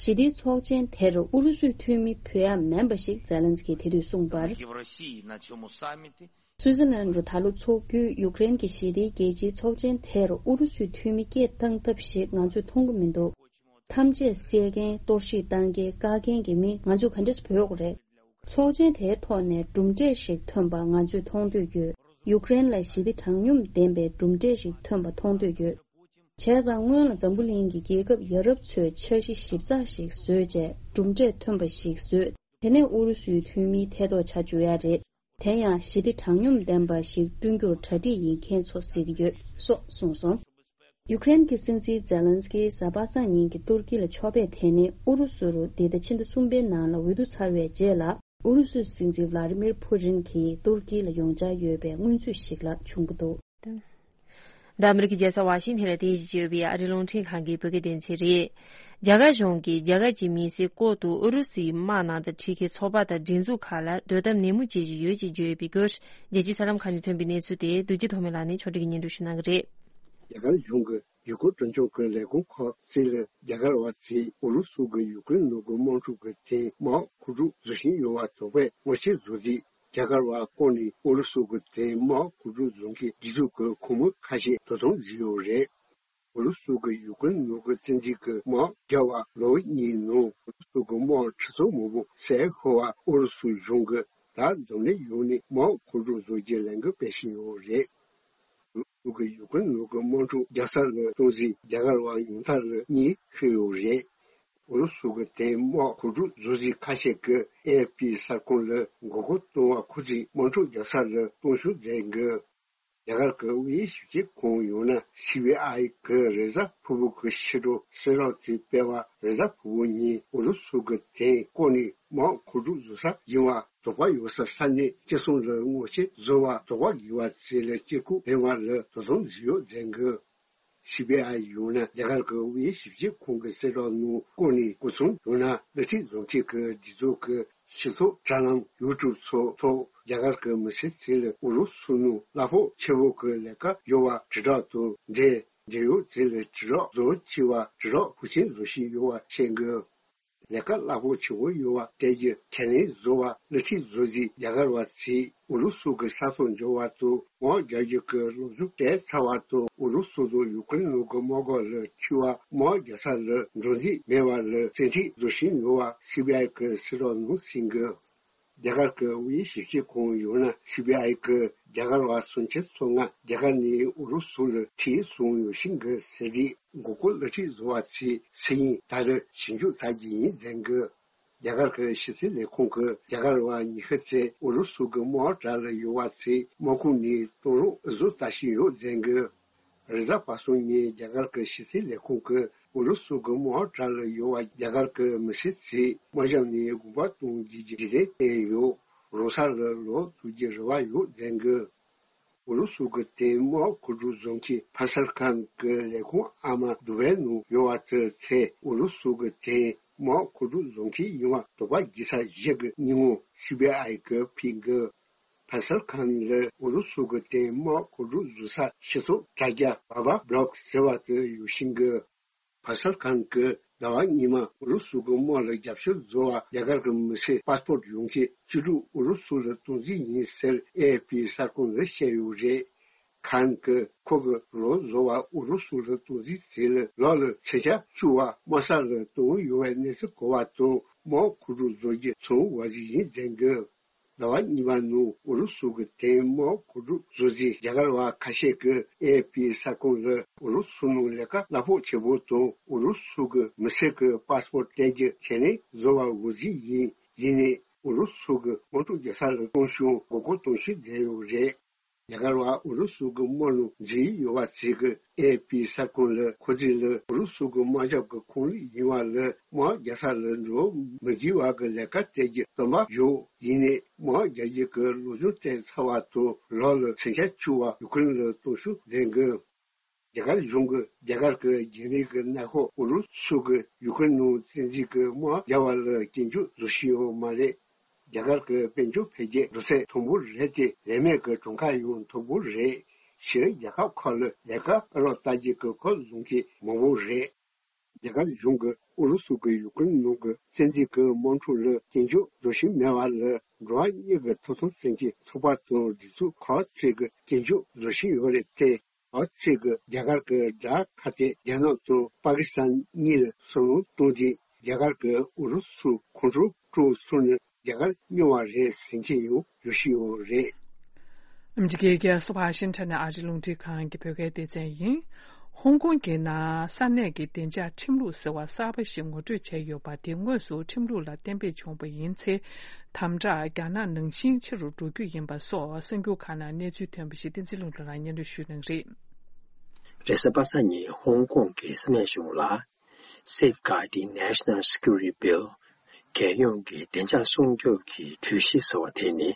ཞི་བདེའི་ཚོགས་ཆེན་དེར་ཨུ་རུ་སུའི་འཐུས་མི་ཕུད་ཡ་མིན་པ་ཞིག་ཛེ་ལན་སི་ཀིས་དེ་དུས་གསུངས་པར། Евросии на цьому саммите. སུའི་ཙི་ལན་རུ་ད་ལོ་འཚོགས་རྒྱུའི་ཡུཀ་རེན་གྱི་ཞི་བདེའི་རྒྱལ་སྤྱིའི་ཚོགས་ཆེན་དེར་ཨུ་རུ་སུའི་འཐུས་མི་སྐད་བཏང་ཐབས་ཤིག་ང་ཚོས་མཐོང་གི་མི་འདུག་ཐམས་ཅད་བསད་མཁན་གཏོར་བཤིག་བཏང་མཁན་བཀག་མཁན་གྱི་མི་ང་ཚོས་ག་འདྲས་བོས་དགོས་རེད། ཚོགས་ཆེན་དེའི་ཐོག་ནས་གྲུབ་འབྲས་ཤིག་ཐོན་པ་ང་ཚོས་མཐོང་འདོད་ཡོད། ཡུཀ་རེན་ལ་ཞི་བདེ་དྲང་སྙོམས་ལྡན་པའི་གྲུབ་འབྲས་ཤིག་ཐོན་པ་མཐོང་འདོད་ཡོད། བྱས་ཙང་སྔོན་ལ་འཛམ་བུ་གླིང་གི་རྒྱལ་ཁབ་ཡ་རབས་ཚོས་འཆར་གཞི་ཞིབ་ཚགས་ཤིག་བཟོས་རྗེས་གྲུབ་འབྲས་ཐོན་པ་ཞིག་བཟོས། དེ་ནས་ཨུ་རུ་སུའི་འཐུས་མིའི་ཐད་གཏོགས་བྱ་བཅུག་ཡ་རེད། དེ་ཡང་ཞི་བདེ་དྲང་སྙོམས་ལྡན་པ་ཞིག་བསྐྲུན་རྒྱུར་གྲ་སྒྲིག་ཡིན་མཁན་ཚོ་གཟིགས་ཀྱི་ཡོད་སོགས་གསུངས་སོང་། ཡུཀ་རེན་གྱི་སྲིད་འཛིན་ཛེ་ལན་སི་ཀིས་གཟའ་པ་སངས་ཉིན་གྱི་ཏུར་ཀི་ལ་ཕྱོགས་ཕེབས་དེ་ནི་ཨུ་རུ་སུ་རུ་འདི་ཟླ་ཕྱི་ཟླ་གསུམ་པའི་ནང་ལ་འོས་བསྡུ་ཚར་བའི་རྗེས་ལ་ཨུ་རུ་སུའི་སྲིད་འཛིན་ཝ་ལ་ཏི་མིར་ཕུ་ཏིན་གྱིས་ཏུར་ཀི་ལ་ཡོང་འཆར་ཡོད་པའི་སྔོན་ཚུད་ཞིག་ལ་བྱུང་གི་འདུག་འདི་ཨ་མི་རི་ཀའི་རྒྱལ་ས་ཝ་ཤིང་ཐན་ལ་རྟེན་གཞི་བྱས་ཡོད་པའི་ཨ་རིའི་རླུང་འཕྲིན་ཁང་གི་བོད་སྐད་སྡེ་ཚན་རེད། རྒྱ་གར་གཞུང་གིས་རྒྱ་གར་གྱི་མི་སེར་ལྐོག་ཏུ་ཨུ་རུ་སུའི་དམག་ནང་དུ་ཁྲིད་མཁན་ཚོགས་པ་དང་སྒྲིག་འཛུགས་ཁག་ལ་སྡོད་ཐབས་ནན་མོ་བྱེད་བཞིན་ཡོད་ཅེས་བརྗོད་ཡོད་པའི་སྐོར། རྒྱལ་སྤྱིའི་གསར་ལམ་ཁག་ནས་ཐོན་པའི་གནས་ཚུལ་དེ་རྡོ་རྗེ་ཐོགས་མེད་ལགས་ནས་ཕྱོགས་སྒྲིག་གིས་སྙན་སྒྲོན་ཞུ་གནང་གི་རེད། རྒྱ་གར་གཞུང་གིས་ཡུ་གུར་གྲོན་ཆུང་གི་ལས་ཁུངས་ཁག་ཅིག་ལ་རྒྱ་གར་བ་ཚོས་ཨུ་རུ་སུ་གིས་ཡུ་ཀེ་རེན་ནང་གི་དམག་འཁྲུག་གི་རྐྱེན་དམག་མཁོ་སྒྲུབ་བཟོ་བཞིན་ཡོད་པ་དོགས་པས་ངོ་ཤེས་བཟོ་རྒྱུ། རྒྱ་གར་བ་བསྐོས་ནས་ཨུ་རུ་སུ་གི་དེ་དམག་མཁོ་སྒྲུབ་བཟོ་མཁན་སྒྲིག་འཛུགས་ཀྱི་ཁོངས་མི་ཁ་ཤས་དོ་དམ་བཟོས་ཡོད་རེད། ཨུ་རུ་སུ་གི་ཡུ་ཀེ་རེན་ནང་གི་བཙན་འཛུལ་གྱི་དམག་བརྒྱབ་པ་ལོ་གཉིས་ནང་ཨུ་རུ་སུ་གི་དམག་ཁྲི་ཚོ་མང་པོ་བསད་ཤོར་བ་ཨུ་རུ་སུ་གཞུང་གིས་ད་འཛམ་གླིང་ཡོངས་ནས་དམག་མཁོ་སྒྲུབ་བཟོ་རྒྱུའི་ལས་འགུལ་སྤེལ་བཞིན་ཡོད་རེད། ཨུ་རུ་སུ་གིས་ཡུ་ཀེ་རེན་ནང་གི་དམག་འཁྲུག་རྒྱག་ས་ལ་གཏོང་རྩིས་རྒྱ་གར་བ་ཉུང་མཐའ་ལ་གཉིས་ཤོད་ཡོད་རེད། ཨུ་རུ་སུ་གི་དེ་དམག་མཁོ་སྒྲུབ་བཟོ་རྩིས་ཁ་ཤས་ཀྱིས་ཨེ་ཨེཕ་པི་གསར་ཁང་ལ་མགོ་སྐོར་གཏོང་བ་ཁོ་ཚོས་དམག་འཁྲུག་རྒྱག་ས་ལ་གཏོང་ཤུགས་བསྩལ་འདུག་རྒྱ་གར་གྱི་དབུས་ཞིབ་དཔྱོད་ཁང་ཡང་ན་སི་བི་ཨའི་གིས་རེས་གཟའ་ཕུར་བུ་གི་ཕྱི་དྲོ་གསལ་བསྒྲགས་དེ་སྤེལ་བ་རེས་གཟའ་ཕུར་བུ་ཉིན་ཨུ་རུ་སུ་གི་དེ་བསྐོས་ནས་དམག་མཁོ་སྒྲུབ་བཟོ་ས་ཡིན་པ་དོགས་པ་ཡོད་ས་ས་གནས་བཅུ་གསུམ་ལ་ངོ་ཤེས་བཟོ་བར་དོགས་པ་དགོས་པ་བཅས་ལ་དཀྱིལ་འཁོར་ལྡན་པ་ལ་དོ་དམ་བཟོས་ཡོད་ཟེར་གི། སི་བི་ཨའི་ཡང་ན་རྒྱ་གར་གྱི་དབུས་ཞིབ་དཔྱོད་ཁང་གི་གསལ་བསྒྲགས་ནང་བཀོད་ནས་སྐུ་ཚབ་ཡང་ན་དབུ་ཁྲིད་བཟོ་མཁན་གྱི་སྒྲིག་འཛུགས་ཀྱི་སྤྱི་ཚོགས་དྲ་ལམ་ཡུ་ཊུབ་སོགས་ཐོག་རྒྱ་གར་གྱི་མི་སེར་ཚོ་ལ་ཨུ་རུ་སུ་ནང་གླ་ཕོགས་ཆེ་བོ་གི་ལས་ཀ་ཡོད་པ་དྲིལ་བསྒྲགས་དང་འབྲེལ་འབྲེལ་ཡོད་ཚོ་ལ་དྲིལ་བསྒྲགས་བཟོ་བྱས་པ་དྲིལ་བསྒྲགས་ཤུགས་ཆེན་བཟོ་བཞིན་ཡོད་པ་བཤད་འདུག་ལས་ཀ་གླ་ཕོགས་ཆེ་བོ་ཡོད་པ་སྤྲད་རྒྱུ་ཁས་ལེན་བཟོ་བ་དབུ་ཁྲིད་བཟོ་རྩིས་རྒྱ་གར་བ་ཚོས་ཨུ་རུ་སུ་གི་ས་ཐོག་འབྱོར་བ་དང་དམག་རྒྱག་རྒྱུ་གི་སློབ་སྦྱོང་སྤྲད་ཚར་བ་དང་ཨུ་རུ་སུ་དང་ཡུ་ཀེ་རེན་ནང་གི་དམག་སྒར་ལ་འཁྲིད་པ་དམག་རྒྱག་ས་ལ་འགྲོ་འདོད་མེད་པ་ལ་བཙན་ཁྲིད་བཟོ་བཞིན་ཡོད་པ་སི་བི་ཨའི་གི་གསལ་བསྒྲགས་ནང་གསུངས་འདུག་རྒྱ་གར་གྱི་དབུས་ཞིབ་དཔྱོད་ཁང་ཡང་ན་སི་བི་ཨའི་གིས་རྒྱ་གར་བ་སུམ་ཅུ་སོ་ལྔ་རྒྱ་གར་ནས་ཨུ་རུ་སུ་ལ་ཁྲིད་སོང་ཡོད་ཤིང་གི་ཟེར་རེད། མགོ་སྐོར་དབུ་ཁྲིད་བཟོ་བ་ཚོས་ཚེ་ཡིན་ད་རེས་ཞིབ་འཇུག་བྱ་རྒྱུ་ཡིན་ཟེར་གི། རྒྱ་གར་གྱི་ཕྱི་སྲིད་ལས་ཁུངས་ཀྱིས་རྒྱ་གར་བ་ཉི་ཤུ་ཙམ་ཨུ་རུ་སུ་གི་དམག་གྲལ་ལ་ཡོད་པ་ཚོས་དམག་ཁོངས་ནས་གཏོང་རོགས་ཨུ་ཚུགས་ལྟ་བཞིན་ཡོད་ཟེར་གི། རེས་གཟའ་པ་སངས་ཉིན་རྒྱ་གར་གྱི་ཕྱི་སྲིད་ལས་ཁུངས་ཀྱིས་ཨུ་རུ་སུ་གི་དམག་གྲལ་ལ་ཡོད་པ་རྒྱ་གར་གྱི་མི་སེར་ཚོས་དམག་ཞབས་ནས་དགོངས་པ་གཏོང་རྒྱུའི་རེ་འདུན་བསྟན་ཡོད། རང་ས་ལ་ལོག་ཐུབ་རྒྱུའི་རེ་བ་ཡོད་ཟེར་གི། ཨུ་རུ་སུ་གི་དེ་དམག་མཁོ་སྒྲུབ་བཟོ་མཁན་ཕ་སལ་ཁཱན་གྱི་ལས་ཁུངས་ཨ་མ་དུ་བའི་ནང་ཡོད་པ་དེ་ཚོས་ཨུ་རུ་སུ་གི་དེ་དམག་མཁོ་སྒྲུབ་བཟོ་མཁན་ཡིན་པ་དོགས་པ་བགྱིས་ཚར་བཞག་གི་སྙིང་བོ་སི་བི་ཨའི་གིས་ཕུལ་གི། ཕ་སལ་ཁཱན་ལ་ཨུ་རུ་སུ་གི་དེ་དམག་མཁོ་སྒྲུབ་བཟོ་ས་སྤྱི་ཚོགས་དྲ་རྒྱ་བྷ་བྷ་བྷ་ལོག་ཟེར་བ་དེ་ཡོད་ཤིང་གི། ཕ་སལ་ཁཱན་གྱིས་ཟླ་བ་སྔོན་མ་ཨུ་རུ་སུ་གི་དམག་ལ་རྒྱབ་སྐྱོར་བཟོ་བར་རྒྱ་གར་གྱི་མི་སེར་པཱ་སི་པོར་ཡོང་མཁན་བཅུ་དྲུག་ཨུ་རུ་སུ་ལ་གཏོང་རྩིས་ཡིན་ཟེར་ཨེ་ཨེཕ་པི་གསར་ཁང་ལ་བཤད་ཡོད་རེད། ཁཱན་གྱིས་ཁོ་གིས་རང་བཟོ་བ་ཨུ་རུ་སུ་ལ་གཏོང་རྩིས་དེ་ལ་ལོ་ལ་མཚོན་ཆ་བཅུ་བ་དམག་ས་ལ་གཏོང་ཡོད་པའི་གནས་ཚུལ་གོ་བ་དང་དམག་མཁོ་སྒྲུབ་བཟོ་རྒྱུ་ཚང་བ་ཞིག་ཡིན་ཟེར་གི། ཟླ་བ་གཉིས་པ་ནང་ཨུ་རུ་སུ་གི་དེ་དམག་མཁོ་སྒྲུབ་བཟོ་རྩིས་རྒྱ་གར་བ་ཁ་ཤས་ཀྱིས་ཨེ་ཨེཕ་པི་གསར་ཁང་ལ་ཨུ་རུ་སུ་ནང་ལས་ཀ་གླ་ཕོགས་ཆེ་པོ་དང་ཨུ་རུ་སུ་གི་མི་སེར་གྱི་པཱ་སི་པོར་སྟེར་རྒྱུ་ཁས་ལེན་བཟོ་བ་འོས་འགན་ཡིན། ཡིན་ནའི་ཨུ་རུ་སུ་གི་དམག་འཁྲུག་རྒྱག་ས་ལ་གཏོང་ཤུགས་མགོ་སྐོར་གཏོང་ཤུགས་ལྡན་ཡོད་རེད། རྒྱ་གར་བ་ཨུ་རུ་སུ་གི་དམག་ནང་འཛུལ་ཡོད་པ་ཚོས་ཀྱིས་ཨེ་ཨེཕ་པི་གསར་ཁང་ལ་ཁོ་ཚོ་ལ་ཨུ་རུ་སུ་གི་དམག་ཞབས་ཀྱི་ཁོངས་ལུགས་ཡིན་པ་ལ་དམག་རྒྱག་ས་ལ་འགྲོ་མི་དགོས་པ་གི་ལས་ཀ་སྤྲད་རྒྱུ་བཏོན་པ་ཡོད། ཡིན་ནའི་དམག་རྒྱག་རྒྱུ་གི་སློབ་སྦྱོང་སྤྲད་ཚར་བ་དང་ལོ་ལ་མཚོན་ཆ་བཅུ་བ་ཡུ་ཀེ་རེན་ལ་གཏོང་ཤུགས་ལྡན་གི། རྒྱ་གར་གཞུང་གིས་རྒྱ་གར་གྱི་རྒྱ་རིགས་ཀྱི་ནང་ཁོངས་ཨུ་རུ་སུ་གི་ཡུ་ཀེ་རེན་ནང་བཙན་འཛུལ་གྱི་དམག་རྒྱག་པ་ལ་སྐྱོན་བརྗོད་བཟོ་བཞིན་ཡོད་མ་རེད། རྒྱ་གར་གྱི་དཔལ་འབྱོར་འཕེལ་རྒྱས་འགྲོ་ཚད་མཐོན་པོ་རེད་དེ། ལས་མེད་ཀྱི་གྲངས་ཀ་ཡང་མཐོན་པོ་རེད། ཕྱིའི་རྒྱལ་ཁབ་ཁག་ལ་ལས་ཀ་ཨེ་ལོག་ལྟ་རྒྱུ་གི་ཁོ་ལོང་མཁན་མང་པོ་རེད། རྒྱ་གར་གཞུང་གིས་ཨུ་རུ་སུ་གིས་ཡུ་ཀེ་རེན་ནང་གི་བཙན་འཛུལ་གྱི་དམག་འཁྲུག་ལ་སྐྱོན་བརྗོད་བཟོ་བཞིན་མེད་པ་ལ། འགྲོ་བ་མིའི་ཐོབ་ཐང་སྲུང་སྐྱོབ་ཚོགས་པ་དང་སྒྲིག་འཛུགས་ཁག་ཅིག་གིས་སྐྱོན་བརྗོད་བཟོ་བཞིན་ཡོད་རེད་དེ། ཁག་ཅིག་གིས་རྒྱ་གར་གྱི་དགྲ་ཁ་གཏད་རྒྱ་ནག་དང་པ་ཀི་སི་ཐན་གཉིས་ལ་སུན་གཙེར་བཏང་སྟེ། རྒྱ་གར་གྱིས་ཨུ་རུ་སུར་ཁོང་ཁྲོ་སྤྲོད་ཚུགས་ན་རྒྱ་གར་སྨྱོ་བ་རེད་ཟེར་མཁན་ཡང་ཡོད་བཞིན་ཡོད་རེད། ཨ་མི་རི་ཀའི་རྒྱལ་ས་ཝ་ཤིང་ཊོན་ནས་ཨ་རིའི་རླུང་འཕྲིན་ཁང་གི་བོད་སྐད་སྡེ་ཚན་ཡིན། ཧོང་ཀོང་གི་ནང་ས་གནས་ཀྱི་བདེ་འཇགས་ཁྲིམས་ལུགས་ཟེར་བ་གསར་པ་ཞིག་ངོ་སྤྲོད་བྱས་ཡོད་པ་དེ་དངོས་སུ་ཁྲིམས་ལུགས་ལ་གཏན་འབེབས་བྱུང་བ་ཡིན་ཚེ། དམ་དྲག་རྒྱ་ནག་ནང་བཞིན་ཆེ་རུ་འགྲོ་རྒྱུ་ཡིན་པ་སོགས་གསར་འགྱུར་ཁག་ནང་གནས་ཚུལ་ཐོན་པ་ཞིག་བསྟན་འཛིན་ལྷུན་གྲུབ་ལགས་སྙན་སྒྲོན་ཞུ་གནང་གི་རེད། རེས་གཟའ་པ་སངས་ཉིན་ཧོང་ཀོང་གི་ས་གནས་གཞུང་ལ། Safeguarding National Security Bill། རྒྱལ་ཡོངས་ཀྱི་བདེ་འཇགས་སྲུང་སྐྱོབ་ཀྱི་གྲོས་གཞི་ཟེར་བ་དེ་ནི།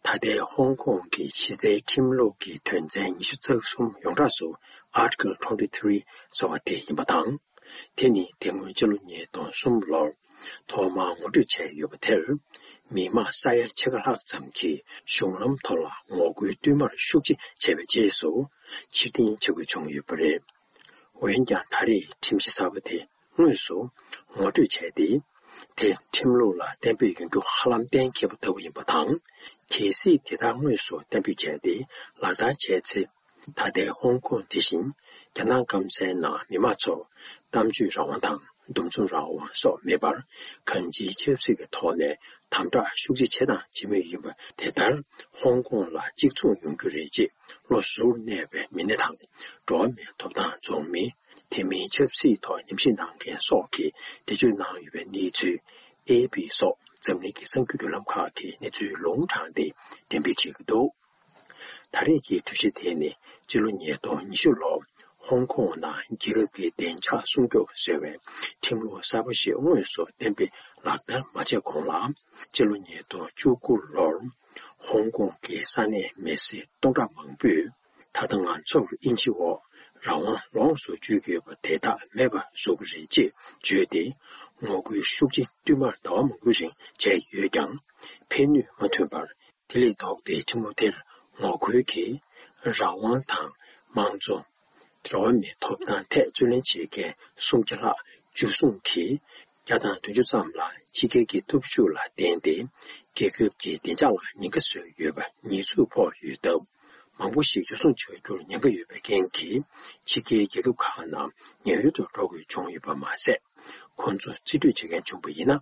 ད་ལྟའི་ཧོང་ཀོང་གི་གཞི་རྩའི་ཁྲིམས་ལུགས་ཀྱི་དོན་ཚན་ཉི་ཤུ་རྩ་གསུམ་ཡོངས་གྲགས་སུ་Article twenty three ཟེར་བ་དེ་ཡིན་པ་དང་། དེ་ནི་དེ་སྔོན་ཕྱི་ལོ་ཉིས་སྟོང་གསུམ་ལོར་ཐོག་མར་ངོ་སྤྲོད་བྱས་ཡོད་པ་དེར། མི་མང་ས་ཡ་ཕྱེད་ཀ་ལྷག་ཙམ་གྱིས་གཞུང་ལམ་ཐོག་ལ་ངོ་རྒོལ་བསྟུད་མར་ཤུགས་ཆེ་བྱས་པའི་རྗེས་སུ་ཕྱིར་འཐེན་བྱེད་དགོས་བྱུང་ཡོད་པ་རེད། འོན་ཀྱང་ད་རེས་ཁྲིམས་གཞི་གསར་པ་དེ་དངོས་སུ་ངོ་སྤྲོད་བྱས་ཏེ། དེ་ཁྲིམས་ལུགས་ལ་གཏན་འབེབས་ཡོང་རྒྱུ་ཧ་ལམ་གཏན་འཁེལ་བ་ལྟ་བུ་ཡིན་པ་དང་། གལ་སྲིད་དེ་ལྟར་དངོས་སུ་གཏན་འབེབས་བྱས་ཏེ་ལག་བསྟར་བྱས་ཚེ། ད་ལྟའི་ཧོང་ཀོང་དེ་བཞིན་རྒྱ་ནག་སྐམ་སའི་ནང་མི་མང་ཚོར་གཏམ་བརྗོད་རང་དབང་དང་འདུ་འཛོམས་རང་དབང་སོགས་མེད་པར། གང་ཅིའི་ཆབ་སྲིད་ཀྱི་ཐོག་ནས་དམ་དྲག་ཤུགས་ཆེ་བྱེད་དང་བྱེད་མུས་ཡིན་པ། དེ་ལྟར་ཧོང་ཀོང་ལ་གཅིག་མཚུངས་ཡོང་རྒྱུ་རེད་ཅེས་བློ་གཟུར་གནས་པའི་མི་སྣ་དང་འགྲོ་བ་མིའི་ཐོབ་ཐང་རྫོང་མི། དེ་མིན་ཆབ་སྲིད་ཐོག་ཉམས་ཞིབ་གནང་མཁན་སོགས་ཀྱིས་འགྲེལ་བརྗོད་གནང་ཡོད་པའི་གནས་ཚུལ། ཨེ་པི་སོགས་འཛམ་གླིང་གི་གསར་འགྱུར་བརྒྱུད་ལམ་ཁག་གིས་གནས་ཚུལ་ལུང་དྲངས་ཏེ་འགྲེམས་སྤེལ་བྱེད་ཀྱི་འདུག་ད་རེས་ཀྱི་གྲོས་གཞི་དེ་ནི་སྤྱི་ལོ་ཉིས་སྟོང་ཉི་ཤུ་ལོར་ཧོང་ཀོང་ནང་རྒྱལ་ཁབ་ཀྱི་བདེ་འཇགས་སྲུང་སྐྱོབ་ཟེར་བའི་ཁྲིམས་ལུགས་གསར་པ་ཞིག་དངོས་སུ་གཏན་འབེབས་ལག་བསྟར་མ་བྱས་གོང་ལ། སྤྱི་ལོ་ཉིས་སྟོང་བཅུ་དགུ་ལོར་ཧོང་ཀོང་གི་ས་གནས་མི་སེར་སྟོང་ཕྲག་མང་པོས། ད་ལྟ་ང་ཚོར་དབྱིན་ཇི་འོག་རང་དབང་ལོངས་སུ་སྤྱོད་ཀྱི་ཡོད་པ་དེ་དག་མེད་པ་བཟོ་གི་རེད་ཅེས་བརྗོད་དེ། ངོ་རྒོལ་ཤུགས་ཆེ་བསྟུད་མར་ཟླ་བ་མང་པོའི་རིང་བྱས་ཡོད་ཀྱང་ཕན་ནུས་མ་ཐོན་པར། དེ་ལས་ལྡོག་སྟེ་ཁྲིམས་ལུགས་དེར་ངོ་རྒོལ་གྱིས་རང་དབང་དང་དམངས་གཙོ། འགྲོ་བ་མིའི་ཐོབ་ཐང་ཐད་རྩོད་ལེན་བྱེད་མཁན་སུམ་བརྒྱ་ལྷག་འཇུ་བཟུང་གིས། བརྒྱ་དང་བདུན་ཅུ་ཙམ་ལ་ཕྱི་རྒྱལ་གྱི་སྟོབས་ཤུགས་ལ་བརྟེན་ཏེ་རྒྱལ་ཁབ་ཀྱི་བདེ་འཇགས་ལ་ཉེན་ཁ་བཟོས་ཡོད་པ་ཉེས་འཛུགས་ཕོག་ཡོད་སྟབས། མང་པོ་ཞིག་འཇུ་བཟུང་བྱ་རྒྱུར་ཉེན་ཁ་ཡོད་པའི་རྐྱེན་གྱིས་ཕྱི་རྒྱལ་རྒྱལ་ཁབ་ཁག་ནང་ཉེན་གཡོལ་དུ་འགྲོ་དགོས་བྱུང་ཡོད་པ་མ་ཟད། ཁོང་ཚོ་རྩིས་སྤྲོད་བྱེད་མཁན་བྱུང་བ་ཡིན་ན།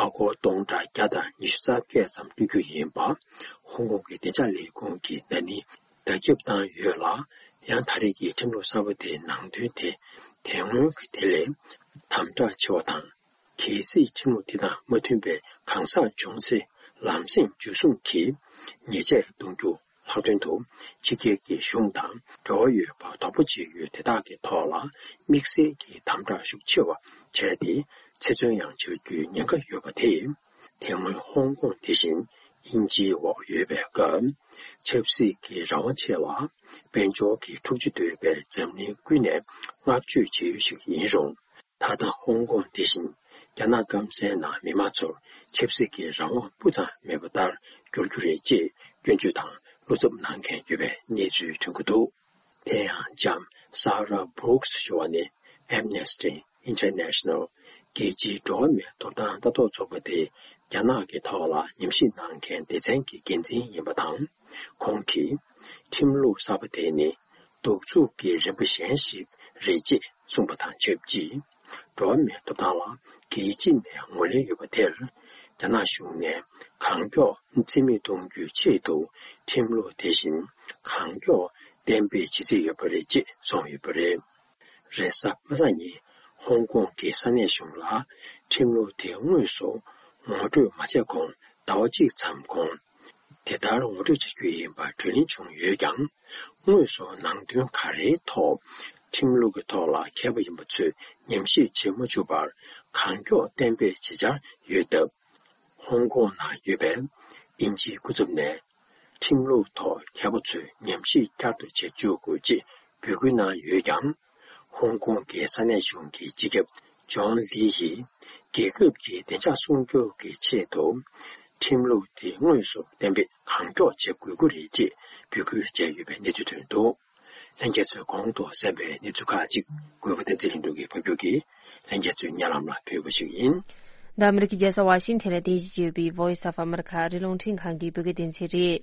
ཨ་སྒོར་སྟོང་ཕྲག་བརྒྱ་དང་ཉི་ཤུ་རྩ་བརྒྱད་ཙམ་སྤྲོད་རྒྱུ་ཡིན་པ། ཧོང་ཀོང་གི་བདེ་འཇགས་ལས་ཁུངས་ཀྱིས་ན་ནིང་བརྡ་ཁྱབ་བཏང་ཡོད་ལ། ཡང་ད་རེས་ཀྱི་ཁྲིམས་ལུགས་གསར་པ་དེའི་ནང་དོན་དེ་དེ་སྔོན་གྱི་དེ་ལས་དམ་དྲག་ཆེ་བ་དང་། གལ་སྲིད་ཁྲིམས་ལུགས་དེ་དང་མ་མཐུན་པའི་གང་ཟག་བྱུང་ཚེ་ལམ་སེང་འཇུ་བཟུང་གིས་ཉེས་ཆད་གཏོང་རྒྱུ། ལྷག་དོན་དུ་ཕྱི་རྒྱལ་གྱི་གཞུང་དང་འབྲེལ་བ་ཡོད་པ་དོགས་པ་བྱེད་ཡུལ་དེ་དག་གི་ཐོག་ལ་དམིགས་བསལ་གྱི་དམ་དྲག་ཤུགས་ཆེ་བ་བྱས་ཏེ་ཚེ་བཙོན་ཡང་བྱ་རྒྱུའི་ཉེན་ཁ་ཡོད་པ་དེས། དེ་སྔོན་ཧོང་ཀོང་དེ་བཞིན་དབྱིན་ཇིའི་འོག་ཡོད་པའི་སྐབས། ཆབ་སྲིད་ཀྱི་རང་དབང་ཆེད་ལ་དཔལ་འབྱོར་གྱི་འཁྲུག་ཆ་དོད་པའི་འཛམ་གླིང་ཀུན་ནས་བསྔགས་བརྗོད་བྱེད་ཡུལ་ཞིག་ཡིན་རུང་། ད་ལྟ་ཧོང་ཀོང་དེ་བཞིན་རྒྱ་ནག་སྐམ་སའི་ནང་མི་མང་ཚོར་ཆབ་སྲིད་ཀྱི་རང་དབང་སྤུ་ཙམ་མེད་པ་ལྟར་འགྱུར་རྒྱུ་རེད་ཅེས་སྐྱོན་བརྗོད་དང་བློ་འཚབ་གནང་མཁན་ཡོད་པའི་གནས་ཚུལ་ཐོན་གྱི་འདུག་དེ་ཡང་ལྕམ་Sarah Brooks ཞུ་བ་ནི་Amnesty International རྒྱལ་སྤྱིའི་འགྲོ་བ་མིའི་ཐོབ་ཐང་ལྟ་རྟོག་ཚོགས་པ་དེ་རྒྱ་ནག་གི་ཐོག་ལ་ཉམས་ཞིབ་གནང་མཁན་སྡེ་ཚན་གྱི་འགན་འཛིན་ཡིན་པ་དང་། ཁོང་གིས་ཁྲིམས་ལུགས་གསར་པ་དེ་ནི་གདུག་རྩུབ་ཀྱི་རིམ་པ་གཞན་ཞིག་རེད་ཅེས་གསུངས་པ་དང་ཆབས་ཅིག་འགྲོ་བ་མིའི་ཐོབ་ཐང་ལ་རྒྱལ་སྤྱི་ནས་ངོས་ལེན་ཡོད་པ་དེར། རྒྱ་ནག་གཞུང་ནས་གང་མགྱོགས་རྩིས་མེད་གཏོང་རྒྱུའི་ཆེད་དུ་ཁྲིམས་ལུགས་དེ་བཞིན་གང་མགྱོགས་གཏན་འབེབས་བྱེད་རྩིས་ཡོད་པ་རེད་ཅེས་གསུངས་ཡོད་པ་རེད། རེས་གཟའ་པ་སངས་ཉིན་ཧོང་ཀོང་གི་ས་གནས་གཞུང་ལ་ཁྲིམས་ལུགས་དེ་དངོས་སུ་ངོ་སྤྲོད་མ་བྱས་གོང་ཟླ་བ་གཅིག་ཙམ་གོང་དེ་ལྟར་ངོ་སྤྲོད་བྱ་རྒྱུ་ཡིན་པ་གྲོས་གླེང་བྱུང་ཡོད་ཀྱང་། དངོས་སུ་ནང་དོན་ག་རེའི་ཐོག་ཁྲིམས་ལུགས་ཀྱི་ཐོག་ལ་མཁས་པ་ཡིན་པ་ཚོས་ཉམས་ཞིབ་བྱེད་མ་བཅུག་པར་གང་མགྱོགས་གཏན་འབེབས་བྱེད་འཆར་ཡོད་སྟབས། ཧོང་ཀོང་ནང་ཡོད་པའི་དབྱིན་ཇིའི་སྐུ་ཚབ་ནས་ཁྲིམས་ལུགས་ཐོག་མཁས་པ་ཚོས་ཉམས་ཞིབ་བསྐྱར་དུ་བྱེད་བཅུག་དགོས་ཅེས་ འབོད་སྐུལ་གནང་ཡོད་ཀྱང་། ཧོང་ཀོང་གི་ས་གནས་གཞུང་གི་སྤྱི་ཁྱབ་ཇོན་ལི་ཡིས། རྒྱལ་ཁབ་ཀྱི་བདེ་འཇགས་སྲུང་སྐྱོབ་ཀྱི་ཆེད་དུ། ཁྲིམས་ལུགས་དེ་དངོས་སུ་གཏན་འབེབས་གང་མགྱོགས་བྱེད་དགོས་ཀྱི་རེད་ཅེས་འབོད་སྐུལ་བྱས་ཡོད་པའི་གནས་ཚུལ་ཐོན་འདུག་ལྷན་རྒྱས་ཚོས་གོང་དུ་གསན་པའི་གནས་ཚུལ་ཁག་ཅིག་གུས་པ་བསྟན་འཛིན་ལྷུན་གྲུབ་ཀྱིས་ཕབ་སྒྱུར་གྱིས་ལྷན་རྒྱས་ཚོའི་སྙན་ལམ་ལ་ཕུལ་བ་ཞིག་ཡིན། འདི་ཨ་མི་རི་ཀའི་རྒྱལ་ས་ཝ་ཤིང་ཐན་ལ་རྟེན་གཞི་བྱས་པའི་Voice of America ཨ་རིའི་རླུང་འཕྲིན་ཁང་གི་བོད་སྐད་སྡེ་ཚན་རེད།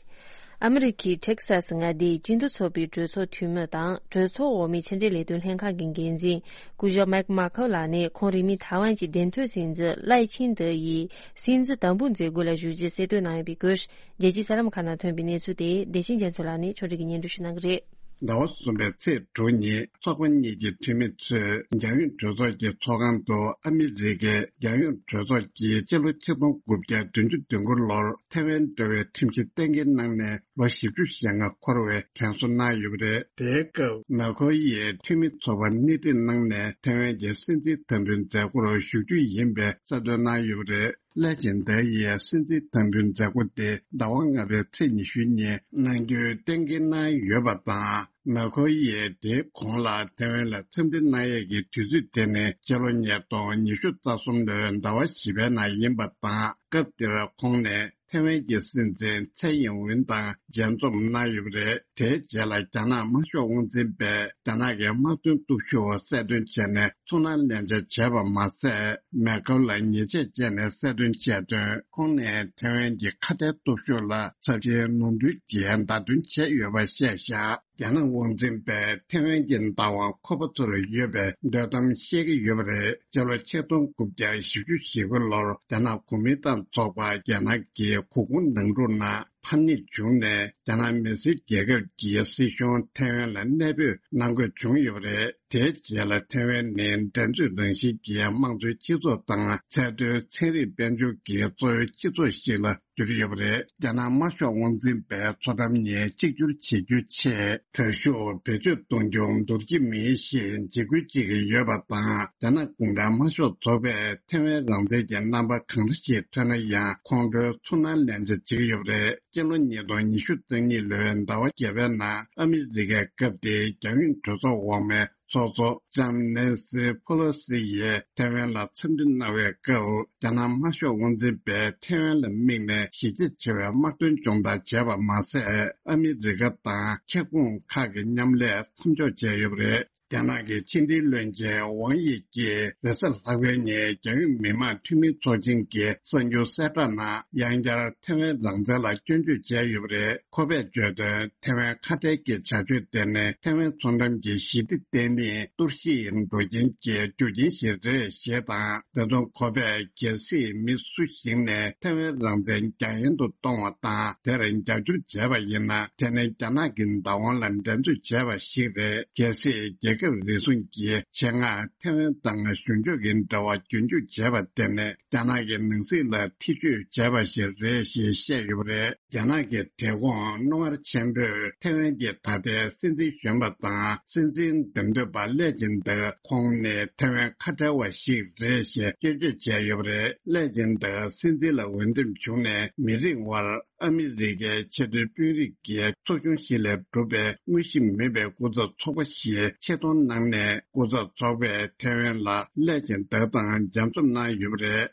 ཨ་མི་རི་ཀའི་ཊེག་སཱ་སི་མངའ་སྡེའི་སྤྱི་འཐུས་ཚོགས་པའི་གྲོས་ཚོགས་འཐུས་མི་དང་གྲོས་ཚོགས་འོག་མའི་ཕྱི་འབྲེལ་ལས་དོན་ལྷན་ཁང་གི་འགན་འཛིན་སྐུ་ཞབས་མེག་མ་ཁོ་ལགས་ནས་ཁོང་རིང་མིན་ཐའེ་ཝན་གྱི་བདེན་དོན་སྲིད་འཛིན་ལའེ་ཆིང་ཏེ་ཡི་སྲིད་འཛིན་དམ་འབུལ་མཛད་སྒོ་ལ་ཞུགས་རྗེས་གསལ་སྟོན་གནང་ཡོད་པའི་སྐོར། རྒྱལ་སྤྱིའི་གསར་ལམ་ཁག་ནང་ཐོན་པའི་གནས་ཚུལ་དེ་བདེ་ཆེན་རྒྱ་མཚོ་ལགས་ནས་ཕྱོགས་སྒྲིག་གིས་སྙན་སྒྲོན་ཞུ་གནང་གི་རེད། ཟླ་བ་གསུམ་པའི་ཚེས་དྲུག་ཉིན་ཚོགས་པ་གཉིས་ཀྱི་འཐུས་མི་ཚོས་རྒྱལ་ཡོངས་གྲོས་ཚོགས་ཀྱི་ཚོགས་ཁང་དུ་ཨ་མི་རི་ཀའི་རྒྱལ་ཡོངས་གྲོས་ཚོགས་ཀྱིས་སྤྱི་ལོ་ཆིག་སྟོང་དགུ་བརྒྱ་བདུན་ཅུ་དོན་དགུ་ལོར་ཐའེ་ཝན་འབྲེལ་བའི་ཁྲིམས་གཞི་གཏན་འཁེལ་གནང་ནས་ལོ་བཞི་བཅུ་ཞེ་ལྔ་འཁོར་བའི་དྲན་གསོ་གནང་ཡོད་པ་རེད། དེའི་སྐབས་མེ་ཁོ་ཡིས་འཐུས་མི་ཚོགས་པར་སྣེ་ཁྲིད་གནང་ནས་ཐའེ་ཝན་གྱི་སྲིད་འཛིན་དམ་འབུལ་མཛད་སྒོར་ཞུགས་རྒྱུ་ཡིན་པའི་གསལ་སྟོན་གནང་ཡོད་པ་རེད། ལའེ་ཆིང་ཏེ་ཡིས་སྲིད་འཛིན་དམ་འབུལ་མཛད་སྒོ་དེ་ཟླ་བ་ལྔ་པའི་ཚེས་ཉི་ཤུ་ཉིན་གནང་རྒྱུའི་གཏན་འཁེལ་གནང་ཡོད་པ་དང་། མེ་ཁོ་ཡིས་དེའི་གོང་ལ་ཐའེ་ཝན་ལ་འཚམས་འདྲི་གནང་ཡས་ཀྱི་དུས་ཚོད་དེ་ནི་ཕྱི་ལོ་ཉིས་སྟོང་ཉི་ཤུ་རྩ་གསུམ་ལོའི་ཟླ་བ་བཞི་པའི་ནང་ཡིན་པ་དང་། སྐབས་དེར་ཁོང་ནས་ཐའེ་ཝན་གྱི་སྲིད་འཛིན་ཚའེ་ཡིན་ཝུན་དང་མཇལ་འཛོམས་གནང་ཡོད་པ་རེད། དེའི་རྗེས་ལ་རྒྱ་ནག་དམར་ཤོག་དབང་འཛིན་པས་རྒྱ་ནག་གི་དམག་དོན་སྟོབས་ཤུགས་གསལ་སྟོན་བྱས་ནས་ཚུར་སྣང་ལེན་བྱ་བྱས་པ་མ་ཟད། མེ་ཁོ་ལ་ཉེས་ཆད་བཅད་ནས་གསལ་སྟོན་བྱས་དོན། ཁོང་ནས་ཐའེ་ཝན་གྱི་ཁ་བྲལ་སྟོབས་ཤུགས་ལ་ཚབས་ཆེའི་ནོར་འཁྲུལ་གྱིས་བརྡ་སྟོན་བྱས་ཡོད་པ་བཤད་བཞག་རྒྱ་ནག་དབང་འཛིན་པས་ཐའེ་ཝན་གྱི་བདག་དབང་ཁོ་པ་ཚོར་ཡོད་པའི་འདོད་གཏམ་བཤད་ཀྱི་ཡོད་པ་རེད། སྤྱི་ལོ་ཆིག་སྟོང་དགུ་བརྒྱ་བཞི་བཅུ་ཞེ་དགུ་ལོར་རྒྱ་ནག་གོ་མིན་ཏང་ཚོགས་པ་རྒྱ་ནག་གི་གུར་ཁུང་ནང་འཁྲུག་ནང་ཕམ་ཉེས་བྱུང་ནས། རྒྱ་ནག་མི་སེར་རྒྱལ་ཁབ་ཀྱི་སྲིད་གཞུང་ཐའེ་ཝན་ལ་གནས་སྤོས་གནང་དགོས་བྱུང་ཡོད་པ་རེད། དེའི་རྗེས་ལ་ཐའེ་ཝན་ནི་འགྲན་རྩོད་རང་བཞིན་གྱི་དམངས་གཙོའི་སྤྱི་ཚོགས་དང་། ཚད་མཐོའི་ཚན་རིག་དཔལ་འབྱོར་གྱི་གཙོ་བོའི་སྤྱི་ཚོགས་ཤིག་ལ་གྱུར་ཡོད་པ་རེད། རྒྱ་ནག་དམར་ཤོག་དབང་འཛིན་པས་མཚོ་འགྲམ་གཉིས་གཅིག་གྱུར་བྱེད་རྒྱུའི་ཆེད་དྲག་ཤུགས་བེད་སྤྱོད་གཏོང་རྒྱུ་འདོར་གྱི་མེད་ཞེས་འཇིགས་སྐུལ་བྱེད་ཀྱི་ཡོད་པ་དང་། རྒྱ་ནག་གུང་ཁྲན་དམར་ཤོག་ཚོགས་པས་ཐའེ་ཝན་རང་བཙན་གྱི་རྣམ་པ་གང་འདྲ་ཞིག་ཐོན་ན་ཡང་ཁོང་ཁྲོའི་ཚུར་སྣང་ལེན་བྱ་བྱེད་ཀྱི་ཡོད་པ་རེད། སྤྱི་ལོ་ཉིས་སྟོང་ཉི་ཤུ་རྩ་གཉིས་ལོའི་ཟླ་བ་བརྒྱད་པའི་ནང་ཨ་མི་རི་ཀའི་སྐབས་དེའི་རྒྱལ་ཡོངས་གྲོས་ཚོགས་འོག་མའི་ཚོགས་གཙོ་ལྕམ་ནེན་སི་ཕོ་ལོ་སི་ཡིས་ཐའེ་ཝན་ལ་འཚམས་འདྲི་གནང་བའི་སྐབས། རྒྱ་ནག་དམར་ཤོག་དབང་འཛིན་པས་ཐའེ་ཝན་ལ་དམིགས་ནས་གཞི་རྒྱ་ཆེ་བའི་དམག་དོན་སྦྱོང་བརྡར་བྱས་པ་མ་ཟད། ཨ་མི་རི་ཀ་དང་ཁྱབ་ཁོངས་ཁག་གི་མཉམ་ལས་མཚམས་འཇོག་བྱས་ཡོད་པ་རེད། རྒྱ་ནག་གི་ཕྱི་འབྲེལ་བློན་ཆེན་ཝང་དབྱི་ཀྱིས་རེས་གཟའ་ལྷག་པའི་ཉིན་རྒྱལ་ཡོངས་མི་དམངས་འཐུས་མི་ཚོགས་ཆེན་གྱི་གསར་འགྱུར་གསལ་བསྒྲགས་ནང་ཡང་བསྐྱར་ཐའེ་ཝན་རང་བཙན་ལ་སྐྱོན་བརྗོད་བྱས་ཡོད་པ་རེད། ཁོ་པས་བརྗོད་དོན། ཐའེ་ཝན་ཁ་བྲལ་གྱི་བྱ་སྤྱོད་དེ་ནི་ཐའེ་ཝན་མཚོ་འགྲམ་གྱི་ཞི་བདེ་ལྡན་མིའི་གཏོར་བཤིག་འགྲོ་རྐྱེན་གྱི་རྒྱུ་རྐྱེན་ཞིག་རེད་ཞེས་དང་། དེ་མཚུངས་ཁོ་པས་གལ་སྲིད་མི་སུ་ཞིག་ནས་ཐའེ་ཝན་རང་བཙན་རྒྱ་ཡན་དུ་གཏོང་བ་དང་། དེར་རྒྱབ་སྐྱོར་བྱས་པ་ཡིན་ན། དེ་ནི་རྒྱ་ནག་གི་བདག་དབང་ལ་འགྲན་རྩོད་བྱས་པ་ཞིག་རེད། གལ་སྲིད་རྒྱལ་ཁབ་རེ་ཟུང་གིས་ཆེད་མངགས་ཐའེ་ཝན་དང་གཞུང་ཕྱོགས་ཀྱི་འབྲེལ་བ་རྒྱུན་སྐྱོང་བྱས་པ་དེ་ནི་རྒྱ་ནག་གི་ནང་སྲིད་ལ་ཐེ་བྱུས་བྱས་པ་ཞིག་རེད་ཞེས་བཤད་ཡོད་པ་རེད། རྒྱ་ནག་གི་དེ་གོང་རྣོ་ངར་ཆེན་པོས་ཐའེ་ཝན་གྱི་ད་ལྟའི་སྲིད་འཛིན་གཞོན་པ་དང་སྲིད་འཛིན་འདེམས་ཐོན་པ་ལའེ་ཆིང་ཏེ་ཁོང་ནི་ཐའེ་ཝན་ཁ་བྲལ་བ་ཞིག་རེད་ཞེས་སྐྱོན་བརྗོད་བྱས་ཡོད་པ་རེད། ལའེ་ཆིང་ཏེ་སྲིད་འཛིན་ལ་འོས་འདེམས་བྱུང་ནས་མི་རིང་བར། ཨ་མི་རི་ཀའི་ཆེས་མཐོའི་དཔོན་རིགས་ཀྱི་ཚོགས་ཆུང་ཞིག་ལས་གྲུབ་པའི་དངོས་གཞི་མིན་པའི་སྐུ་ཚབ་ཚོགས་པ་ཞིག་ཆེད་གཏོང་གནང་ནས། སྐུ་ཚབ་ཚོགས་པས་ཐའེ་ཝན་ལ་ལའེ་ཆིང་ཏེ་དང་མཇལ་འཛོམས་གནང་ཡོད་པ་རེད།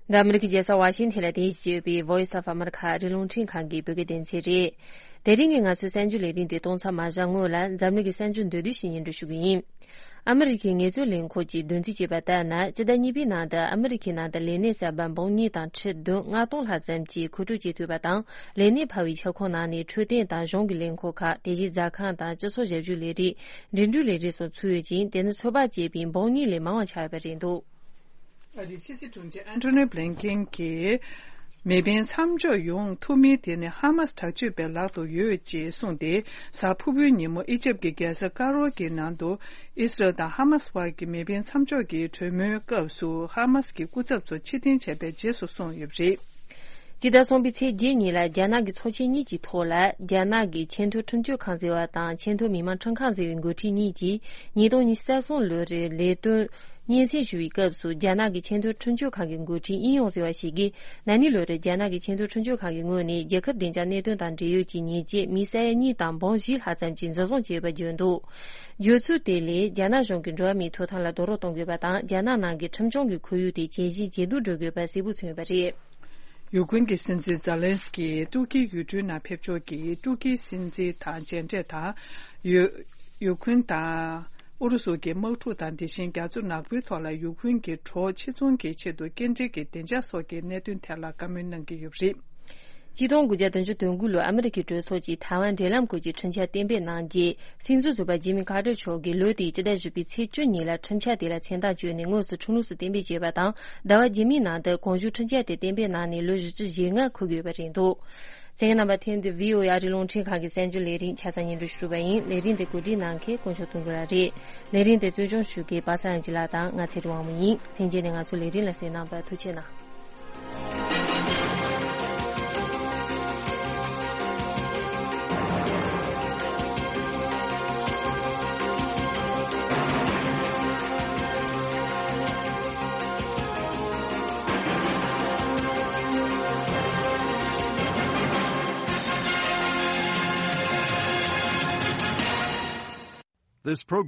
འདི་ཨ་མི་རི་ཀའི་རྒྱལ་ས་ཝ་ཤིང་ཐན་ལ་རྟེན་གཞི་བྱས་པའི་Voice of America ཨ་རིའི་རླུང་འཕྲིན་ཁང་གི་བོད་སྐད་སྡེ་ཚན་རེད། དེ་རིང་གི་ང་ཚོའི་གསར་འགྱུར་ལས་རིམ་འདི་གཏོང་ཚར་མ་བཞག་སྔོན་ལ། འཛམ་གླིང་གི་གསར་འགྱུར་མདོར་བསྡུས་ཤིག་སྙན་སྒྲོན་ཞུ་གི་ཡིན། ཨ་མི་རི་ཁའི་ངལ་རྩོལ་ལས་ཁུངས་ཀྱིས་བདུན་ཚིགས་བྱས་པ་ལྟར་ན། སྤྱི་ཟླ་གཉིས་པའི་ནང་དུ་ཨ་མི་རི་ཁའི་ནང་དུ་ལས་གནས་གསར་པ་འབུམ་གཉིས་དང་ཁྲི་བདུན་ལྔ་སྟོང་ལྷག་ཙམ་གྱིས་མཁོ་སྤྲོད་བྱེད་ཐུབ་པ་དང་། ལས་གནས་འཕར་བའི་ཁྱབ་ཁོངས་ནང་ནས་འཕྲོད་བསྟེན་དང་གཞུང་གི་ལས་ཁུངས་ཁག་དེ་བཞིན་ཟ་ཁང་དང་སྤྱི་ཚོགས་ཞབས་ཞུ་ལས་རིགས། འགྲིམ་འགྲུལ་ལས་རིགས་སོགས་ཚུད་ཡོད་ཅིང་། དེ་ནི་ཚོད་དཔག་བྱས་པའི་འབུམ་གཉིས་ལས་མང་བ་ཆགས་ཡོད་པ་རེད་འདུག་ཨ་རིའི་ཕྱི་སྲིད་དྲུང་ཆེ་ཨན་ཐོ་ནི་བྷི་ལིན་ཀེན་གྱིས། མེ་འཕེན་མཚམས་འཇོག་ཡོང་ཐུབ་མིན་དེ་ནི་ཧ་མ་སི་དྲག་སྤྱོད་པའི་ལག་ཏུ་ཡོད་ཅེས་གསུངས་ཏེ། གཟའ་ཕུར་བུའི་ཉིན་མོ་ཨི་ཇེབ་ཀྱི་རྒྱལ་ས་ཀ་རོ་གི་ནང་དུ་ཨི་སི་རལ་དང་ཧ་མ་སི་བར་གྱི་མེ་འཕེན་མཚམས་འཇོག་གི་གྲོས་མོལ་སྐབས་སུ་ཧ་མ་སི་གི་སྐུ་ཚབ་ཚོ་ཕྱིར་འཐེན་བྱས་པའི་རྗེས་སུ་སོང་ཡོད་པ་རེད། སྤྱི་ཟླ་གསུམ་པའི་ཚེས་བརྒྱད་ཉིན་ལ་རྒྱ་ནག་གི་ཚོགས་ཆེན་གཉིས་ཀྱི་ཐོག་ལ། རྒྱ་ནག་གི་ཆེས་མཐོའི་ཁྲིམས་གཅོད་ཁང་ཟེར་བ་དང་ཆེས་མཐོའི་མི་དམངས་ཁྲིམས་ཁང་ཟེར་བའི་འགོ་ཁྲིད་གཉིས་ཀྱིས་ཉིས་སྟོང་ཉི་ཤུ་རྩ་གསུམ་ལོའི་ལས་དོན་སྙན་སེང་ཞུ་བའི་སྐབས་སུ། རྒྱ་ནག་གི་ཆེས་མཐོའི་ཁྲིམས་གཅོད་ཁང་གི་འགོ་ཁྲིད་ཨིན་ཡོང་ཟེར་བ་ཞིག་གིས། ན་ནིང་ལོ་རེར་རྒྱ་ནག་གི་ཆེས་མཐོའི་ཁྲིམས་གཅོད་ཁང་གི་ངོས་ནས་རྒྱལ་ཁབ་བདེ་འཇགས་གནད་དོན་དང་འབྲེལ་ཡོད་ཀྱི་ཉེས་ཆད་མི་ས་ཡ་གཉིས་དང་འབུམ་བཞི་ལྷག་ཙམ་གྱི་འཛིན་བཟུང་བྱས་པ་བརྗོད་འདུག། བརྗོད་ཚུལ་དེ་ལས། རྒྱ་ནག་གཞུང་གིས་འགྲོ་བ་མིའི་ཐོབ་ཐང་ལ་རྡོག་རོལ་གཏོང་དགོས་པ་དང་། རྒྱ་ནག་ནང་གི་ཁྲིམས་སྐྱོང་གི་ཁོར་ཡུག་དེ་ཇེ་ཞན་ཇེ་སྡུག་འགྲོ་དགོས་པ་གསལ་པོ་མཚོན་ཡོད་པ་རེད། ཡུ་ཁུན་གྱི་སྲིད་འཛིན་ཛེ་ལན་སི་ཀི་ཏུར་ཀིའི་ཡུལ་གྲུའི་ནང་ཕེབས་ཕྱོགས་ཀྱི་ཏུར་ཀིའི་སྲིད་འཛིན་དང་མཇལ་འཕྲད་དང་། ཡུ་ཡུ་ཁུན་དང་ཨུ་རུ་སུ་གྱི་དམག་འཁྲུག་དང་། དེ་བཞིན་རྒྱ་མཚོ་ནག་པོའི་ཐོག་ལ་ཡུ་ཁུན་གྱི་གྲོགས་ཆེ་ཆུང་གི་ཆེད་དུ་སྐྱེལ་འདྲེན་གྱི་བདེ་འཇགས་སོགས་ཀྱི་གནད་དོན་ཐད་ལ་བཀའ་མོལ་གནང་གི་ཡོད་པ་རེད། ཆིག་སྟོང་དགུ་བརྒྱ་བདུན་ཅུ་དོན་དགུ་ལོར་ཨ་མི་རི་ཀའི་གྲོས་ཚོགས་ཀྱིས་ཐའེ་ཝན་འབྲེལ་ལམ་སྐོར་གྱི་ཁྲིམས་འཆར་གཏན་འབེབས་གནང་རྗེས། སྲིད་འཛིན་ཟུར་པ་ཇི་མི་ཁ་ཏར་མཆོག་གིས་ལོ་དེའི་སྤྱི་ཟླ་བཞི་པའི་ཚེས་བཅུ་ཉིན་ལ་ཁྲིམས་འཆར་དེ་ལ་མཚན་རྟགས་བཅོལ་ནས་དངོས་སུ་ཁྲིམས་ལུགས་སུ་གཏན་འབེབས་བྱས་པ་དང་། ཟླ་བ་རྗེས་མའི་ནང་དུ་གོང་ཞུས་ཁྲིམས་འཆར་དེ་གཏན་འབེབས་གནང་ནས་ལོ་བཞི་བཅུ་ཞེ་ལྔ་འཁོར་གྱི་ཡོད་པ་རེད་འདུག། གསན་མཁན་རྣམ་པ། ཐེངས་འདིའི་ཝི་ཨོ་ཨེ་ཨ་རིའི་རླུང་འཕྲིན་ཁང་གི་གསར་འགྱུར་ལས་རིམ་ཆ་ཚང་སྙན་སྒྲོན་ཞུ་བ་ཡིན། ལས་རིམ་དེ་གོ་སྒྲིག་གནང་མཁན་དཀོན་མཆོག་དོན་གྲུབ་ལགས་རེད། ལས་རིམ་དེ་གཙོ་སྐྱོང་ཞུ་མཁན་པ་སངས་ལྗོངས་ལགས་དང་ང་ཚེ་རིང་དབང་མོ་ཡིན། ལྷན་རྒྱས་ནས་ང་ཚོའི་ལས་རིམ་ལ་གསན་གནང་བར་ཐུགས་རྗེ་གནང་། This program